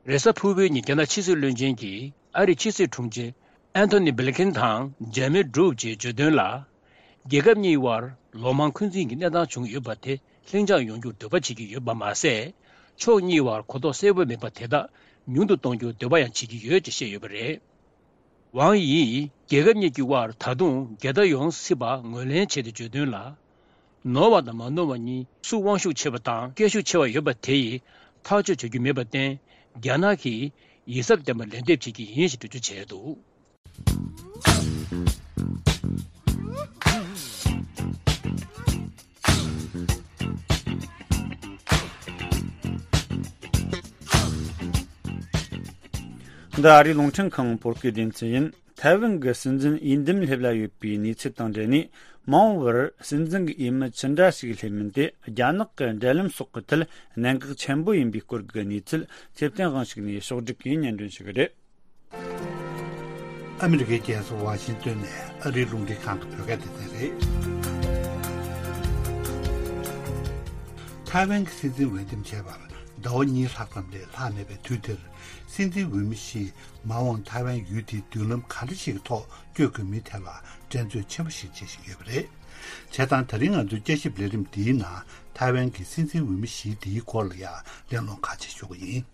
རེས་གཟའ་ཕུར་བུའི་ཉིན་རྒྱ་ནག་ཕྱི་སྲིད་བློན་ཆེན་གྱིས་ཨ་རིའི་ཕྱི་སྲིད་དྲུང་ཆེ་ཨན་ཐོ་ནི་བྷི་ལི་ཁིན་དང་མཇལ་མོལ་བསྒྲུབས་ཅེས་བརྗོད་དོན་ལ། རྒྱལ་ཁབ་གཉིས་དབར་ལོ་མང་འཁོན་འཛིན་གྱི་གནས་སྟངས་བྱུང་ཡོད་པ་དེ་ལྷིང་འཇགས་ཡོང་རྒྱུར་འདོད་པ་བྱེད་ཀྱི་ཡོད་པ་མ་ཟད། ཕྱོགས་གཉིས་དབར་གོ་རྟོགས་གསལ་པོ་མེད་པ་དེ་དག་ཉུང་དུ་གཏོང་རྒྱུར་འདོད་པ་ཡང་བྱེད་ཀྱི་ཡོད་ཅེས་བཤད་ཡོད་པ་རེད། ཝང་ཡིས་རྒྱལ་ཁབ་གཉིས་ཀྱི་དབར་ད་དུང་འགལ་ཟླ་ཡོང་སྲིད་པ་ངོས་ལེན་བྱས་ཏེ་བརྗོད་དོན་ལ། ནོར་བ་དང་མ་ནོར་བ་གཉིས་སུ་དབང་ཤུགས་ཆེ་བ་དང་སྐད་ཤུགས་ཆེ་བ་ཡོད་པ་དེ་ཡིས་ཐག་གཅོད་བྱ་རྒྱུ་མེད་པར་བརྟེན། རྒྱ་ནག་གིས་ཡིད་གཟབ་ལྡན་པ་ལན་འདེབས་བྱེད་ཀྱི་ཡིན་ཞེས་འགྲེལ་བརྗོད་བྱས་འདུག་འདི་ཨ་རིའི་རླུང་འཕྲིན་ཁང་བོད་སྐད་སྡེ་ཚན་ཡིན། ཐའེ་ཝན་གྱི་སྲིད་འཛིན་འོས་འདེམས་སླེབས་ལ་ཡོད་པའི་གནས་ཚུལ་དང་འབྲེལ་ནས། མ་འོངས་པར་སྲིད་འཛིན་གྱི་འོས་མི་ཅི་འདྲ་ཞིག་སླེབས་མིན་དེ། རྒྱ་ནག་གི་འབྲེལ་ལམ་སོགས་ཀྱི་ཐད་གནད་འགག་ཆེན་པོ་ཡིན་པའི་སྐོར་གྱི་གནས་ཚུལ། ཚེ་བརྟན་དབང་ཕྱུག་ནས་ཕྱོགས་བསྒྲིགས་ཀྱིས་སྙན་སྒྲོན་ཞུ་གི་རེད། ཨ་མི་རི་ཀའི་རྒྱལ་ས་ཝ་ཤིང་ཏོན་ནས་ཨ་རིའི་རླུང་འཕྲིན་ཁང་གི་བོད་སྐད་སྡེ་ཚན་རེད། ཐའེ་ཝན་གྱི་སྲིད་འཛིན་འོས་འདེམས་བྱས་པར་ཟླ་བ་གཉིས་ལྷག་ཙམ་ལས་ལྷག་མེད་པའི་དུས་འདིར། སྲིད་འཛིན་འོས་མི་བཞི་མ་འོངས་ཐའེ་ཝན་ཡུལ་དེའི་མདུན་ལམ་ག་འདྲ་ཞིག་གི་ཐོག་བསྐྱོད་དགོས་མིན་ཐད་ལ་འགྲན་རྩོད་ཆེན་པོ་ཞིག་བྱེད་བཞིན་ཡོད་པ་རེད། བྱས་ཙང་ད་རིང་ང་ཚོའི་བསྐྱར་ཞིབ་ལས་རིམ་འདིའི་ནང་ཐའེ་ཝན་གྱི་སྲིད་འཛིན་འོས་མི་བཞི་འདིའི་སྐོར་ལ་ཡང་གླེང་སློང་ཁག་ཅིག་ཞུ་གི་ཡིན།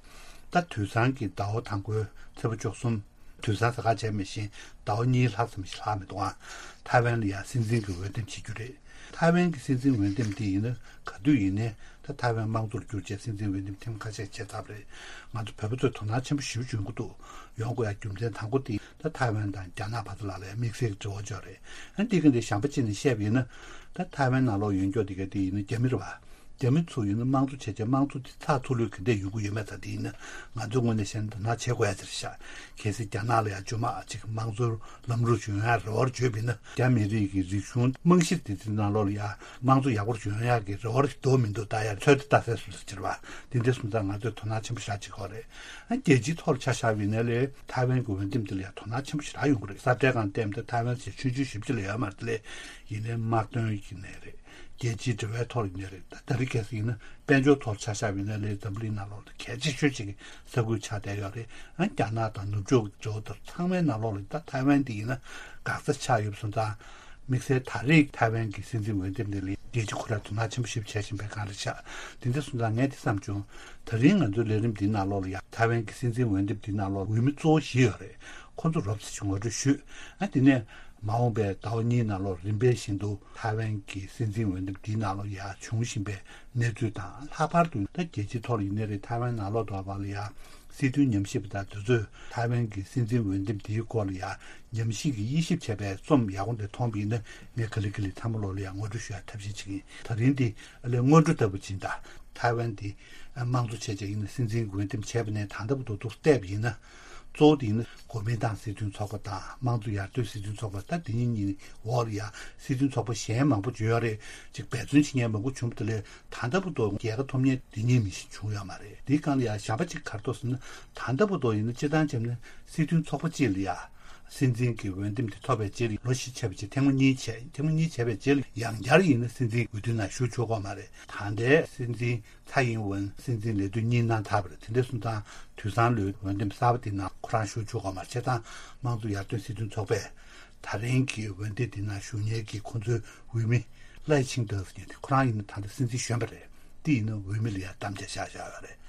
ད་དུས་སང་གི་ཟླ་བ་དང་པོའི་ཚེས་པ་བཅུ་གསུམ། དུས་སང་ཟེར་ཁག་བྱས་མི་ཤེས། ཟླ་བ་གཉིས་ལྷག་ཙམ་ཞིག་ལྷག་མི་འདུག་ཨང་། ཐའེ་ཝན་ལ་ཡང་སྲིད་འཛིན་གྱི་འོས་འདེམས་བྱེད་རྒྱུ་རེད། ཐའེ་ཝན་གྱི་སྲིད་འཛིན་འོས་འདེམས་དེ་ཡིན་ན་ག་དུས་ཡིན་ནའི་ད་ཐའེ་ཝན་དམངས་གཙོར་བསྒྱུར་བྱས་སྲིད་འཛིན་འོས་འདེམས་ཐེངས་ཁ་ཤས་བྱས་ཚར་བ་རེད། ང་ཚོ་བོད་པ་ཚོས་དོ་སྣང་ཆེན་པོ་ཞེ་པོ་ཅིག་ཡོང་གི་འདུག་ཡོང་དགོས་ཡ་རྒྱུ་མཚན་དང་པོ་དེ་ད་ཐའེ་ཝན་དང་རྒྱ་ནག་བར་དུ་ལ་ལ་ཡ་དམིགས་བསལ་གྱི་འབྲེལ་བ་ཅིག་ཡོད་རེད། ཨ་འདི་ག་འདི་གཞན་པ་ཅིག་ནས་བཤད་པ་ཡིན་ན། ད་ཐའེ་ཝན་ནང་ལོགས་ཡོད་མཁན་དེ་ག་དེ་ཡིན་ན་རྒྱ་མི་རེད་བ། རྒྱ་མི་ཚོ་ཡིན་ན་དམངས་གཙོ་བྱས་བྱས་དམངས་གཙོ་དེ་ཚགས་ཚུད་ལོས་ག་འདྲས་ཡོང་གི་ཡོད་མེད་ད་དེ་ཡིན་ན་ང་ཚོའི་ངོས་ནས་བཤད་ན་དོ་སྣང་བྱེད་དགོས་ཡ་ཅིག་རེད་ཤག་གལ་སྲིད་རྒྱ་ནག་ལ་ཡང་ཇོ་མ་ཅིག་དམངས་གཙོར་ལམ་ལུགས་ཡོང་ཡ་རེ་བ་བརྗོད་པ་ཡིན་ན། རྒྱ་མི་རིགས་ཀྱི་རིག་གཞུང་རྨང་གཞི་དེ་ཚོའི་ནང་ལོགས་ལ་ཡང་དམངས་གཙོ་ཡག་པོ་ཡོང་ཡ་གི་རེ་བ་རེ་འདུག་མི་འདུག་ད་ཡ་ཚོད་ལྟ་ས་སུ་ལ་ཅིག་རེད་བ། དེ་འདྲ་སོང་ཙང་ང་ཚོས་དོ་སྣང་ཆེན་པོ་ཞེ་དྲག་བྱེད་དགོས་རེད། ཨ་རྒྱལ་སྤྱིའི་ཐོག་ལ་ཆ་བཞག་པ་ཡིན་ན་ལས་ཐའེ་ཝན་གྱི་འོས་འདེམས་དེ་ལ་ཡང་དོ་སྣང་ཆེན་པོ་ཞེ་དྲག་ཡོང་གི་རེད། ས་བཀྲའི་སྒང་བལྟས་ན་ད་ཐའེ་ཝན་ཟེར་ཆུང་ཆུང་ཞེ་པོ་ཅིག་ལ་ཡོད་མ་རེད། དེ་ལས་ཡིན་ནའི་དམག་དོན་གྱི་ནས་རེད། རྒྱལ་སྤྱིའི་འབྲེལ་བའི་ཐོག་ཡིན་ནའི་རེད། ད་ད་རེས་གལ་སྲིད་ཡིན་ན་དཔལ་འབྱོར་ཐོག་ཆ་བཞག་པ་ཡིན་ན་ལས་འཛམ་བུ་གླིང་ནང་ལོགས་ལ་གལ་ཆེ་ཤོས་ཅིག་གི་ས་ཁུལ་ཆགས་བསྡད་ཡོད་རེད། ཨ་རྒྱ་ནག་དང་ནུབ་ཕྱོགས་ཀྱི་འབྲེལ་བ་དང་ཚང་མའི་ནང་ལོགས་ལ་ད་ཐའེ་ཝན་དེ་ཡིན་ན་འགག་རྩ་ཆགས་ཡོད་པ་སོང་ཙང་། དམིགས་བསལ་ད་རེས་ཐའེ་ཝན་གྱི་སྲིད་འཛིན་འོས་འདེམས་དེ་ལ་རྒྱལ་སྤྱི་ཁོ་རང་དོ་སྣང་ཆེན་པོ་ཞིག་བྱེད་བཞིན་པའི་སྒང་རེད་ཤག་དེ་འདྲ་སོང་ཙང་ངས་དེ་བསམ་བྱུང་། ད་རིང་ང་ཚོའི་ལས་རིམ་འདིའི་ནང་ལོགས་ལ་ཡང་ཐའེ་ཝན་གྱི་སྲིད་འཛིན་འོས་འདེམས་འདིའི་ནང་ལོགས་འོས་མི་གཙོ་བོ་བཞི་ཡོད་རེད། ཁོ་ཚོ་རོབ་ཙམ་ཞིག་ངོ་སྤྲོད་ཞུས། ཨ་དེ་ནས་མ་འོངས་པའི་ཟླ་བ་གཉིས་ནང་ལོགས་རིམ་པས་བཞིན་དུ་ཐའེ་ཝན་གྱི་སྲིད་འཛིན་འོས་འདེམས་འདིའི་ནང་ལོགས་ཡང་བྱུང་བཞིན་པའི་གནས་ཚུལ་དང་། ལྷག་པར་དུ་ད་རྒྱལ་སྤྱིའི་ཐོག་ལ་ཡིན་ནའི་རེད། ཐའེ་ཝན་ནང་ལོགས་དུ་བ་ལ་ཡང་སྲིད་དོན་ཉམས་ཞིབ་པ་དང་དེ་ཚོས་ཐའེ་ཝན་གྱི་སྲིད་འཛིན་འོས་འདེམས་འདིའི་སྐོར་ལ་ཡང་ཉམས་ཞིབ་ཀྱི་དབྱེ་ཞིབ་བྱས་པའི་རྩོམ་ཡག་པོ་འདི་མཐོང་བ་ཡིན་ན་ངས་ག་ལེ་ག་ལེ་ཚང་མ་ལོག་ལ་ཡང་ངོ་སྤྲོད་ཞུ་ཡ་ཐབས་ཤེས་བྱེད་ཀྱི་ཡིན། ད་རིང་འདི་ཨ་ལས་སྔོན་འགྲོ་ལྟ་བུ་ཅིག་ཡིན་ད། ཐའེ་ཝན་འདི་དམངས་གཙོ་བྱས་བྱས་ཡིན་ན་སྲིད་འཛིན་འོས་འདེམས་བྱས་པ་ནས་ད་ལྟ་བར་དུ་འདུག་བལྟས་པ་ཡིན་ན། གཙོ་བོ་དེ་ཡིན་ན་གོ་མིན་ཏང་སྲིད་དོན་ཚོགས་པ་དང་དམངས་གཙོ་ཡར་ཐོན་སྲིད་དོན་ཚོགས་པ། ད་དེ་གཉིས་གཉིས་འོག་ལ་ཡང་སྲིད་དོན་ཚོགས་པ་གཞན་མང་པོ་ཡོད་རེད། ཅིག་འབད་བརྩོན་བྱེད་མཁན་མང་པོ་བྱུང་བ་དེ་ལས་ད་ལྟ་བར་དུ་རྒྱལ་ཁ་ཐོབ་མཁན་དེ་གཉིས་མི་ཞིག་བྱུང་ཡོད་མ་རེད། དེའི་སྒང་ལ་ཡང་གཞན་པ་ཅིག་ག་རེ་འདུག་ཟེར་ན། ད་ལྟ་བར་དུ་ཡིན་ན་སྤྱིར་བཏང་བྱས་ན་སྲིད་དོན་ཚོགས་པ་གཅིག་ལ་ཡང་སྲིད་འཛིན་གྱི་འོས་འདེམས་དེ་ཐོབ་པའི་རྗེས་ལ་ལོ་བཞི་ཆགས་པའི་རྗེས་ཐེངས་མ་གཉིས་བྱས། ཐེངས་མ་གཉིས་བྱས་པའི་རྗེས་ལ་ཡང་བསྐྱར་ཡིན་ན་སྲིད་འཛིན་འོས་བསྡུའི་ནང་ཞུགས་ཆོག་གི་ཡོད་མ་རེད། ད་ལྟའི་སྲིད་འཛིན་ཚའེ་ཡིན་ཝུན་སྲིད་འཛིན་ལས་དུས་གཉིས་གནང་ཚར་བ་རེད། དེ་འདྲ་སོང་ཙང་དུས་སང་ལོའི་འོས་འདེམས་གསར་པ་དེ་ནང་ཁོ་རང་ཞུགས་ཆོག་གི་ཡོད་མ་རེད། བྱས་ཙང་དམངས་གཙོ་ཡར་ཐོན་སྲིད་དོན་ཚོགས་པས་ད་རིང་གི་འོས་འདེམས་དེ་ནང་ཞུགས་མཁན་གྱི་ཁོང་ཚོའི་འོས་མི་ལའེ་ཆིང་ཏེ་ཟེར་མཁན་དེ་ཁོ་རང་ཡིན་ན་ད་ལྟ་སྲིད་འཛིན་གཞོན་པ་རེད། དེ་ཡིན་ན་འོས་མི་ལ་ཡང་དམ་བཅའ་བཞག་བཞག་ཡོད་རེད།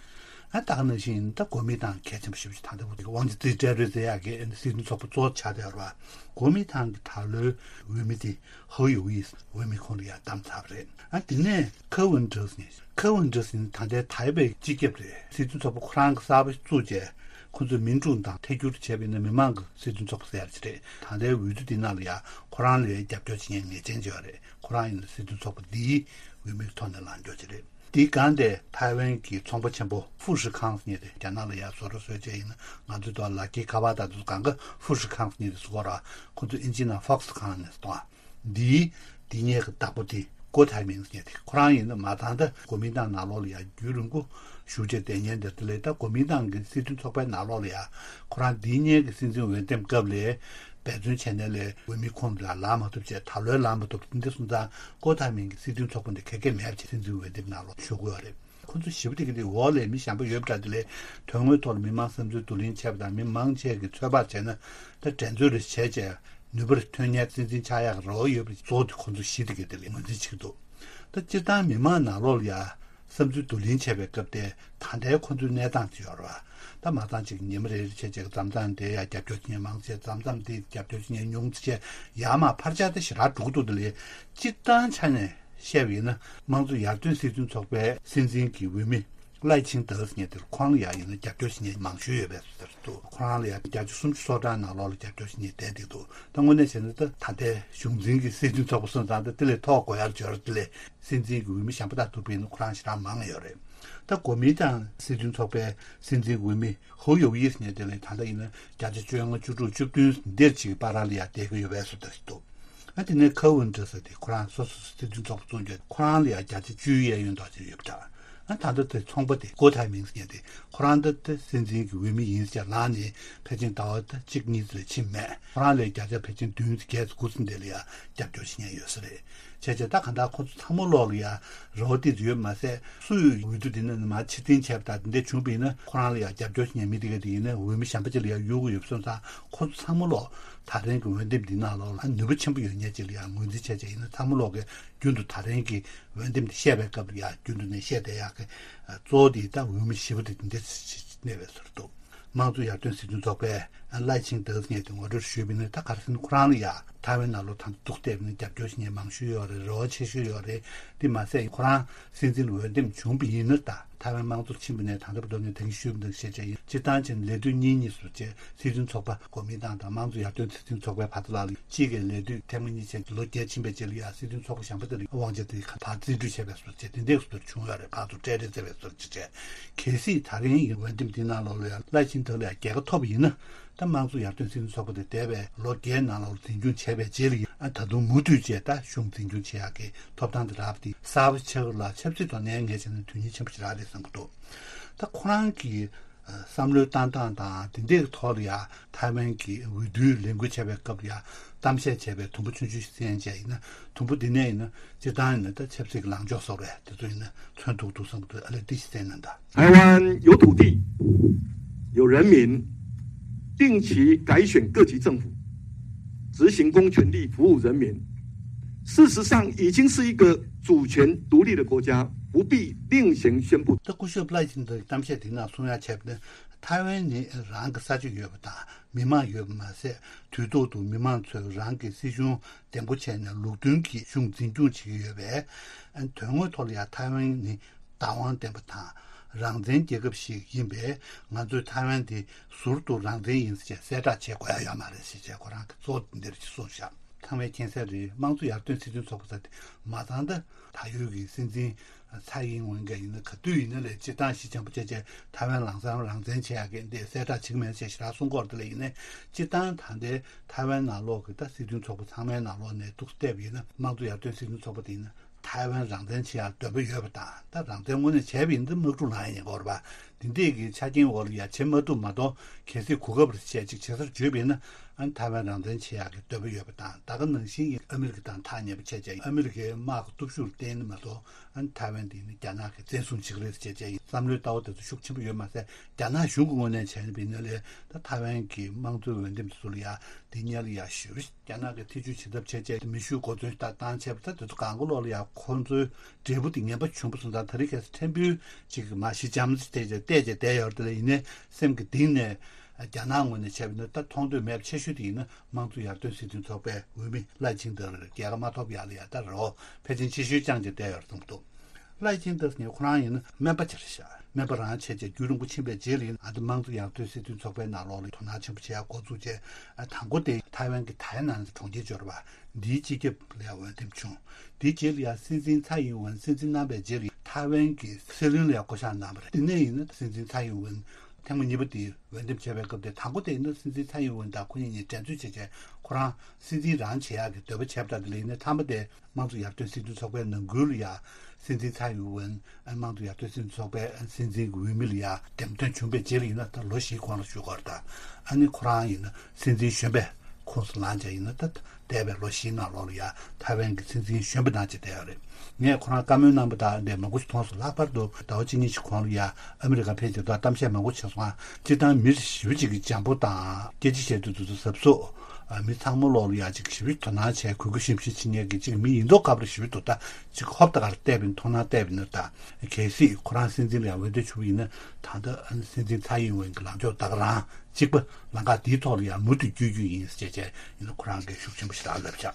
ཨ་ད་ག་ནང་བཞིན་ད་གོ་མིན་ཏང་གལ་ཆེན་པོ་ཞེ་པོ་ཅིག་ད་ལྟ་བར་དུ་ཝང་ཅི་ཙི་ཀྲེ་རུའེ་ཟེར་ཡག་གི་སྲིད་དོན་ཚོགས་པ་གཙོ་བོ་ཆགས་བསྡད་ཡོད་རེད་བ། གོ་མིན་ཏང་གི་ད་ལོའི་འོས་མི་དེ་ཧོ་ཡུ་ཝི་འོས་མི་ཁོང་ལ་ཡང་བདམས་ཚར་བ་རེད། ཨ་དེ་ནས་ཁ་ཝུན་ཀྲི་ཟེར་མཁན། ཁ་ཝུན་ཀྲི་ཟེར་མཁན་ད་ལྟའི་ཐའེ་པེ་སྤྱི་ཁྱབ་རེད། སྲིད་དོན་ཚོགས་པ་ཁོ་རང་གི་གསར་པ་བཙུགས་བྱས་ཁོ་ཚོས་མིན་ཀྲུང་དང་ཐད་སྒྱུར་བྱས་པ་ཡིན་ན་མི་མང་གི་སྲིད་དོན་ཚོགས་པ་ཟེར་ཡག་ཅིག་རེད། ད་ལྟའི་འོས་བསྡུ་འདི་ནང་ལ་ཡང་ཁོ་རང་ལ་རྒྱབ་སྐྱོར་བྱེད་མཁན་ངེས་ཅན་ཅིག་ཡོད་རེད། ཁོ་རང་ཡིན་ན་སྲིད་དོན་ཚོགས་པ་འདིའི་འོས་མིའི་ཐོག་ནས་ལངས་རྒྱུ་ཅིག་རེད། དེའི་སྒང་དེ་ཐའེ་ཝན་གྱི་ཚོང་པ་ཆེན་པོ་ཧྥུ་ཧྲི་ཁང་ཟེར་མཁན་དེ། རྒྱ་ནག་ལ་ཡང་བཟོ་གྲྭ་བཟོས་བྱས་ཡིན་ན་ང་ཚོའི་ཐོག་ལ་ཀི་ཁ་བ་དང་དུ་གང་ག་ཧྥུ་ཧྲི་ཁང་ཟེར་མཁན་དེ་བཟོ་གོ་ར། ཁོ་ཚོ་ཨིན་ཇི་ནང་ཧྥོག་སི་ཁང་ནས་གཏོང་བ། འདིའི་འདི་ཉིད་ཀྱི་བདག་པོ་དེ་ཀོ་ཐའེ་མིང་ཟེར་མཁན་དེ། ཁོ་རང་ཡིན་ན་མ་ཚང་ད་གོ་མིན་ཏང་ནང་ལོགས་ལ་ཡང་རྒྱུན་རིང་པོ་བཞུགས་བྱས་བསྡད་མཁན་དེ། དེ་ལས་ད་གོ་མིན་ཏང་གི་སྲིད་དོན་ཚོགས་པའི་ནང་ལོགས་ལ་ཡང་ཁོ་རང་འདི་ཉིད་ཀྱི་སྲིད་འཛིན་འོས་འདེམས་སྐབས་ལ་འབད་བརྩོན་བྱས་ནས་ལས་འོས་མི་ཁོང་ལ་ལངས་མ་ཐུབ་བྱས། ད་ལོའི་ལངས་མ་ཐུབ། འདི་སོང་ཙང་ཀོ་ཐའེ་མིང་གི་སྲིད་དོན་ཚོགས་པ་འདི་ཁེ་ཁེ་མེད་བྱས་སྲིད་འཛིན་འོས་འདེམས་ནང་ལོགས་ཞུགས་ཀྱི་ཡོད་རེད། ཁོ་ཚོ་ཞེ་པོ་དེ་གི་དེ་འོག་ལས་མི་གཞན་པ་ཡོད་པ་འདྲ། དེ་ལས་དོན་དངོས་ཐོག་ལ་མི་མང་བསམ་ཚུལ་བསྡུ་ལེན་བྱས་པ་དང་མི་མང་ཆེ་གི་ཚོད་དཔག་བྱས་ན་ད་འགྲན་རྩོད་རེ་བྱས་བྱས་ནུས་པ་རེ་ཐོན་མཁན་སྲིད་འཛིན་ཆགས་ཡག་རེ་བ་ཡོད་པ་གཙོ་བོ་དེ་ཁོ་ཚོ་བཞི་དེ་གི་དེ་ལས་ངོས་འཛིན་བྱེད་ཀྱི་འདུག་ད་སྤྱིར་བཏང་མི་མང་ནང་ལོགས་ལ་ཡ་བསམ་ཚུལ་བསྡུ་ལེན་བྱས་པའི་སྐབས་དེ་ད་ལྟའི་ཁོ་ཚོའི་གནས་སྟངས་དེ་ཡོད་རེད་བ། ད་མ་ཚང་ཅིག་ཉི་མ་རེ་རེ་བྱས་བྱས་མཚམས་མཚམས་དེ་ཡ་རྒྱབ་སྐྱོར་བྱེད་མཁན་མང་ཆེ། མཚམས་མཚམས་དེ་རྒྱབ་སྐྱོར་བྱེད་མཁན་ཉུང་ཆེ། ཡར་མར་འཕར་ཆག་དེ་ཞེ་དྲག་འགྲོ་གི་འདུག་དེ་ལས་སྤྱིར་བཏང་ཆ་ནས་བཤད་པ་ཡིན་ན་དམངས་གཙོ་ཡར་ཐོན་སྲིད་དོན་ཚོགས་པའི་སྲིད་འཛིན་གྱི་འོས་མི་ ལའེ་ཆིང་ཏེ་ཟེར་མཁན་དེ་ཁོ་རང་ལ་ཡང་ཡིན་ན་རྒྱབ་སྐྱོར་བྱེད་མཁན་མང་ཤོས་ཡོད་པའི་བཟོ་འདྲ་འདུག་ཁོ་རང་ལ་ཡང་བརྒྱ་ཆ་སུམ་ཅུ་སོ་གྲངས་ནང་ལོགས་ལ་རྒྱབ་སྐྱོར་བྱེད་མཁན་བསྡད་འདུག་ད་དངོས་གནས་བྱས་ན་ད་ད་ལྟའི་གཞུང་འཛིན་གྱི་སྲིད་དོན་ཚོགས་པ་སོང་ཙང་ད་དེ་ལས་མཐོ་དགོས་ཡར་འབྱོར། དེ་ལས་སྲིད་འཛིན་གྱི་འོས་མི་གཞན་པ་དང་ཐུག་པ་ཡིན་ན་ཁོ་རང་ཞེ་དྲག་མང་ཡོད་རེད། ད་གོ་མིན་ཏང་སྲིད་དོན་ཚོགས་པའི་སྲིད་འཛིན་འོས་མི་ཧུའུ་ཡོ་ཡི་ཟེར་མཁན་དེ་ལས་ད་ལྟ་ཡིན་ན་བརྒྱ་ཆ་བཅོ་ལྔ་བཅུ་དྲུག་བཅུ་བདུན་འདིར་ཅིག་བར་ལ་ཡར་བསྡད་ཀྱི་ཡོད་པའི་བཟོ་འདྲ་ཞིག་འདུག་ཨ་དེ་ནས་ཁ་ཝུན་ཏྲ་ཟེར་དེ་ཁོ་རང་སོ་སོ་སྲིད་དོན་ཚོགས་པ་བཙུགས་རྒྱུ་ཁོ་རང་ལ་ཡང་བརྒྱ་ཆ་བཅུ་ཡས་གཡོན་དག་ཅིག་ཡོད་པ་འདྲ། ཨ་ད་ལྟ་དེ་ཚོང་པ་དེ་ཀོ་ཐའེ་མིང་ཟེར་མཁན་དེ་ཁོ་རང་ད་ལྟ་སྲིད་འཛིན་གྱི་འོས་མི་ཡིན་ཟེར་ལངས་ནས་ཕལ་ཆེར་ཟླ་བ་ད་གཅིག་གཉིས་ཙམ་ལས་ཕྱིན་མེད། ཁོ་རང་ལས་བརྒྱ་ཆ་ཕལ་ཆེར་བདུན་ཙམ་བརྒྱད་ཙམ་དགུ་ཙམ་དེ་ལ་ཡང་རྒྱབ་སྐྱོར་བྱེད་མཁན་ཡོད་ས་རེད། བྱས་བྱས་ད་གང་ལྟར་ཁོ་ཚོ་ཚང་མ་ལོག་ལ་ཡང་རེ་བ་དེ་ཡོད་མ་ཟད་སུ་ཡོད་འོས་བསྡུ་དེ་ནས་མར་ཕྱིར་འཐེན་བྱས་པ་དང་དེ་འདྲ་བྱུང་བ་ཡིན་ན་ཁོ་རང་ལ་ཡང་རྒྱབ་སྐྱོར་བྱེད་མཁན་མི་དེ་ག་དེ་ཡིན་ན་འོས་མི་གཞན་པ་ཅིག་ལ་ཡང་གཡུག་གི་ཡོད་པ་སོང་ཙང་ཁོ་ཚོ་ཚང་མ་ལོག་ད་རིང་གི་འོས་འདེམས་འདི་ནང་ལོགས་ལ་ནུས་པ་ཆེན་པོ་ཡོད་མཁན་ཅིག་ལ་ཡང་ངོས་འཛིན་བྱས་བྱས་ཡིན་ན་ཚང་མ་ལོག་གི་རྒྱུན་དུ་ད་རིང་གི་འོས་འདེམས་འདི་བཤད་པའི་སྐབས་ལ་ཡང་རྒྱུན་དུ་ནས་བཤད་བསྡད་ཡག་གི་གཙོ་བོ་དེ་ད་འོས་མི་བཞི་པོ་དེ་འདི་འདྲ་གནས་པའི་ཟུར་དུ། དམངས་གཙོ་ཡར་ཐོན་སྲིད་དོན་ཚོགས་པའི་ལའེ་ཆིང་ཏེ་ཟེར་མཁན་དེ་ངོ་སྤྲོད་ཞུས་པ་ཡིན་ན་ད་ག་རེ་ཟེར་ན་ཁོ་རང་ལ་ཡང་ཐའེ་ཝན་ནང་ལོགས་ད་འདུག་བལྟས་པ་ཡིན་ན་རྒྱབ་སྐྱོར་བྱེད་མཁན་མང་ཤོས་ཡོད་རེད། རེ་བ་ཆེ་ཤོས་ཡོད་རེད། དེ་མ་ཟད་ཁོ་རང་སྲིད་འཛིན་འོས་འདེམས་བྱུང་བ་ཡིན་ན་ད་ཐའེ་ཝན་དམངས་གཙོར་ཕྱིན་པ་ནས་ད་ལྟ་བར་དུ་ངས་ད་གིན་ཞུས་པ་འདྲ་བྱས་བྱས་ཡིན་སྤྱིར་བཏང་བྱས་ན་ལས་དུས་གཉིས་གཉིས་སུ་བྱས་སྲིད་དོན་ཚོགས་པ་གོ་མིན་ཏང་དང་དམངས་གཙོ་ཡར་ཐོན་སྲིད་དོན་ཚོགས་པའི་བར་དུ་ལ་གཅིག་གི་ལས་དུས་ཐེངས་མ་གཉིས་བྱས་ལོ་བརྒྱད་ཕྱིན་པའི་རྗེས་ལ་ཡང་སྲིད་དོན་ཚོགས་པ་གཞན་པ་དེ་ལ་དབང་ཆ་དེ་ཕར་རྩིས་སྤྲོད་བྱས་པའི་བཟོ་བྱས་དེ་འདྲའི་བཟོ་བྱུང་ཡོད་རེད། བར་དུ་སྤྲད་རེས་བྱས་པའི་བཟོ་བྱས་བྱས། གལ་སྲིད་ད་རིང་ཡིན་འོས་འདེམས་འདི་ནང་ལོགས་ལ་ཡང་ལའེ་ཆིང་ཏེ་ལ་ཡང་རྒྱལ་ཁ་ཐོབ་པ་ཡིན་ན་ད་དམངས་གཙོ་ཡར་ཐོན་སྲིད་དོན་ཚོགས་པ་དེ་འདས་པའི་ལོ་བརྒྱད་ནང་ལོགས་འཛིན་སྐྱོང་བྱས་པའི་རྗེས་ལ་ཡང་ད་དུང་མུ་མཐུད་བྱས་ད་གཞུང་འཛིན་སྐྱོང་བྱེད་ཡག་གི་ཐོབ་ཐང་དེ་རག་པ་དེ་གསར་པ་ཆགས་ལ་ཆབ་སྲིད་ཐོག་ནས་ངས་བྱས་ན་དོན་སྙིང་ཆེན་པོ་ཞིག་རག་རེད་བསམ་གྱི་འདུག་ད་ཁོ་རང་གི་བསམ་བློའི་བཏང་སྟངས་དང་དེ་འདྲའི་ཐོག་ལ་ཡང་ཐའེ་ཝན་གྱི་འོས་བསྡུའི་ལས་འགུལ་བྱས་པའི་སྐབས་ལ་ཡང་གཏམ་བཤད་བྱས་པའི་དུམ་བུ་ཆུང་ཆུང་ཞིག་གསན་བྱས་ཡིན་ན་དུམ་བུ་འདི་ནས་ཡིན་ན་སྤྱིར་བཏང་ཡིན་ན་ད་ཆབ་སྲིད་ཀྱི་ལངས་ཕྱོགས་སོགས་རེད་དེ་ཚོ་ཡིན་ན་མཚོན་ཐུབ་འདུག་བསམ་གྱི་འདུག་ཨ་ལས་འདི་ཞིག་གསན་གནང་དང་། 台湾有土地，有人民，定期改选各级政府，执行公权力，服务人民。事实上，已经是一个主权独立的国家，不必另行宣布。 ད་སྐུ་ཞབས་ལའེ་ཆིང་ཏེ་གཏམ་བཤད་དེ་ནང་གསུང་ཡ་བྱས་པ་ནི་ཐའེ་ཝན་ནི་རང་གི་ས་ཆ་ཡོད་པ་དང་མི་མང་ཡོད་པ་མ་ཟད་དུས་ཐོག་ཏུ་མི་མང་ཚོས་རང་གི་སྲིད་གཞུང་འདེམས་བསྐོ་བྱས་ནས་ལུགས་མཐུན་གྱིས་གཞུང་འཛིན་སྐྱོང་བྱེད་ཀྱི་ཡོད་པས་དོན་དངོས་ཐོག་ལ་ཡང་ཐའེ་ཝན་ནི་བདག་དབང་ལྡན་པ་དང་རང་བཙན་རྒྱལ་ཁབ་ཞིག་ཡིན་པས་ང་ཚོས་ཐའེ་ཝན་དེ་ཟུར་དུ་རང་བཙན་ཡིན་ཟེར་གསལ་བསྒྲགས་བྱེད་དགོས་ཡ་ཡོད་མ་རེད་ཞེས་བྱས་ཁོ་རང་གིས་གཙོ་བོ་འདིར་གསུངས་བཞག་ཚང་མས་མཁྱེན་གསལ་རེད། དམངས་གཙོ་ཡར་ཐོན་སྲིད་དོན་ཚོགས་པ་ཟེར་དེ་མ་ཚང་ད་ད་ཡོད་ཀྱི་སྲིད་འཛིན་ཚའེ་ཡིན་ཝེན་གྱི་ཡིན་ན་ག་དུས་ཡིན་ན་ལས་སྤྱིར་བཏང་ཞི་འཇམ་པོ་བྱས་བྱས་ཐའེ་ཝན་ལམ་སང་རང་བཙན་བྱེད་ཡག་གི་འདི་གསལ་བསྒྲགས་བྱེད་ཀྱི་མེད་ཅེས་ཞེ་དྲག་གསུང་གི་ཡོད་རེད་དེ་ལས་ཡིན་ནའི་སྤྱིར་བཏང་ད་ལྟའི་ཐའེ་ཝན་ནང་ལོགས་ཀྱི་ད་སྲིད་དོན་ཚོགས་པ་ཚང་མའི་ནང་ལོགས་ནས་ཏོག་ཙམ་བལྟས་པ་ཡིན་ན་དམངས་གཙོ་ཡར་ཐོན་སྲིད་དོན་ཚོགས་པ་དེ་ཡིན་ན་ཐའེ་ཝན་རང་བཙན་བྱེད་ཡག་འདོད་པ་ཡོད་པ་དང་ད་རང་བཙན་དངོས་གནས་བྱས་པ་ཡིན་ན་དམག་འཁྲུག་ལངས་ཡ་ཡིན་དགོས་རེད་པ། དེ་འདྲས་ཀྱི་ཆ་རྐྱེན་འོག་ལ་ཡ་བྱེད་མ་ཐུབ་མ་གཏོགས་གལ་སྲིད་གོ་སྐབས་རེ་བྱས་ཅིག་བྱེད་སར་བརྗོད་པ་ཡིན་ན་ཨ་ནི་ཐའེ་ཝན་རང་བཙན་བྱེད་ཡག་གི་འདོད་པ་ཡོད་པ་དང་ད་ག་ནང་བཞིན་གྱི་ཨ་མི་རི་ཀ་དང་ཐག་ཉེ་པོ་བྱས་བྱས་ཨ་མི་རི་ཀའི་དམག་གི་སྟོབས་ཤུགས་ལ་བརྟེན་ནས་མ་གཏོགས་ཨ་ནི་ཐའེ་ཝན་དེ་ནི་རྒྱ་ནག་གིས་བཙན་བཟུང་བྱེད་ཀྱི་རེད་ཅེས་བྱས་ཡིན་བསམ་བློའི་ལྟ་བ་དེ་ཚོ་ཤུགས་ཆེན་པོ་ཡོད་མ་ཟད་རྒྱ་ནག་གཞུང་གི་ངོས་ནས་བྱས་ན་བིན་ན་ལས་ད་ཐའེ་ཝན་གྱི་དམངས་གཙོའི་འོས་འདེམས་དེ་ཚོ་ལ་ཡ་དེ་སྔོན་ལ་ཡ་ཞུ་རྒྱ་ནག་གིས་ཐེ་བྱུས་བྱེད་ཐབས་བྱས་བྱས་མེ་ཤུགས་གོ་མཚོན་ལྟ་བཏང་བྱས་པ་ད་དེ་ཚོ་གང་ག་ལོག་ལ་ཡ་ཁོང་ཚོའི་འབྲས་བུ་དེ་ངན་པ་བྱུང་བ་སོང་ཙང་ད་རེས་ཁ་སང་ཕྲན་བུ་ཅིག་མ་ཞི་འཇམ་ཅིག་བལྟས་བྱས་བལྟས་བྱས་བསྡད་ཡོད་རེད་དེ་ལ་ཡིན་ནའི་སེམས་ཀྱི་གཏིང་ནས་རྒྱ་ནག་ངོས་ནས་བྱས་པ་ཡིན་ན་ད་མཐོང་འདོད་མེད་པ་ཆེ་ཤོས་དེ་ཡིན་ན་དམངས་གཙོ་ཡར་ཐོན་སྲིད་དོན་ཚོགས་པའི་འོས་མི་ལའེ་ཆིང་ཏེ་ལ་རྒྱལ་ཁ་མ་ཐོབ་ཡག་ལ་ཡ་ད་རེ་བ་ཕལ་ཆེར་ཆེ་ཤོས་བཅངས་བྱས་བསྡད་ཡོད་རེད་བསམ་གྱི་འདུག་ལའེ་ཆིང་ཏེ་ཟེར་མཁན་ཁོ་རང་ཡིན་ན་སྨན་པ་ཅིག་རེད་ཤག་སྨན་པ་རང་བྱས་བྱས་རྒྱུན་རིང་པོ་ཕྱིན་པའི་རྗེས་ལ་ཡིན་ཨ་ད་དམངས་གཙོ་ཡར་ཐོན་སྲིད་དོན་ཚོགས་པའི་ནང་ལོགས་ལ་དོ་སྣང་ཆེན་པོ་བྱེད་ཡག་འགོ་བཙུགས་བྱས་ཨ་དང་པོ་དེ་ཐའེ་ཝན་གྱི་ཐའེ་ནན་གྲོང་ཁྱེར་འབྱོར་བ་འདིའི་སྤྱི་ཁྱབ་ལ་ཡང་འོས་འདེམས་བྱུང་། དེའི་རྗེས་ལ་ཡང་སྲིད་འཛིན་ཚའེ་ཡིན་ཝེན་སྲིད་འཛིན་གནང་བའི་རྗེས་ལ་ཐའེ་ཝན་གྱི་སྲིད་བློན་ལ་ཡང་བསྐོ་གཞག་གནང་བ་རེད། དེ་ནས་ཡིན་ན་སྲིད་འཛིན་ཚའེ་ཡིན་ཝེན་ཐེངས་མ་གཉིས་པ་དེ་འོས་འདེམས་བྱས་པའི་སྐབས་དེ་དང་པོ་དེ་ཡིན་ན་སྲིད་འཛིན་ཚའེ་ཡིན་ཝེན་དང་ཁོ་གཉིས་གཉིས་འགྲན་རྩོད་བྱས་བྱས་ཁོ་རང་སྲིད་འཛིན་རང་བྱེད་ཡག་གི་འདོད་པ་བྱས་པ་དང་དེ་ལ་ཡིན་ན་མཐའ་མ་དེ་དམངས་གཙོ་ཡར་ཐོན་སྲིད་དོན་ཚོགས་པའི་ནང་ཁུལ་ལ་ཡང་སྲིད་འཛིན་ཚའེ་ཡིན་ཝེན་དམངས་གཙོ་ཡར་ཐོན་སྲིད་དོན་ཚོགས་པའི་སྲིད་འཛིན་གྱི་འོས་མི་ལ་ཡང་འདེམས་ཐོན་བྱུང་བའི་རྗེས་ལ་ཡིན་ན་ད་ལོ་བཞིའི་གོང་ལ་བཞུགས་ཀྱི་ཡོད་རེད་ད། ཨ་ནི་ཁོ་རང་ཡིན་ན་སྲིད་འཛིན་གཞོན་པའི་ཁོངས་སུ་ལངས་བྱས་ཡིན་ན་ད་འདས་པའི་ལོ་བཞིའི་ནང་ལོགས་ལ་ཡང་ཐའེ་ཝན་གྱི་སྲིད་འཛིན་གཞོན་པ་ནང་བཅས་བསྡད་ཡོད་རེད། ངས་ཁོ་རང་བཀའ་མོལ་གནང་པ་དང་འདྲ་མང་པོ་ཞིག་མཐོང་སོང་། ལྷག་པར་དུ་ཟླ་བ་གཅིག་གཉིས་ཤིག་གོང་ལ་ཡང་ཨ་མི་རི་ཀ་ཕེབས་བྱས་ད་གཏམ་བཤད་མང་པོ་བྱས་སོང་ང་། སྤྱིར་བཏང་མི་ཞེ་པོ་ཅིག་གི་འཇམ་པོ་དང་སྐད་ཆ་བཤད་དུས་དུས་ཚོད་གཟབ་གཟབ། མི་ཚང་མ་ལོག་ལ་ཡ་ཅིག་ཞེ་པོ་དོ་སྣང་བྱས་གུས་གུས་ཞེ་པོ་ཞིག་བྱེད་མཁན་གྱི་ཅིག་མི་ཡིན་མདོག་ཁ་པོ་ཞེ་པོ་འདུག་ད་ཅིག་ཧོབ་ཏེ་གར་བལྟས་པ་ཡིན་མཐོང་སྣང་བལྟས་པ་ཡིན་ན་ད་གལ་སྲིད་ཁོ་རང་སྲིད་འཛིན་ལ་ཡ་འོས་བསྡུ་བྱུང་བ་ཡིན་ན་ད་ལྟ་སྲིད་འཛིན་ཚའེ་ཡིན་ཝེན་གྱི་ལངས་ཕྱོགས་ད་ག་རང་གཅིག་པ་ལམ་ཁ་འདིའི་ཐོག་ལ་ཡང་མུ་མཐུད་བསྐྱོད་རྒྱུ་ཡིན་ཟེར་བྱས་ཡིན་ན་ཁོ་རང་གིས་ཤུགས་ཆེན་པོ་ཞེ་དྲག་ལབ་བཞག་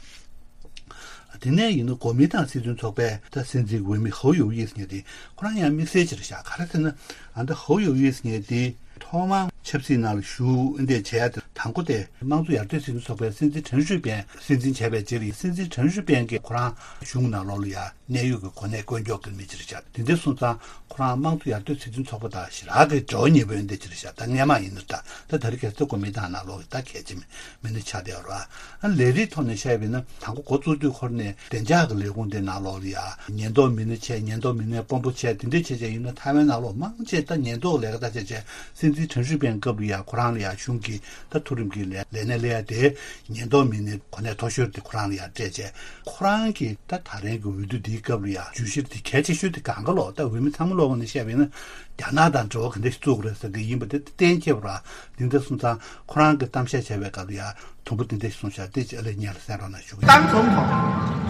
དེ་ནས་ཡིན་ན་གོ་མིན་ཏང་སྲིད་དོན་ཚོགས་པའི་ད་སྲིད་འཛིན་འོས་མི་ཧོ་ཡོ་ཡིས་ཉེ་དེ་ཁོ་རང་ཡང་དམིགས་བསལ་ཅིག་རེད་ཤག་ག་རེ་ཟེར་ན། ཨ་ད་ཧོ་ཡོ་ཡིས་ཉེ་དེ་ཐོག་མར་ཆབ་སྲིད་ནང་ལ་ཞུགས་འདི་བྱས་ཏེ་དང་པོ་དེ་དམངས་གཙོ་ཡར་ཐོན་སྲིད་དོན་ཚོགས་པའི་སྲིད་འཛིན་ཁྲེན་ཧྲུས་པན་སྲིད་འཛིན་བྱས་པའི་རྗེས་ལ་སྲིད་འཛིན་ཁྲེན་ཧྲུས་པན་གྱིས་ཁོ་རང་གཞུང་ནང་ལོགས་ལ་ཡ་གནད་ཡོད་ཀྱི་གོ་གནས་བསྐོ་འཇོག་གི་མི་ཅིག་རེད་ཤག་དེ་འདྲ་སོང་ཙང་ཁོ་རང་དམངས་གཙོ་ཡར་ཐོན་སྲིད་དོན་ཚོགས་པ་དང་ཞེ་དྲག་གི་འབྲེལ་བ་ཉེ་པོ་ཡོད་འདི་ཅིག་རེད་ཤག་ད་སྔས་མ་ཡིན་ན་ད་ད་ད་རེས་ཁ་སང་གོ་མིན་ཏང་ནང་ལོགས་ཀྱི་ད་གལ་ཆེ་མི་མི་སྣ་ཆགས་བསྡད་ཡོད་རེད་བ། ལས་རིགས་ཐོག་ནས་བཤད་པ་ཡིན་ན་དང་པོ་འགོ་བཙུགས་དུས་ཁོ་རང་ནས་བདེ་འཇགས་ཀྱི་ལས་ཁུངས་དེ་ནང་ལོགས་ལ་ཡ་ཉེན་རྟོག་མི་སྣ་བྱས། ཉེན་རྟོག་མི་སྣའི་དཔོན་པོ་བྱས། དེ་འདྲ་བྱས་བྱས་ཡིན་ན་ཐའེ་ཝན་ནང་ལོགས་མང་ཆེ་ད་ཉེན་རྟོག་ལས་ཀ་ད་བྱས་བྱས་སྲིད་འཛིན་ཁྲེན་ཧྲུས་པན་སྐབས་ལ་ཡ་ཁོ་རང་ལ་ཡ་གཞུང་གི་ད་མཐོ་རིམ་གྱི་ལས་ལས་གནས་ལས་ཡ་དེ་ཉེན་རྟོག་མི་སྣའི་གོ་གནས་མཐོ་ཤོས་དེ་ཁོ་རང་ལ་ཡ་སྤྲད་བྱས། ཁོ་རང་གི་ད་ད་རེས་ཀྱི་འོས་བསྡུ་འདིའི་སྐབས་ལ་ཡ་བརྗོད་གཞི་དེ་གལ་ཆེ་ཤོས་དེ་གང་ག་ལོག་ད་འོས་མི་ཚང་མ་ལོག་ནས་བཤད་པ་ཡིན་ན་རྒྱ་ནག་དང་འབྲེལ་བ་ག་འདྲ་ཞིག་བཙུགས་དགོས་རེད་ཟེར་གི་ཡིན་པ་དེ་གཏན་འཁེལ་བ་ར། འདི་འདྲ་སོང་ཙང་ཁོ་རང་གི་གཏམ་བཤད་བྱས་པའི་སྐབས་ལ་ཡ། དུམ་བུ་དེ་འདྲ་གསུངས་ཤག་དེ་ཅི་ཨ་ལས་ཉན་ལ་གསན་རོགས་གནང་ཞུ་གི་ཡིན། 当总统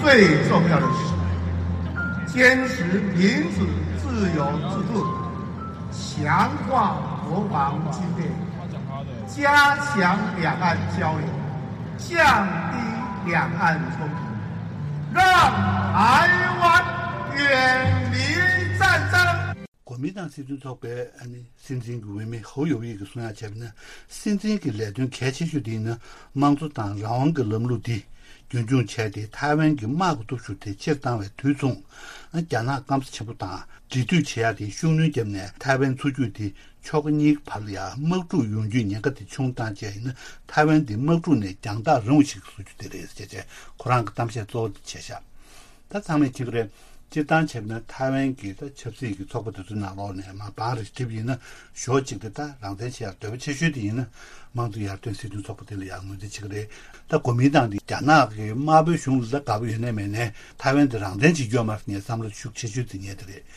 最重要的是坚持民主自由制度，强化国防军备，加强两岸交流，降低两岸冲突，让台湾远离战争。 གོ་མིན་ཏང་སྲིད་དོན་ཚོགས་པའི་ཨ་ནི་སྲིད་འཛིན་གྱི་འོས་མི་ཧོ་ཡོ་ཡི་གིས་གསུང་ཡ་བྱས་པ་ན། སྲིད་འཛིན་གྱི་ལས་དོན་གལ་ཆེ་ཤོས་དེ་ཡིན་ན་དམངས་གཙོ་དང་རང་དབང་གི་ལམ་ལུགས་འདི་རྒྱུན་འཁྱོངས་བྱས་ཏེ་ཐའེ་ཝན་གྱི་དམག་གི་སྟོབས་ཤུགས་དེ་ཕྱིར་བཏང་བའི་དུས་མཚུངས། རྒྱ་ནག་སྐམ་ས་ཆེན་པོ་དང་འབྲེལ་མཐུད་བྱེད་ཡ་དེ་ཤུགས་སྣོན་བརྒྱབ་ནས་ཐའེ་ཝན་མཚོ་རྒྱུད་དེ་ཕྱོགས་གཉིས་ཀྱི་བར་ལ་ཡ་དམག་འཁྲུག་ཡོང་རྒྱུའི་ཉེན་ཁ་དེ་ཆུང་བཏང་བྱས་ཡིན་ན་ཐའེ་ཝན་དེ་དམག་འཁྲུག་ནས་རྒྱང་ཐག་རིང་བ་ཞིག་བཟོ་རྒྱུ་དེ་རེད་ཅེས་བྱས་ཁོ་རང་གི་གཏམ་བཤད་གཙོ་བོ་དེ་བྱས་ཤག་ད་ཚང་མས་མཁྱེན་གྱི་རེད། སྤྱིར་བཏང་བྱས་པ་ན་ཐའེ་ཝན་གྱི་ད་ཆབ་སྲིད་ཀྱི་ཚོགས་པ་དེ་ཚོའི་ནང་ལོགས་ནས་མ་བང་རེ་བསྒྲིགས་པ་ཡིན་ན་ཞོ་གཅིག་དེ་ད་རང་བཙན་བྱེད་ཡར་འདོད་པ་ཆེ་ཤོས་དེ་ཡིན་ན་དམངས་གཙོ་ཡར་ཐོན་སྲིད་དོན་ཚོགས་པ་དེ་ལ་ཡང་ངོས་འཛིན་བྱེད་ཀྱི་རེད། ད་གོ་མིན་ཏང་དེ་རྒྱ་ནག་གི་དམར་པོའི་གཞུང་ལ་ད་དགའ་པོ་ཡོད་ནའི་མེད་ནའི་ཐའེ་ཝན་དེ་རང་བཙན་བྱེད་རྒྱུ་ཡོད་མ་རེད་ངའི་བསམ་བློ་ཤུགས་ཆེ་ཤོས་དེ་ངས་དེ་རེད།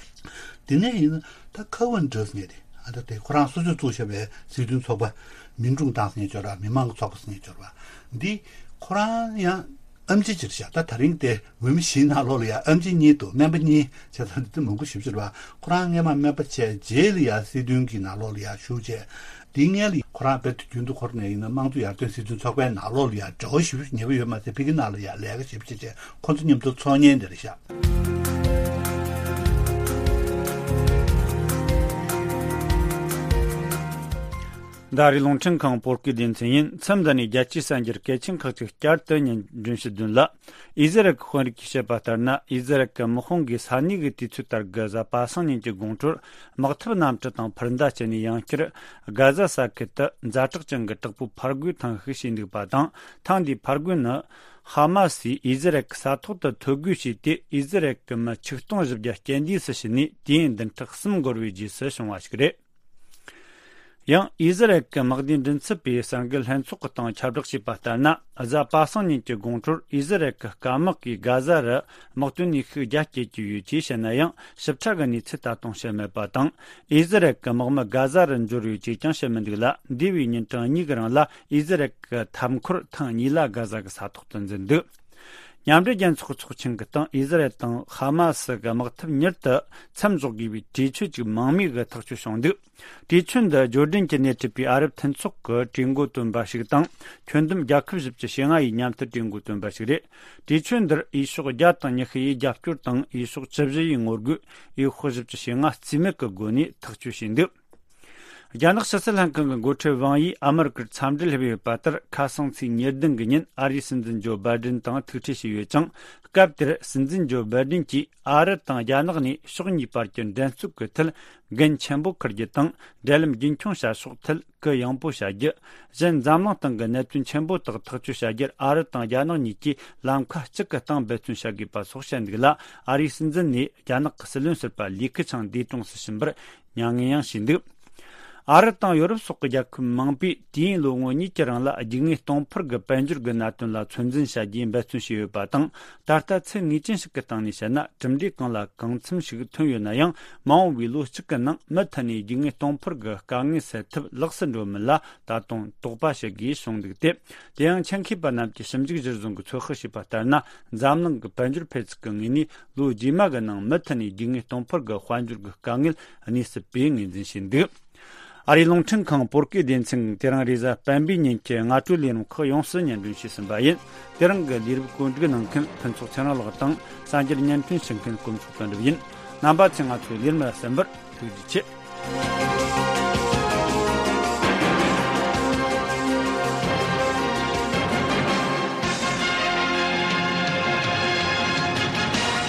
དེ་ནས་ཡིན་ན་ད་ཁ་ཝན་ཏྲེས་ངས་དེ་ཨ་ད་དེ་ཁོ་རང་སོ་སོས་བཙུགས་བཞག་པའི་སྲིད་དོན་ཚོགས་པ་མིན་ཀྲུང་ཏང་ཟེར་ངེས་འབྱོར་བ་མི་མང་གི་ཚོགས་པ་ཟེར་ངེས་འབྱོར་བ་འདི་ཁོ་རང་ཡང་། ཨེམ་ཆི་ཅིག་བཞག་ད་ད་རིང་དེ་འོས་མི་བཞིའི་ནང་ལོགས་ལ་ཡང་ཨེམ་ཆི་གཉིས་འདུག་སྨན་པ་གཉིས་བྱས་ཙང་དེ་མང་པོ་ཞེ་པོ་ཅིག་རེད་པ། ཁོ་རང་སྔས་མ་སྨན་པ་བྱས་རྗེས་ལ་ཡང་སྲིད་དོན་གྱི་ནང་ལོགས་ལ་ཡང་ཞུགས་བྱས། དེའི་སྔོན་ལ་ཁོ་རང་དཔེ་རྒྱུན་དུ་འཁོར་ནས་ཡིན་ན་དམངས་གཙོ་ཡར་ཐོན་སྲིད་དོན་ཚོགས་པའི་ནང་ལོགས་ལ་ཡང་འབྲེལ་བ་ཞེ་པོ་ཉེ་པོ་ཡོད་མ་ཟད་ཕ་གི་ནང་ལ་ཡང་ལས་ཀ་ཞེ་པོ་ཅིག་བྱས་ཁོ་ཚོ་མཉམ་དུ་ཚོགས་མཁན་དེ་རེད་ཤག་ཟླ་རེའི་རླུང་འཕྲིན་ཁང་བོད་སྐད་སྡེ་ཚན་ཡིན། མཚམས་འདི་ནས་རྒྱལ་སྤྱིའི་གསར་འགྱུར་གལ་ཆེན་ཁག་ཅིག་བསྐྱར་དུ་སྙན་སྒྲོན་ཞུ་འདུན་ལ། ཨི་ཟི་རལ་གྱི་དཔོན་རིགས་ཀྱིས་བཤད་པ་ལྟར་ན། ཨི་ཟི་རལ་གྱི་དམག་དཔུང་གིས་ས་གནས་ཀྱི་དུས་ཚོད་ལྟར་གྱི་གཟའ་པ་སངས་ཉིན་གྱི་དགོང་དྲོར་དམག་འཐབ་གནམ་གྲུ་དང་འཕུར་མདའ་སྤྱད་ནས་ཡང་བསྐྱར་གྷ་ཟ་ས་ཁུལ་དུ་ཛ་དྲག་ཅན་གྱི་དྲག་པོའི་ཕར་རྒོལ་ཐེངས་ཤིག་བྱས་འདུག་པ་དང་། ཐེངས་འདིའི་ཕར་རྒོལ་ནི་ཧ་མ་སིས་ཨི་ཟི་རལ་གྱི་ས་ཐོག་ཏུ་ཐོ་འགོད་བྱས་ཏེ། ཨི་ཟི་རལ་གྱི་མི་ཆིག་སྟོང་བཞི་བརྒྱ་རྐྱེན་འདས་སུ་ཕྱིན་ནས་དུས་ཡུན་བདུན་ཕྲག་གསུམ་འགོར་བའི་རྗེས་སུ་བྱུང་བ་ཞིག་རེད། ཡང་ཨི་ཟི་རལ་གྱི་དམག་སྡེའི་མགྲིན་ཚབ་པས་གསར་འགྱུར་ལྷན་ཚོགས་ཀྱི་སྟེང་ཁྱབ་བསྒྲགས་བྱས་པ་ལྟར་ན། གཟའ་པ་སངས་ཉིན་གྱི་དགོང་དྲོར་ཨི་ཟི་རལ་གྱི་སྐམ་དམག་གིས་གྷ་ཟ་རུ་དམག་དོན་ནུས་ཤུགས་རྒྱ་བསྐྱེད་ཀྱི་ཡོད་ཅེས་བཤད་ན་ཡང་། ཞིབ་ཕྲ་གི་གནས་ཚུལ་ད་དུང་བཤད་མེད་པ་དང་། ཨི་ཟི་རལ་གྱི་དམག་མི་གྷ་ཟ་རུ་འབྱོར་ཡོད་ཅེས་ཀྱང་བཤད་མི་འདུག་ལ། འདས་པའི་ཉིན་གྲངས་གཉིས་ཀྱི་རིང་ལ་ཨི་ཟི་རལ་གྱི་འཐབ་འཁོར་ཐེངས་གཉིས་ལ་གྷ་ཟ་གི་ས་ཐོག་ཏུ་འཛུལ་འདུག་མཉམ་འབྲེལ་རྒྱལ་ཚོགས་ཚོགས་ཆེན་གྱི་སྟེང་ཨི་ཟི་རལ་དང་ཧ་མ་སི་གི་དམག་འཐབ་མྱུར་དུ་མཚམས་འཇོག་དགོས་པའི་གྲོས་ཆོད་ཅིག་མང་མོས་ཀྱིས་ཐག་གཅོད་བྱུང་འདུག་གྲོས་ཆོད་འདི་ཇོར་ཌན་གྱིས་སྣེ་ཁྲིད་པའི་ཨ་རབ་མཐུན་ཚོགས་ཀྱི་གྲོས་འགོ་དོན་པ་ཞིག་དང་། ཁྱོན་བསྡོམས་རྒྱལ་ཁབ་བཞི་བཅུ་ཞེ་ལྔ་ཡིས་མཉམ་མཐུད་གྲོས་འགོ་དོན་པ་ཞིག་རེད། གྲོས་ཆོད་འདིར་འོས་ཤོག་བརྒྱ་དང་ཉི་ཤུ་ཡིས་རྒྱབ་སྐྱོར་དང་། འོས་ཤོག་བཅུ་བཞི་ཡིས་ངོ་རྒོལ། འོས་ཤོག་བཞི་བཅུ་ཞེ་ལྔ་རྩིས་མེད་ཀྱི་སྒོ་ནས་ཐག་གཅོད་བྱས་འདུག་རྒྱ་ནག་ཕྱི་སྲིད་ལྷན་ཁང་གི་འགོ་ཁྲིད་ཝང་ཡིས་ཨ་མི་རི་ཀར་འཚམས་འདྲིར་ཕེབས་ཡོད་པ་ལྟར། ཁ་སང་ཚེས་ཉེར་བདུན་གྱི་ཉིན་ཨ་རིའི་སྲིད་འཛིན་ཇོ་བྷའི་ཌེན་དང་ཐུག་འཕྲད་བྱས་ཡོད་ཅིང་། སྐབས་དེར་སྲིད་འཛིན་ཇོ་བྷའི་ཌེན་གྱིས་ཨ་རི་དང་རྒྱ་ནག་གཉིས་ཕྱོགས་གཉིས་བར་གྱི་འགྲན་རྩོད་ཀྱི་ཐད་འགན་ཆེན་པོ་འཁུར་རྒྱུ་དང་། འབྲེལ་ལམ་རྒྱུན་འཁྱོངས་བྱ་ཕྱོགས་ཐད་གུ་ཡངས་པོ་བྱ་རྒྱུ། གཞན་འཛམ་གླིང་སྟེང་གི་གནད་དོན་ཆེན་པོ་དག་ཐག་གཅོད་བྱ་རྒྱུར་ཨ་རི་དང་རྒྱ་ནག་གཉིས་ཀྱིས་ལམ་ཁ་གཅིག་གི་སྟེང་འབད་བརྩོན་བྱ་དགོས་པ་སོགས་བཤད་འདུག་ལ། ཨ་རིའི་སྲིད་འཛིན་ནས་རྒྱ་ནག་གི་སྲིད་བློན་ཟུར་པ་ལི་ཁི་ཆང་འདས་གྲོངས་སུ་ཕྱིན་པར་མྱ་ངན་ཡང་བྱས་འདུག་ཨ་རི་དང་ཡོ་རོབ་སོགས་ཀྱི་རྒྱལ་ཁབ་མང་པོས་དུས་ཡུན་ལོ་ངོ་གཉིས་ཀྱི་རིང་ལ་རྒྱུ་དངོས་གཏོང་ཕོད་ཀྱི་དཔལ་འབྱོར་གྱི་གནད་དོན་ལ་ཚོད་འཛིན་བྱ་རྒྱུའི་འབད་བརྩོན་བྱས་ཡོད་པ་དང་། ད་ལྟ་ཚད་ངེས་ཅན་ཞིག་གི་སྟེང་ནས་བཤད་ན། གྲུབ་འབྲས་གང་ལ་གང་འཚམ་ཞིག་ཐོན་ཡོད་ན་ཡང་། མ་འོངས་པའི་ལོ་གཅིག་གི་ནང་མུ་མཐུད་ནས་རྒྱུ་དངོས་གཏོང་ཕོད་ཀྱི་དཀའ་ངལ་སེལ་ཐབས་ལོགས་སུ་འགྲོ་མིན་ལ་ད་དུང་དོགས་པ་བྱེད་དགོས་བྱུང་འདུག་སྟེ། དེ་ཡང་ཆེད་མཁས་པ་རྣམས་ཀྱིས་ཞིབ་འཇུག་གཞིར་བཟུང་གིས་ཚོད་དཔག་བྱས་པ་ལྟར་ན། འཛམ་གླིང་གི་དཔལ་འབྱོར་འཕེལ་ཚུགས་ཀྱི་ངོས་ནས་ལོ་རྗེས་མ་གི་ནང་མུ་མཐུད་ནས་རྒྱུ་དངོས་གཏོང་ཕོད་ཀྱི་དཔལ་འབྱོར་གྱི་དཀའ་ངལ་གནས་སྲིད་པའི་ངོས་འཛིན་བྱས་འདུག་ཨ་རིའི་རླུང་འཕྲིན་ཁང་བོད་སྐད་སྡེ་ཚན་དེ་རིང་རེས་གཟའ་སྤེན་པའི་ཉིན་གྱི་སྔ་དྲོའི་ལས་རིམ་ཁག་ཡོངས་སུ་སྙན་སྒྲོན་ཞུས་ཟིན་པ་ཡིན། དེ་རིང་གི་ལས་རིམ་བཀོད་སྒྲིག་གནང་མཁན་ཕུན་ཚོགས་ཚེ་རིང་ལགས་དང་། གསར་འགྱུར་སྙན་སྒྲོན་ཞུ་མཁན་ཀུན་ཚོགས་དོན་གྲུབ་ཡིན། རྣམ་པ་ཚོས་ང་ཚོའི་ལས་རིམ་ལ་གསན་པར་ཐུགས་རྗེ་ཆེ།